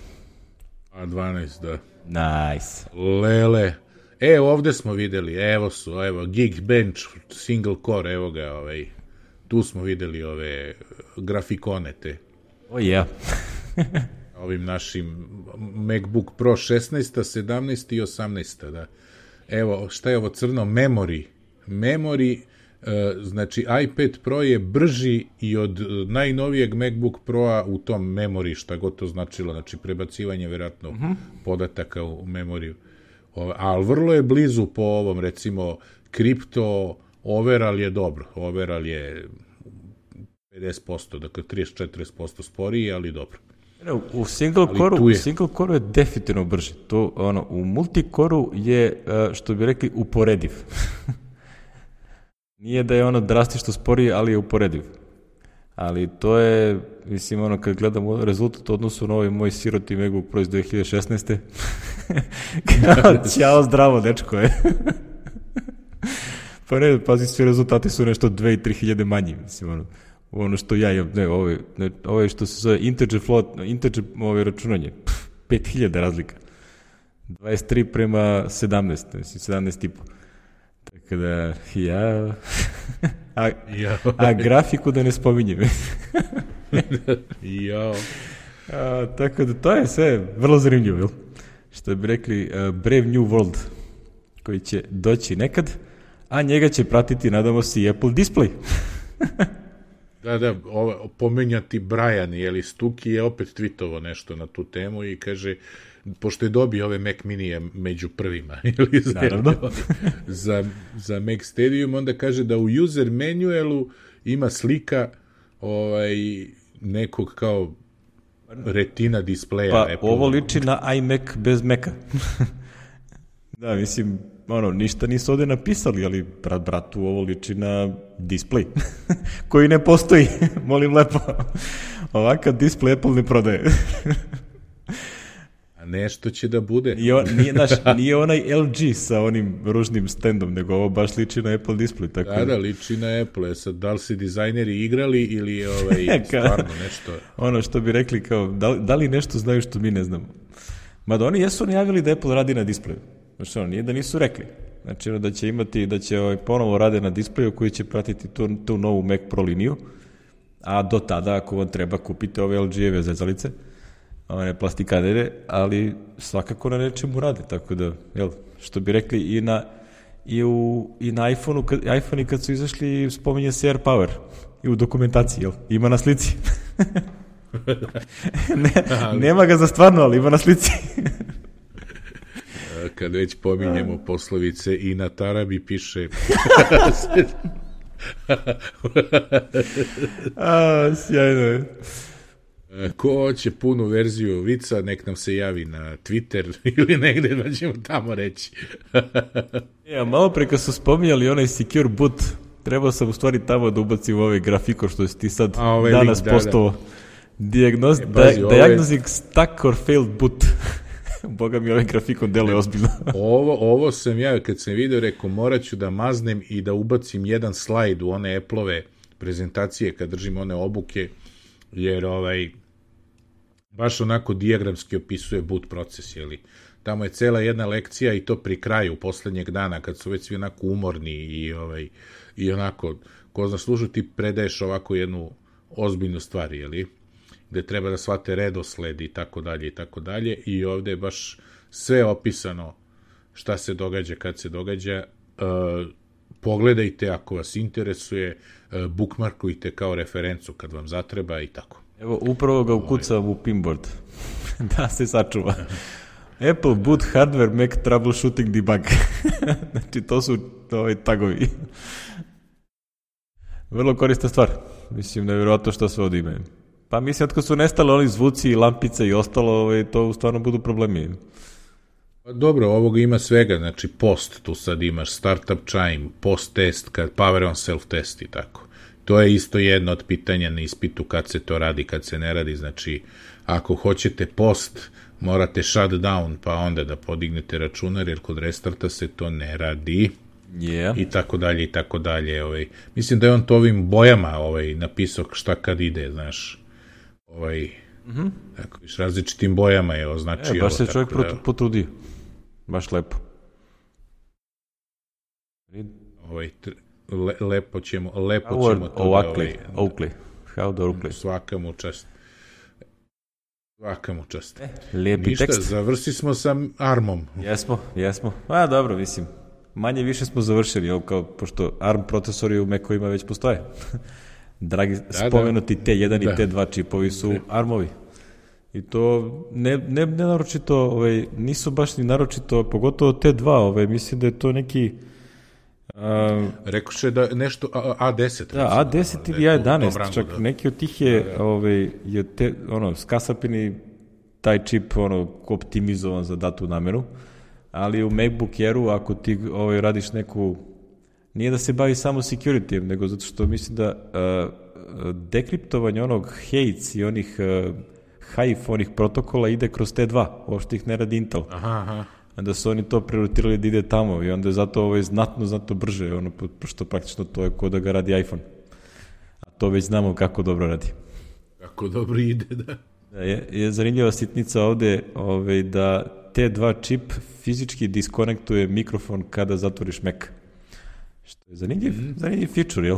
A dvanaest, da. Nice. Lele. E, ovde smo videli, evo su, evo, Geekbench, single core, evo ga, ovaj, tu smo videli ove grafikone te. O oh, ja. Yeah. Ovim našim MacBook Pro šesnaest, sedamnaest i osamnaest, da. Evo, šta je ovo crno? Memory. Memory, znači iPad Pro je brži i od najnovijeg MacBook Pro-a u tom memory, šta god to značilo, znači prebacivanje vjerojatno uh-huh. podataka u memoriju. Ali vrlo je blizu po ovom, recimo, kripto, overall je dobro, overall je pedeset posto, dakle trideset do četrdeset posto sporiji, ali dobro. U single core u single core je definitivno brži. To, ono, u multicore je, što bi rekli, uporediv. Nije da je ono drastično sporije, ali je uporediv. Ali to je, mislim, ono, kad gledam rezultat u odnosu na ovaj moj siroti MacBook Pro iz dve hiljade šesnaeste. Ćao, zdravo, dečko je. Pa ne, pazi, svi rezultati su nešto dve i tri hiljade manji, mislim, ono, ono što ja imam, ne, ovo je, ne, ovo je što se zove integer float, integer ovo računanje, pet hiljada razlika. dvadeset tri prema sedamnaest, mislim, sedamnaest i po. Tako da, ja... a, a grafiku da ne spominjem. Jao. A, tako da, to je sve vrlo zanimljivo, jel? Što bi rekli, uh, Brave New World, koji će doći nekad, a njega će pratiti, nadamo se, i Apple Display. Da, da, ovo, pomenjati Brian, jeli, Stuki je opet tweetovo nešto na tu temu i kaže, pošto je dobio ove Mac Minije među prvima, ili za, za, za Mac Stadium, onda kaže da u user manualu ima slika ovaj, nekog kao retina displeja. Pa Apple. Ovo liči na iMac bez Maca. Da, mislim, ono, ništa nisu ovde napisali, ali brat bratu ovo liči na display, koji ne postoji, molim lepo. Ovakav display Apple ne prodaje. A nešto će da bude. I on, nije, naš, nije onaj L G sa onim ružnim standom, nego ovo baš liči na Apple display. Tako da, da, liči na Apple. Sad, da li si dizajneri igrali ili ovaj, stvarno nešto? Ono što bi rekli kao, da li, da li nešto znaju što mi ne znamo? Mada oni jesu najavili da Apple radi na displeju. Znači, ono, nije da nisu rekli. Znači, ono, da će imati, da će ovaj, ponovo rade na displeju koji će pratiti tu, tu novu Mac Pro liniju, a do tada, ako vam treba, kupite ove L G-eve zezalice, one plastikanere, ali svakako na nečemu rade, tako da, jel, što bi rekli, i na, i u, i na iPhone-u, kad, iPhone-i kad su izašli, spominje se AirPower, i u dokumentaciji, jel, ima na slici. ne, nema ga za stvarno, ali ima na slici. Kad već pominjemo poslovice, i na tarabi piše... A, sjajno je. Ko hoće punu verziju vica, nek nam se javi na Twitter ili negde, da ćemo tamo reći. Ja, malo pre kad su spominjali onaj Secure Boot, trebao sam u stvari tamo da ubacim ovaj grafiko što si ti sad ovaj danas link, postao. Da, da. Diagnoz, e, bazi, di, diagnosing ove... stuck or failed boot. Boga mi ovaj grafikon deluje ozbiljno. ovo, ovo sam ja, kad sam vidio, rekao, morat ću da maznem i da ubacim jedan slajd u one Apple-ove prezentacije kad držim one obuke, jer ovaj, baš onako dijagramski opisuje boot proces, jeli. Tamo je cela jedna lekcija i to pri kraju poslednjeg dana, kad su već svi onako umorni i, ovaj, i onako, ko zna služu, ti predaješ ovako jednu ozbiljnu stvar, jeli, gde treba da shvate redosled i tako dalje i tako dalje, i ovde je baš sve opisano šta se događa kad se događa. Uh, pogledajte ako vas interesuje, uh, bookmarkujte kao referencu kad vam zatreba i tako. Evo, upravo ga ukucam u pinboard da se sačuva. Apple boot hardware Mac troubleshooting debug. Znači, to su ovaj tagovi. Vrlo korista stvar. Mislim, nevjerojatno što se ovdje imaju. Pa mislim, od kad su nestale oni zvuci i lampice i ostalo, ovaj, to stvarno budu problemi. Dobro, ovoga ima svega, znači post, tu sad imaš startup chime, post test, kad power on self test i tako. To je isto jedno od pitanja na ispitu kad se to radi, kad se ne radi, znači ako hoćete post, morate shut down, pa onda da podignete računar, jer kod restarta se to ne radi. Yeah. I tako dalje, i tako dalje. Ovaj. Mislim da je on to ovim bojama ovaj, napisao šta kad ide, znaš. Ovaj, mm-hmm. tako, s različitim bojama je označio. E, baš se čovjek da, potrudio. Baš lepo. Ovaj, le, lepo ćemo, lepo Howard ćemo to Oakley, da... Ovaj, Oakley. How the Oakley. Svaka mu čast. Svaka mu čast. E, lijepi Ništa, tekst. završi smo sa ARM-om. Jesmo, jesmo. A, dobro, mislim. Manje više smo završili, kao, pošto ARM procesori u Mac-ovima već postoje. Dragi, da, spomenuti da. T jedan da. I T dva čipovi su da. ARM-ovi. I to ne, ne, ne naročito, ovaj, nisu baš ni naročito, pogotovo T dva, ovaj, mislim da je to neki... Uh, Rekoše da nešto A deset. Da, A deset ili A jedanaest, rangu, čak da. Neki od tih je, da, da. Ovaj, je te, ono, skasapini taj čip ono, optimizovan za datu namenu, ali u MacBook Airu, ako ti ovaj, radiš neku, nije da se bavi samo security, nego zato što mislim da uh, dekriptovanje onog Heights i onih uh, Hive, onih protokola ide kroz T dva, uopšte ih ne radi Intel. Aha, aha. Da su oni to prioritirali da ide tamo i onda je zato ovo je znatno, znatno brže, ono, pošto praktično to je ko da ga radi iPhone. A to već znamo kako dobro radi. Kako dobro ide, da. Da je, je zanimljiva sitnica ovde ovaj, da T dva čip fizički diskonektuje mikrofon kada zatvoriš Mac. Što je zanimljiv, mm. zanimljiv feature, jel?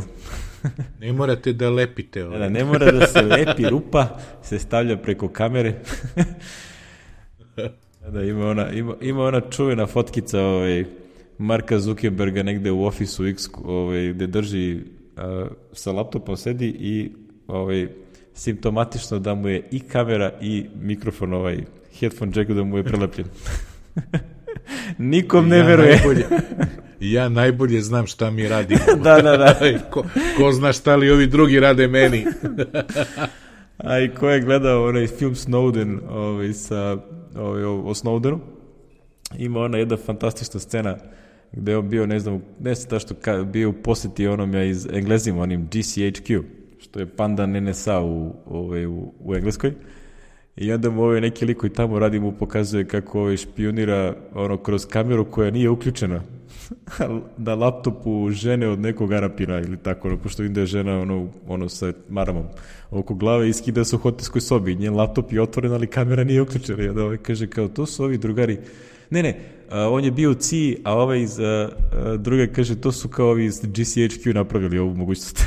Ne morate da lepite. Ovaj. Da, ne mora da se lepi, rupa se stavlja preko kamere. Da, ima ona, ima, ima ona čuvena fotkica ovaj, Marka Zuckerberga negde u Office-u X ovaj, gde drži uh, sa laptopom sedi i ovaj, simptomatično da mu je i kamera i mikrofon, ovaj headphone jack da mu je prelepljen. Nikom ne ja veruje. Najbolje, ja najbolje znam šta mi radimo. Da, da, da. ko, ko zna šta li ovi drugi rade meni. A i ko je gledao onaj film Snowden ovaj, sa, ovaj, o Snowdenu, ima ona jedna fantastična scena gde je on bio, ne znam, ne znam što ka, bio u posjeti onom ja iz Englezima, onim G C H Q, što je pandan N S A u, ovaj, u, u Engleskoj. I onda mu ovaj neki lik koji tamo radi mu pokazuje kako ovaj špionira ono, kroz kameru koja nije uključena na laptopu žene od nekog Arapina ili tako, ono, pošto vidim da je žena ono, ono sa maramom oko glave i skida se u hotelskoj sobi. Njen laptop je otvoren, ali kamera nije uključena. I onda ovaj kaže kao, to su ovi drugari. Ne, ne, a, on je bio u C I, a ovaj iz a, a, druga kaže, to su kao ovi iz G C H Q napravili ovu mogućnost.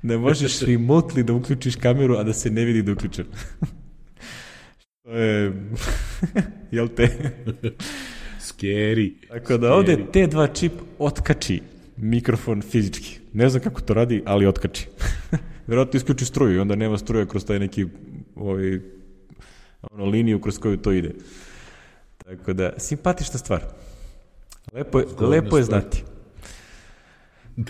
Da možeš remotely da uključiš kameru, a da se ne vidi da je uključen. To je... Jel te? Scary. Tako da ovde T dva čip otkači mikrofon fizički. Ne znam kako to radi, ali otkači. Vjerojatno isključi struju i onda nema struje kroz taj neki ovaj, ono, liniju kroz koju to ide. Tako da, simpatična stvar. Lepo je, lepo je znati. Uh,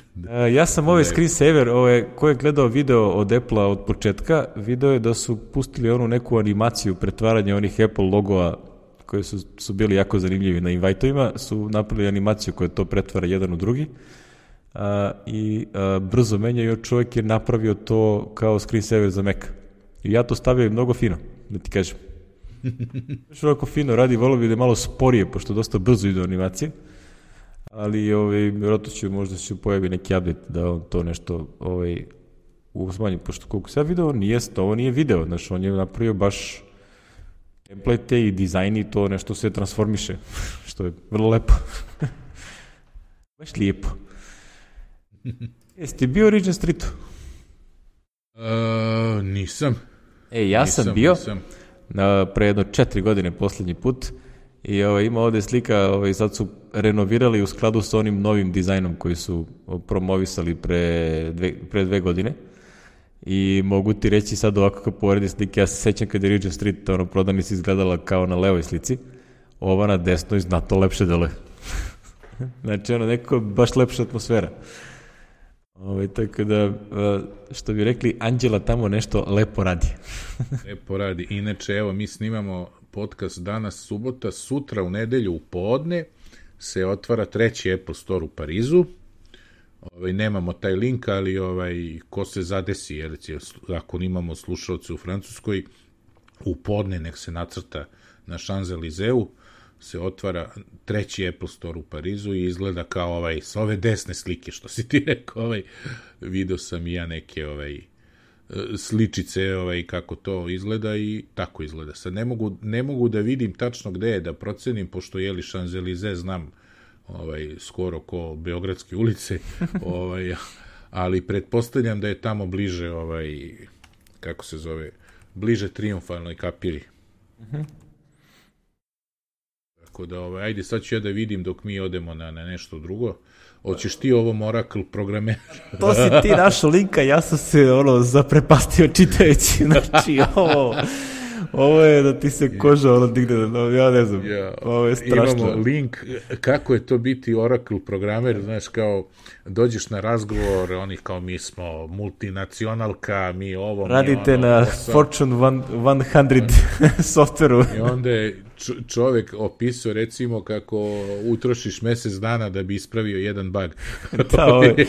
ja sam ovaj screensaver, ovaj, ko je gledao video od Apple-a od početka, video je da su pustili onu neku animaciju pretvaranja onih Apple logova koji su, su bili jako zanimljivi na invite-ovima, su napravili animaciju koja to pretvara jedan u drugi uh, i uh, brzo menjaju, čovjek je napravio to kao screensaver za Mac. I ja to stavio mnogo fino, da ti kažem. Što ovako fino radi, volio bi da je malo sporije, pošto dosta brzo ide animacije. Ali ovaj, vjerojatno ću, možda će pojavi neki update da on to nešto ovaj, uzmanji, pošto koliko se ja video, nije, ovo nije video, znači on je napravio baš template i dizajn i to nešto se transformiše, što je vrlo lepo. Baš lijepo. Jesi ti bio u Regent Streetu? Uh, nisam. E, ja nisam, sam bio nisam. Na, pre jedno četiri godine posljednji put. I ovaj, ima ovde slika, ovaj, sad su renovirali u skladu sa onim novim dizajnom koji su promovisali pre dve, pre dve godine. I mogu ti reći sad ovako kao poredi slike, ja se sećam kad je Regent Street ono, prodavnica izgledala kao na levoj slici, ova na desnoj znatno lepše deluje. Znači ono neko baš lepša atmosfera. Ovaj, tako da, što bi rekli, Anđela tamo nešto lepo radi. Lepo radi. Inače, evo, mi snimamo podcast danas subota, sutra u nedelju u podne se otvara treći Apple Store u Parizu. Ovaj, nemamo taj link, ali ovaj, ko se zadesi, jer ako imamo slušalce u Francuskoj, u podne nek se nacrta na Champs-Élysées se otvara treći Apple Store u Parizu i izgleda kao ovaj, s ove desne slike, što si ti rekao, ovaj, video sam i ja neke ovaj, sličice ovaj, kako to izgleda i tako izgleda. Sad ne mogu, ne mogu da vidim tačno gde je da procenim, pošto jeli Champs-Élysées znam ovaj, skoro ko Beogradske ulice, ovaj, ali pretpostavljam da je tamo bliže, ovaj, kako se zove, bliže Triumfalnoj kapiri. Mhm. Tako da, ovaj, ajde, sad ću ja da vidim dok mi odemo na, na nešto drugo. Hoćeš ti ovom Oracle programera? To si ti našao linka, ja sam se ono zaprepastio čitajući, znači ovo, ovo je da ti se koža ono digne, no, ja ne znam, ja, ovo je strašno. Imamo link, kako je to biti Oracle programer, znaš, kao dođeš na razgovor, oni kao mi smo multinacionalka, mi ovo, radite mi ono, na posao. Fortune sto softveru. I onda je čovjek opisao recimo kako utrošiš mesec dana da bi ispravio jedan bug. Da, ovo je,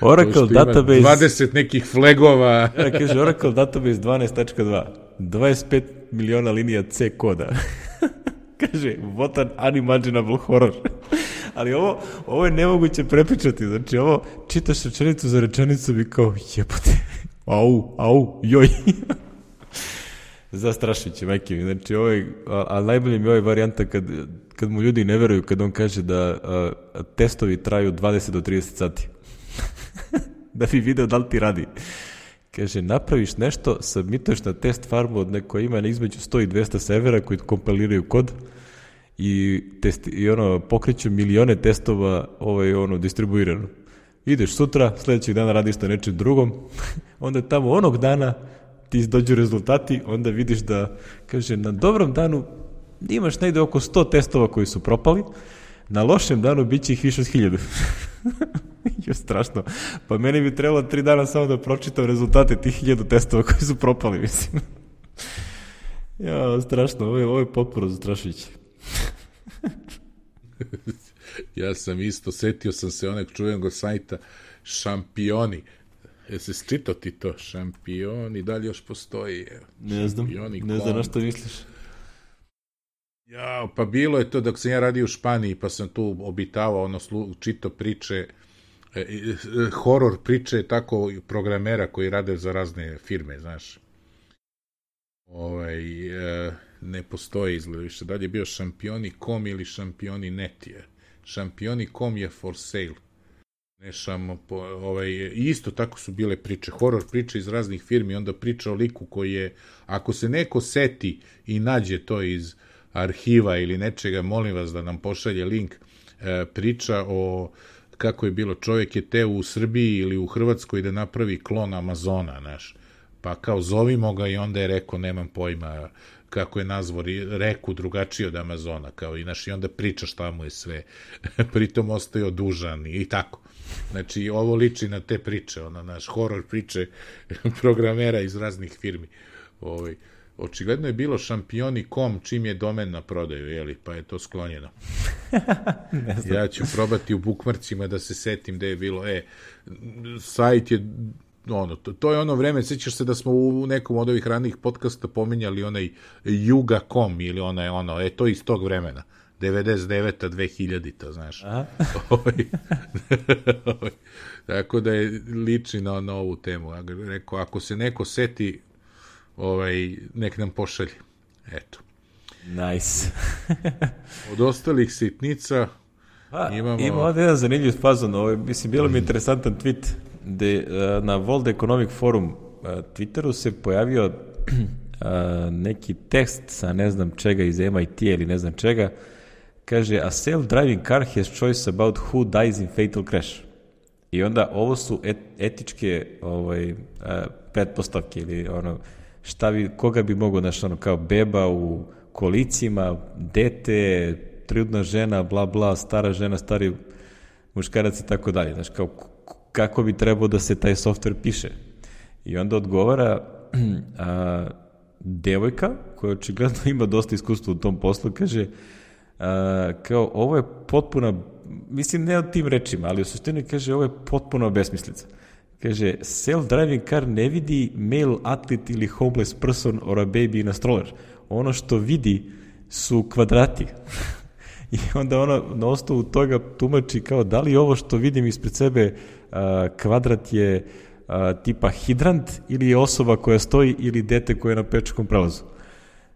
Oracle Database... dvadeset nekih flagova. Ja, kaže, Oracle Database dvanaest tačka dva. dvadeset pet miliona linija C koda. Kaže, what an unimaginable horror. Ali ovo, ovo je nemoguće prepričati. Znači, ovo čitaš rečenicu za rečenicu bi kao, jebote, au, au, joj. Zastrašujuće, majke mi. Znači, ovo je, a, a najbolje mi je ovaj varijanta kad, kad mu ljudi ne veruju, kad on kaže da a, testovi traju dvadeset do trideset sati. Da bi video da li ti radi. Kaže, napraviš nešto, submituješ na test farmu od neko ima između sto i dvesta servera koji kompiliraju kod i, test, i ono, pokreću milione testova ovaj, ono, distribuirano. Ideš sutra, sledećeg dana radiš na nečem drugom, onda tamo onog dana ti dođu rezultati, onda vidiš da, kaže, na dobrom danu imaš negde oko sto testova koji su propali, na lošem danu bit će ih više od hiljadu. Je strašno. Pa meni bi trebalo tri dana samo da pročitam rezultate tih hiljadu testova koji su propali, mislim. Ja, strašno, ovo je, ovo je potpuno zastrašujuće. Ja sam isto, setio sam se onog čuvenog sajta Šampioni. Jesi čitao ti to? Šampioni, da li još postoji? Ne znam, Šampioni, ne znam na što misliš. Ja, pa bilo je to dok sam ja radio u Španiji, pa sam tu obitavao, ono, čitao priče, e, e, horor priče tako programera koji rade za razne firme, znaš. Ovaj, e, ne postoji izgleda više. Da li je bio Šampioni punto com ili Šampioni punto net je. Šampioni punto com je for sale. Ne šamo, po, ovaj, isto tako su bile priče, horor priče iz raznih firmi, onda priča o liku koji je, ako se neko seti i nađe to iz arhiva ili nečega, molim vas da nam pošalje link, e, priča o kako je bilo, čovjek je teo u Srbiji ili u Hrvatskoj da napravi klon Amazona, znaš, pa kao zovimo ga i onda je rekao, nemam pojma kako je nazvao reku drugačije od Amazona, kao i naš, i onda priča šta mu je sve, pritom ostao dužan i tako. Znači, ovo liči na te priče, ono, naš horor priče programera iz raznih firmi. Ovaj, očigledno je bilo Šampioni punto com čim je domen na prodaju, jeli, pa je to sklonjeno. Ja ću probati u bukmarcima da se setim da je bilo, e, sajt je, ono, to, to je ono vreme, sećaš se da smo u nekom od ovih ranih podcasta pominjali onaj juga punto com ili onaj, ono, e, to iz tog vremena. devedeset deveta do dve hiljadita, znaš. Tako da je liči na, na ovu temu. Ja rekao, ako se neko seti, ovaj, nek nam pošalje. Eto. Nice. Od ostalih sitnica A, imamo... Ima ovdje jedan zanimljiv fazon. Ovo, mislim, bilo mi interesantan tweet gde uh, na World Economic Forum uh, Twitteru se pojavio uh, neki tekst sa ne znam čega iz M I T ili ne znam čega. Kaže, a self-driving car has choice about who dies in fatal crash. I onda ovo su et, etičke ovaj, uh, pretpostavke ili ono, šta bi, koga bi mogo, znaš, ono, kao beba u kolicima, dete, trudna žena, bla, bla, stara žena, stari muškarac i tako dalje. Znaš, kao, kako bi trebao da se taj software piše. I onda odgovara a, devojka, koja očigledno ima dosta iskustva u tom poslu, kaže, a, kao, ovo je potpuna, mislim, ne o tim rečima, ali u suštini kaže, ovo je potpuno besmislica. Kaže, self-driving car ne vidi male athlete ili homeless person or a baby in a stroller. Ono što vidi su kvadrati. I onda ona na osnovu toga tumači kao da li ovo što vidim ispred sebe a, kvadrat je a, tipa hidrant ili je osoba koja stoji ili dete koje je na pečakom prelazu.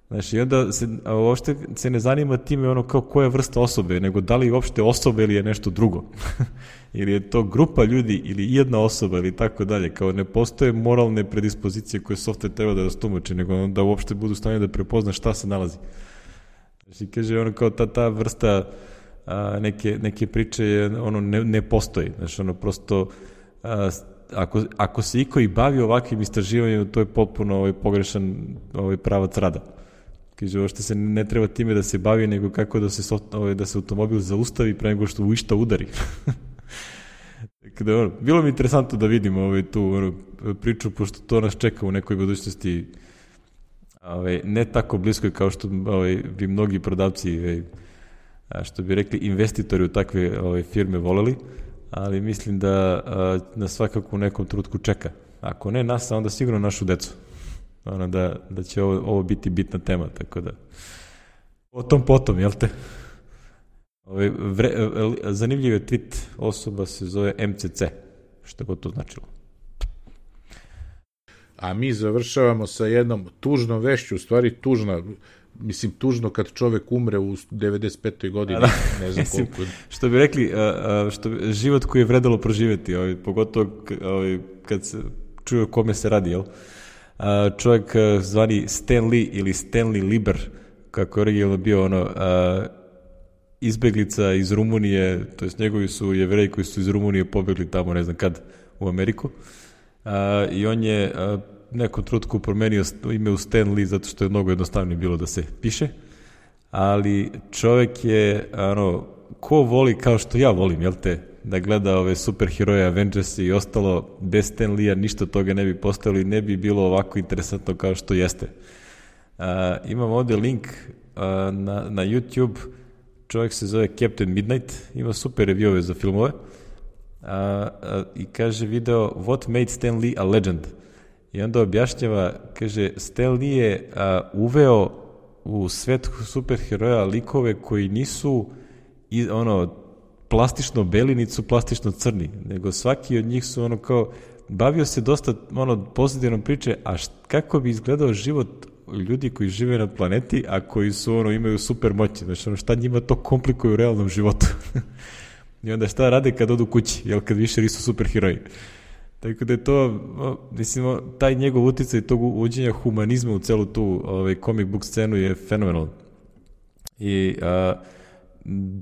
Znači, i onda se, a, uopšte se ne zanima time ono kao koja vrsta osobe, nego da li uopšte osoba ili je nešto drugo. Ili je to grupa ljudi ili jedna osoba ili tako dalje. Kao ne postoje moralne predispozicije koje software treba da nas tumači, nego da uopšte budu stavljeni da prepozna šta se nalazi. Znači, kaže, ono kao ta, ta vrsta a, neke, neke priče je, ono, ne, ne postoji. Znači, ono, prosto, a, ako, ako se iko i bavi ovakvim istraživanjem, to je potpuno ovaj, pogrešan ovaj, pravac rada. Kaže, ovo što se ne treba time da se bavi, nego kako da se, ovaj, da se automobil zaustavi pre nego što u išta udari. Kada, ono, bilo mi interesantno da vidim ovaj, tu ono, priču, pošto to nas čeka u nekoj budućnosti, ovaj, ne tako bliskoj kao što ovaj, bi mnogi prodavci, ovaj, što bi rekli investitori u takve ovaj, firme voleli, ali mislim da uh, nas svakako u nekom trenutku čeka. Ako ne nas, onda sigurno našu decu. Ono da, da će ovo, ovo biti bitna tema, tako da o tom potom, jel te? Ove, vre, zanimljiv je tweet, osoba se zove M C C, što god to značilo. A mi završavamo sa jednom tužnom vešću, u stvari tužna, mislim tužno kad čovek umre u devedeset petoj godini, da, ne znam mislim, koliko. Što bi rekli, što bi, život koji je vredalo proživjeti, ovaj, pogotovo ovaj, kad se čuje o kome se radi, jel? Čovjek zvani Stan Lee ili Stanley Lieber, kako je originalno bio ono, izbeglica iz Rumunije, to jest njegovi su Jevreji koji su iz Rumunije pobegli tamo, ne znam kad, u Ameriku. A, i on je a, nekom trutku promenio ime u Stan Lee zato što je mnogo jednostavnije bilo da se piše, ali čovjek je, ano, ko voli kao što ja volim, jel te, da gleda ove superheroje, Avengers i ostalo, bez Stan Lee-a ništa toga ne bi postojalo i ne bi bilo ovako interesantno kao što jeste. A, imam ovdje link a, na, na YouTube, čovjek se zove Captain Midnight, ima super review za filmove, a, a, i kaže video What made Stan Lee a legend? I onda objašnjava, kaže, Stan Lee je a, uveo u svet superheroja likove koji nisu i, ono, plastično beli, niti su plastično crni, nego svaki od njih su ono kao, bavio se dosta ono pozitivnom priče, a št, kako bi izgledao život ljudi koji žive na planeti, a koji su ono, imaju super moći, znači ono, šta njima to komplikuje u realnom životu. I onda šta rade kad odu kući, jel, kad više nisu superheroji. Tako da je to, mislim, taj njegov uticaj tog uvođenja humanizma u celu tu ovaj, comic book scenu je fenomenal. I a,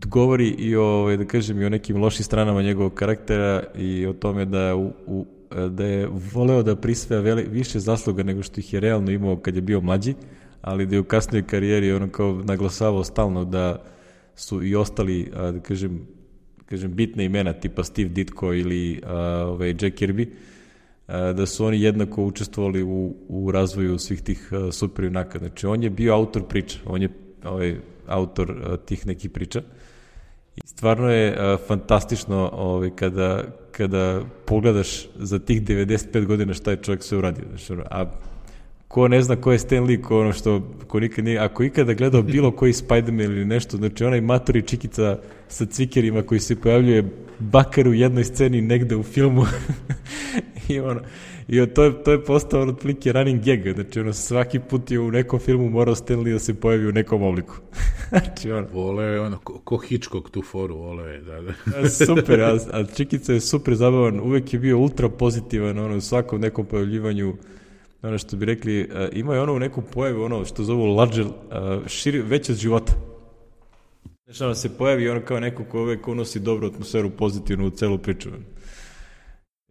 govori i o, da kažem, i o nekim lošim stranama njegovog karaktera i o tome da, u, u, da je voleo da prisvaja veli, više zasluga nego što ih je realno imao kad je bio mlađi, ali da je u kasnijoj karijeri ono kao naglasavao stalno da su i ostali, da kažem, kažem bitne imena tipa Steve Ditko ili a, ovaj, Jack Kirby, a, da su oni jednako učestvovali u, u razvoju svih tih a, super junaka. Znači on je bio autor priča, on je ovaj, autor a, tih nekih priča i stvarno je a, fantastično ovaj, kada, kada pogledaš za tih devedeset pet godina šta je čovjek sve uradio. Znači, a ko ne zna ko je Stan Lee, ko ono što, ko nikad nije, ako ikada gledao bilo koji Spider-Man ili nešto, znači onaj matori čikica sa cvikerima koji se pojavljuje bakar u jednoj sceni negde u filmu i ono, i to je, to je postao otprilike running gag, znači ono, svaki put je u nekom filmu morao Stan Lee da se pojavi u nekom obliku. Znači ono. Voleo je ono, ko, ko Hitchcock tu foru, voleo je, da, da. Super, a, a čikica je super zabavan, uvek je bio ultra pozitivan, ono, u svakom nekom pojavljivanju. Ono što bi rekli, uh, ima je ono u neku pojavu, ono što zovu larger, uh, širi, već od života. Znači, ono se pojavi ono kao neko ko uvek unosi dobru atmosferu, pozitivnu u celu priču.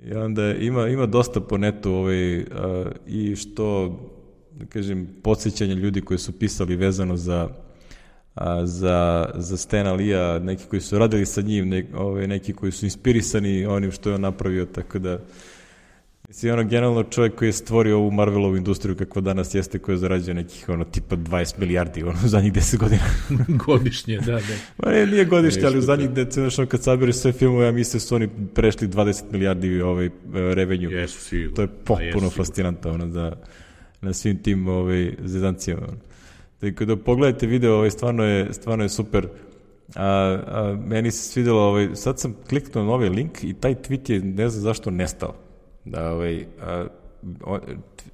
I onda ima, ima dosta po netu ovaj, uh, i što, da kažem, podsjećanja ljudi koji su pisali vezano za, uh, za, za Stana Lee-a, neki koji su radili sa njim, ne, ovaj, neki koji su inspirisani onim što je on napravio, tako da mislim, ono, generalno čovjek koji je stvorio ovu Marvelovu industriju kakva danas jeste, koja zarađuje nekih, ono, tipa dvadeset milijardi, ono, u zadnjih deset godina. Godišnje, da, da. Ma ne, nije godišnje, ali u zadnjih deset, ono, kad saberiš sve filmove, ja mislim su oni prešli dvadeset milijardi ovaj, revenju. Jesu sigurno. To je potpuno fascinantno, ono, da, na svim tim ovaj, zezancijama. Ono. Tako da pogledajte video, ovaj, stvarno je, stvarno je super. A, a, meni se svidjelo, ovaj, sad sam kliknuo na ovaj link i taj tweet je, ne znam zašto, nestao. Da, ovaj, a,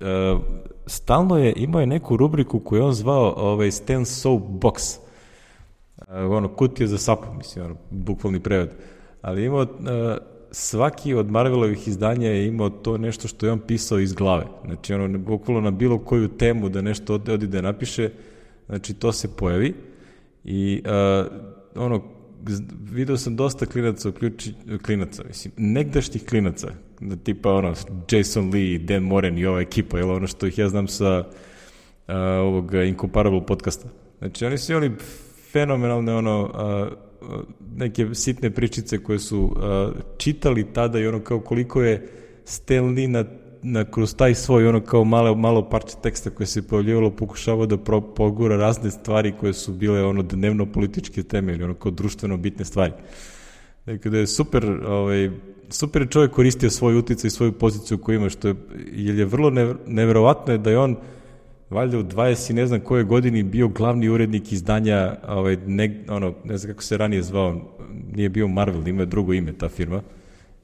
a, stalno je, imao je neku rubriku koju on zvao ovaj, Stan Soap Box, a, ono, kutije za sapu, mislim, ono, bukvalni prevod, ali imao, a, svaki od Marvelovih izdanja je imao to nešto što je on pisao iz glave, znači, ono, bukvalno na bilo koju temu da nešto od, odi da napiše, znači, to se pojavi i, a, ono, video sam dosta klinaca, uključi, klinaca, mislim, negdašnjih klinaca, tipa ono, Jason Lee, Dan Moren i ova ekipa, jel, ono što ih ja znam sa uh, ovog Incomparable podcasta. Znači, oni su oni fenomenalne, ono, uh, neke sitne pričice koje su uh, čitali tada i ono kao koliko je Stan Lee na, na kroz taj svoj, ono kao malo, malo parče teksta koje se pojavljivalo, pokušavao da pro, pogura razne stvari koje su bile ono dnevno političke teme ili ono kao društveno bitne stvari. Dakle, da je super, ovaj, super je čovjek koristio svoj uticaj i svoju poziciju koju ima, što je, jer je vrlo neverovatno je da je on valjda u dvadeset i ne znam koje godini bio glavni urednik izdanja, ovaj, ne, ono, ne znam kako se ranije zvao, nije bio Marvel, ima drugo ime ta firma,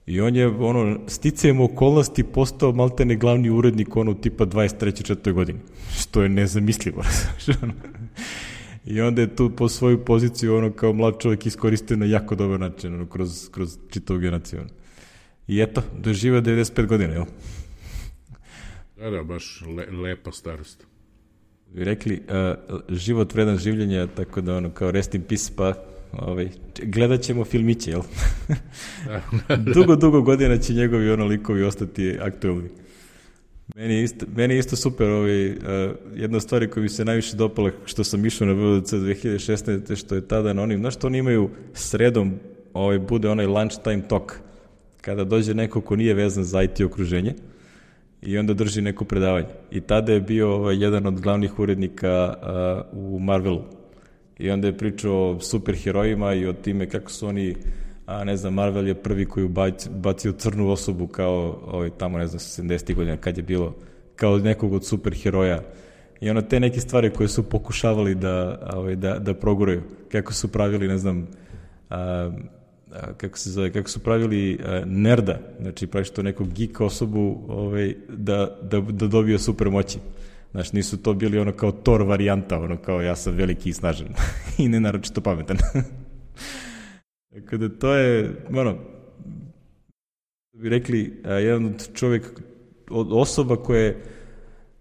i on je, ono, sticajem okolnosti postao maltene glavni urednik, ono, tipa dvadeset treće četvrte godini, što je nezamislivo. I onda je tu po svoju poziciju, ono, kao mlad čovjek iskoristio na jako dobar način, ono, kroz, kroz čitavu generaciju. I eto, doživio devedeset pet godina, jel? Da, da, baš le, lepa starost. Vi rekli, uh, život vredan življenja, tako da, ono, kao rest in peace, pa ovaj, gledat ćemo filmiće, jel? dugo, dugo godina će njegovi ono likovi ostati aktualni. Meni je isto, meni je isto super, ovaj, uh, jedna stvar koja mi se najviše dopala što sam išao na V D C dve hiljade šesnaeste. što je tada na onim, znaš što oni imaju sredom, ovaj, bude onaj lunchtime talk, kada dođe neko ko nije vezan za I T okruženje i onda drži neko predavanje. I tada je bio ovaj, jedan od glavnih urednika uh, u Marvelu. I onda je pričao o superherojima i o time kako su oni, a ne znam, Marvel je prvi koji bacio, bacio crnu osobu kao ovaj, tamo, ne znam, sedamdesetih godina kad je bilo, kao nekog od superheroja. I ono te neke stvari koje su pokušavali da, ovaj, da, da proguraju. Kako su pravili, ne znam, a, a, kako se zove, kako su pravili a, nerda, znači praviš to nekog geek osobu ovaj, da, da, da dobio super moći. Znaš, nisu to bili ono kao Thor varijanta, ono kao ja sam veliki i snažan i ne naročito pametan. Tako da to je, ono, bi rekli, a, jedan od čovjek, od osoba koje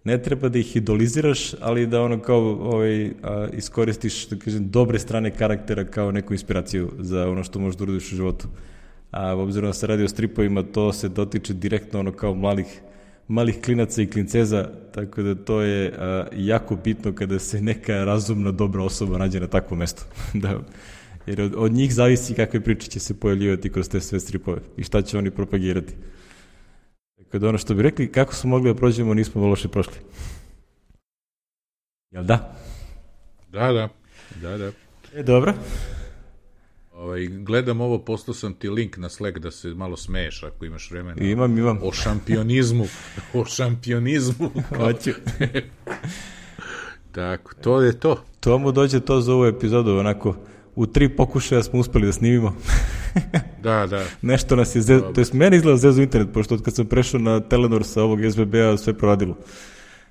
ne treba da ih idoliziraš, ali da ono kao ovaj, a, iskoristiš, da kažem, dobre strane karaktera kao neku inspiraciju za ono što možeš da uradiš u životu. A obzirom da se radi o stripovima, to se dotiče direktno ono kao malih malih klinaca i klinceza, tako da to je a, jako bitno kada se neka razumna, dobra osoba nađe na takvom mestu. da, jer od, od njih zavisi kakve priče će se pojavljivati kroz te sve stripove i šta će oni propagirati. Tako da ono što bi rekli, kako smo mogli da prođemo, nismo loše prošli. Jel da? Da, da. da, da. E, dobro. Ovaj, gledam ovo, postao sam ti link na Slack da se malo smeješ ako imaš vremena. Imam, imam. O šampionizmu. o šampionizmu. Hoću. Tako, to je to. To mu dođe to za ovu epizodu, onako, u tri pokušaja smo uspeli da snimimo. da, da. Nešto nas je zezo, to jest meni izgleda zezo internet, pošto od kad sam prešao na Telenor sa ovog S B B-a sve proradilo.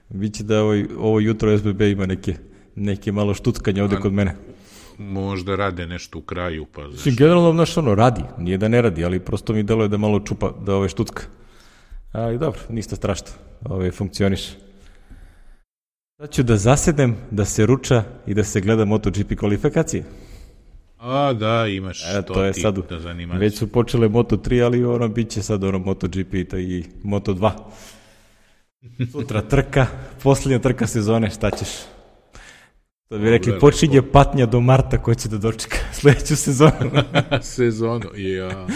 Biće da ovo, ovo jutro S B B ima neke, neke malo štuckanje ovde kod mene. Možda rade nešto u kraju, pa zašto? Generalno, znaš, ono, radi, nije da ne radi, ali prosto mi deluje da malo čupa, da ove štucka. Ali dobro, ništa strašno, ove funkcioniš. Sad ću da zasedem, da se ruča i da se gleda MotoGP kvalifikacije. A, da, imaš e, to, to je ti sad, da zanimaš. Već su počele Moto tri, ali ono, bit će sad ono MotoGP i Moto dva. Sutra trka, posljednja trka sezone, šta ćeš? To bi rekli, počinje patnja do marta ko će da dočeka sledeću sezonu. Sezonu, ja.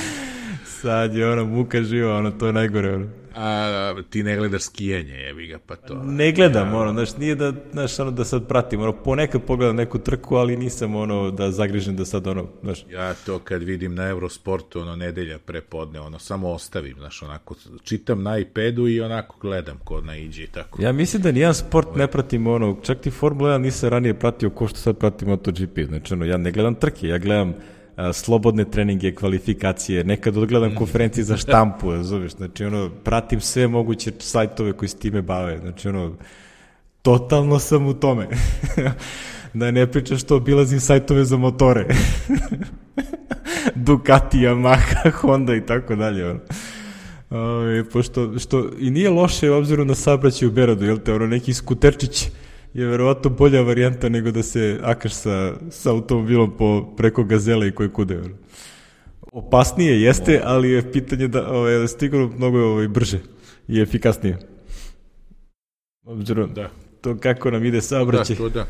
Sad je ono muka živa, ono, to je najgore. Ono. A ti ne gledaš skijanje, jebi ga, pa to. Ne gledam, ja. ono, znaš, nije da, znaš, ono, da sad pratim, ono, ponekad pogledam neku trku, ali nisam, ono, da zagrižem da sad, ono, znaš. Ja to kad vidim na Eurosportu, ono, nedelja prepodne, ono, samo ostavim, znaš, onako, čitam na iPadu i onako gledam kod naiđe i tako. Ja mislim da nijedan sport ne pratim, ono, čak ti Formula jedan nisam ranije pratio ko što sad pratim MotoGP, znači, ono, ja ne gledam trke, ja gledam a, slobodne treninge, kvalifikacije, nekad odgledam konferencije za štampu, razumiješ, znači, ono, pratim sve moguće sajtove koji s time bave, znači, ono, totalno sam u tome. Da ne pričam što obilazim sajtove za motore. Ducati, Yamaha, Honda i tako dalje, ono. Ove, pošto, što i nije loše obzirom na saobraćaj u Beogradu, jel te, ono, neki skuterčić je verovatno bolja varijanta nego da se akaš sa, sa automobilom po, preko gazele i koje kude. Ono. Opasnije jeste, ali je pitanje da, ove, da stignu mnogo ove, brže i efikasnije. Obzirom da. To kako nam ide saobraćaj. Da, to da.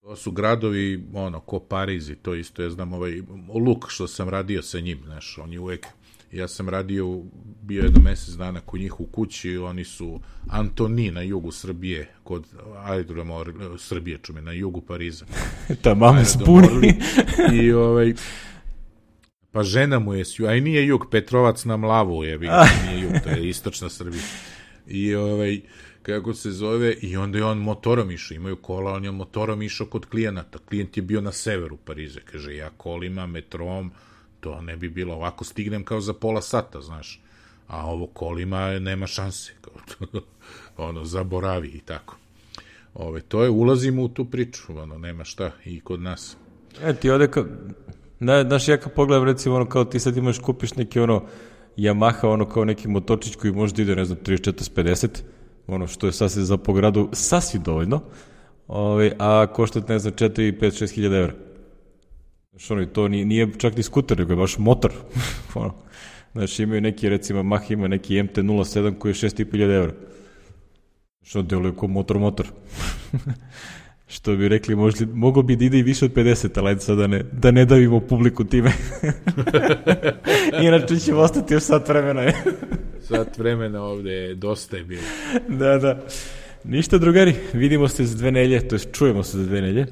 To su gradovi, ono, ko Pariz i to isto, ja znam, ovaj Luk što sam radio sa njim, znaš, on je uvek, ja sam radio, bio je do mesec dana kod njih u kući, oni su Antoni na jugu Srbije, kod aerodroma Srbije, čume, na jugu Pariza. Ta mame spuni. I ovaj, Pa žena mu je, a i nije jug, Petrovac na Mlavu je, nije jug, to je istočna Srbija. I ovaj, kako se zove, i onda je on motorom išao, imaju kola, on je motorom išao kod klijenata. Klijent je bio na severu Parize, kaže, ja kolima, metrom, to ne bi bilo, ovako stignem kao za pola sata, znaš, a ovo kolima nema šanse, kao to, ono, zaboravi i tako. Ove, to je, ulazimo u tu priču, ono, nema šta i kod nas. E, ti ovde, kao, na, znaš, ja kad pogledam, recimo, ono, kao ti sad imaš, kupiš neki, ono, Yamaha, ono, kao neki motorčić koji možda ide, ne znam, trideset četrdeset pedeset, ono, što je sasvim za po gradu sasvim dovoljno, ove, a košta, ne znam, četiri, pet, šest hiljada evra. Znaš, ono, to nije, nije čak ni skuter, nego je baš motor. Ono, znači, imaju neki, recimo, Yamaha ima neki M T nula sedam koji je šest i po hiljada evra. Što deluje kao motor-motor. Što bi rekli, možda, mogo bi da ide i više od pedeset, ali sad da ne, da ne davimo publiku time. Inače ćemo ostati još sat vremena. Sat vremena ovde, dosta je bilo. Da, da. Ništa, drugari, vidimo se za dve nelje, to je čujemo se za dve nelje.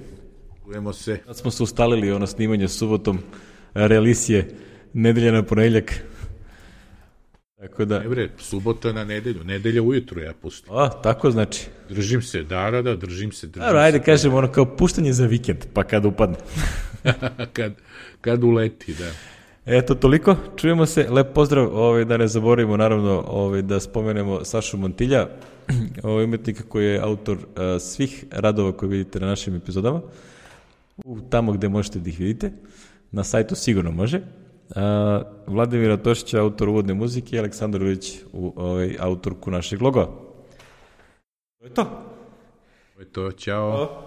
Čujemo se. Sad smo se ustalili ono snimanje subotom, realisije, nedelja na ponedjeljak. Tako da... Ne bre, subota na nedelju, nedelja ujutru ja pustim. A, tako znači. Držim se, da, da, da, držim se. Držim Dobro, ajde se, kažemo ono kao puštanje za vikend, pa kad upadne. kad, kad uleti, da. Eto, toliko, čujemo se, lep pozdrav, ovaj, da ne zaboravimo naravno ovaj, da spomenemo Sašu Montilja, ovaj umetnika koji je autor uh, svih radova koje vidite na našim epizodama, u, tamo gde možete da ih vidite, na sajtu sigurno može. Uh, Vladimira Tošića, autor uvodne muzike, i Aleksandar Ulić, u, ovaj, autorku našeg loga. To je to. To je to, ćao.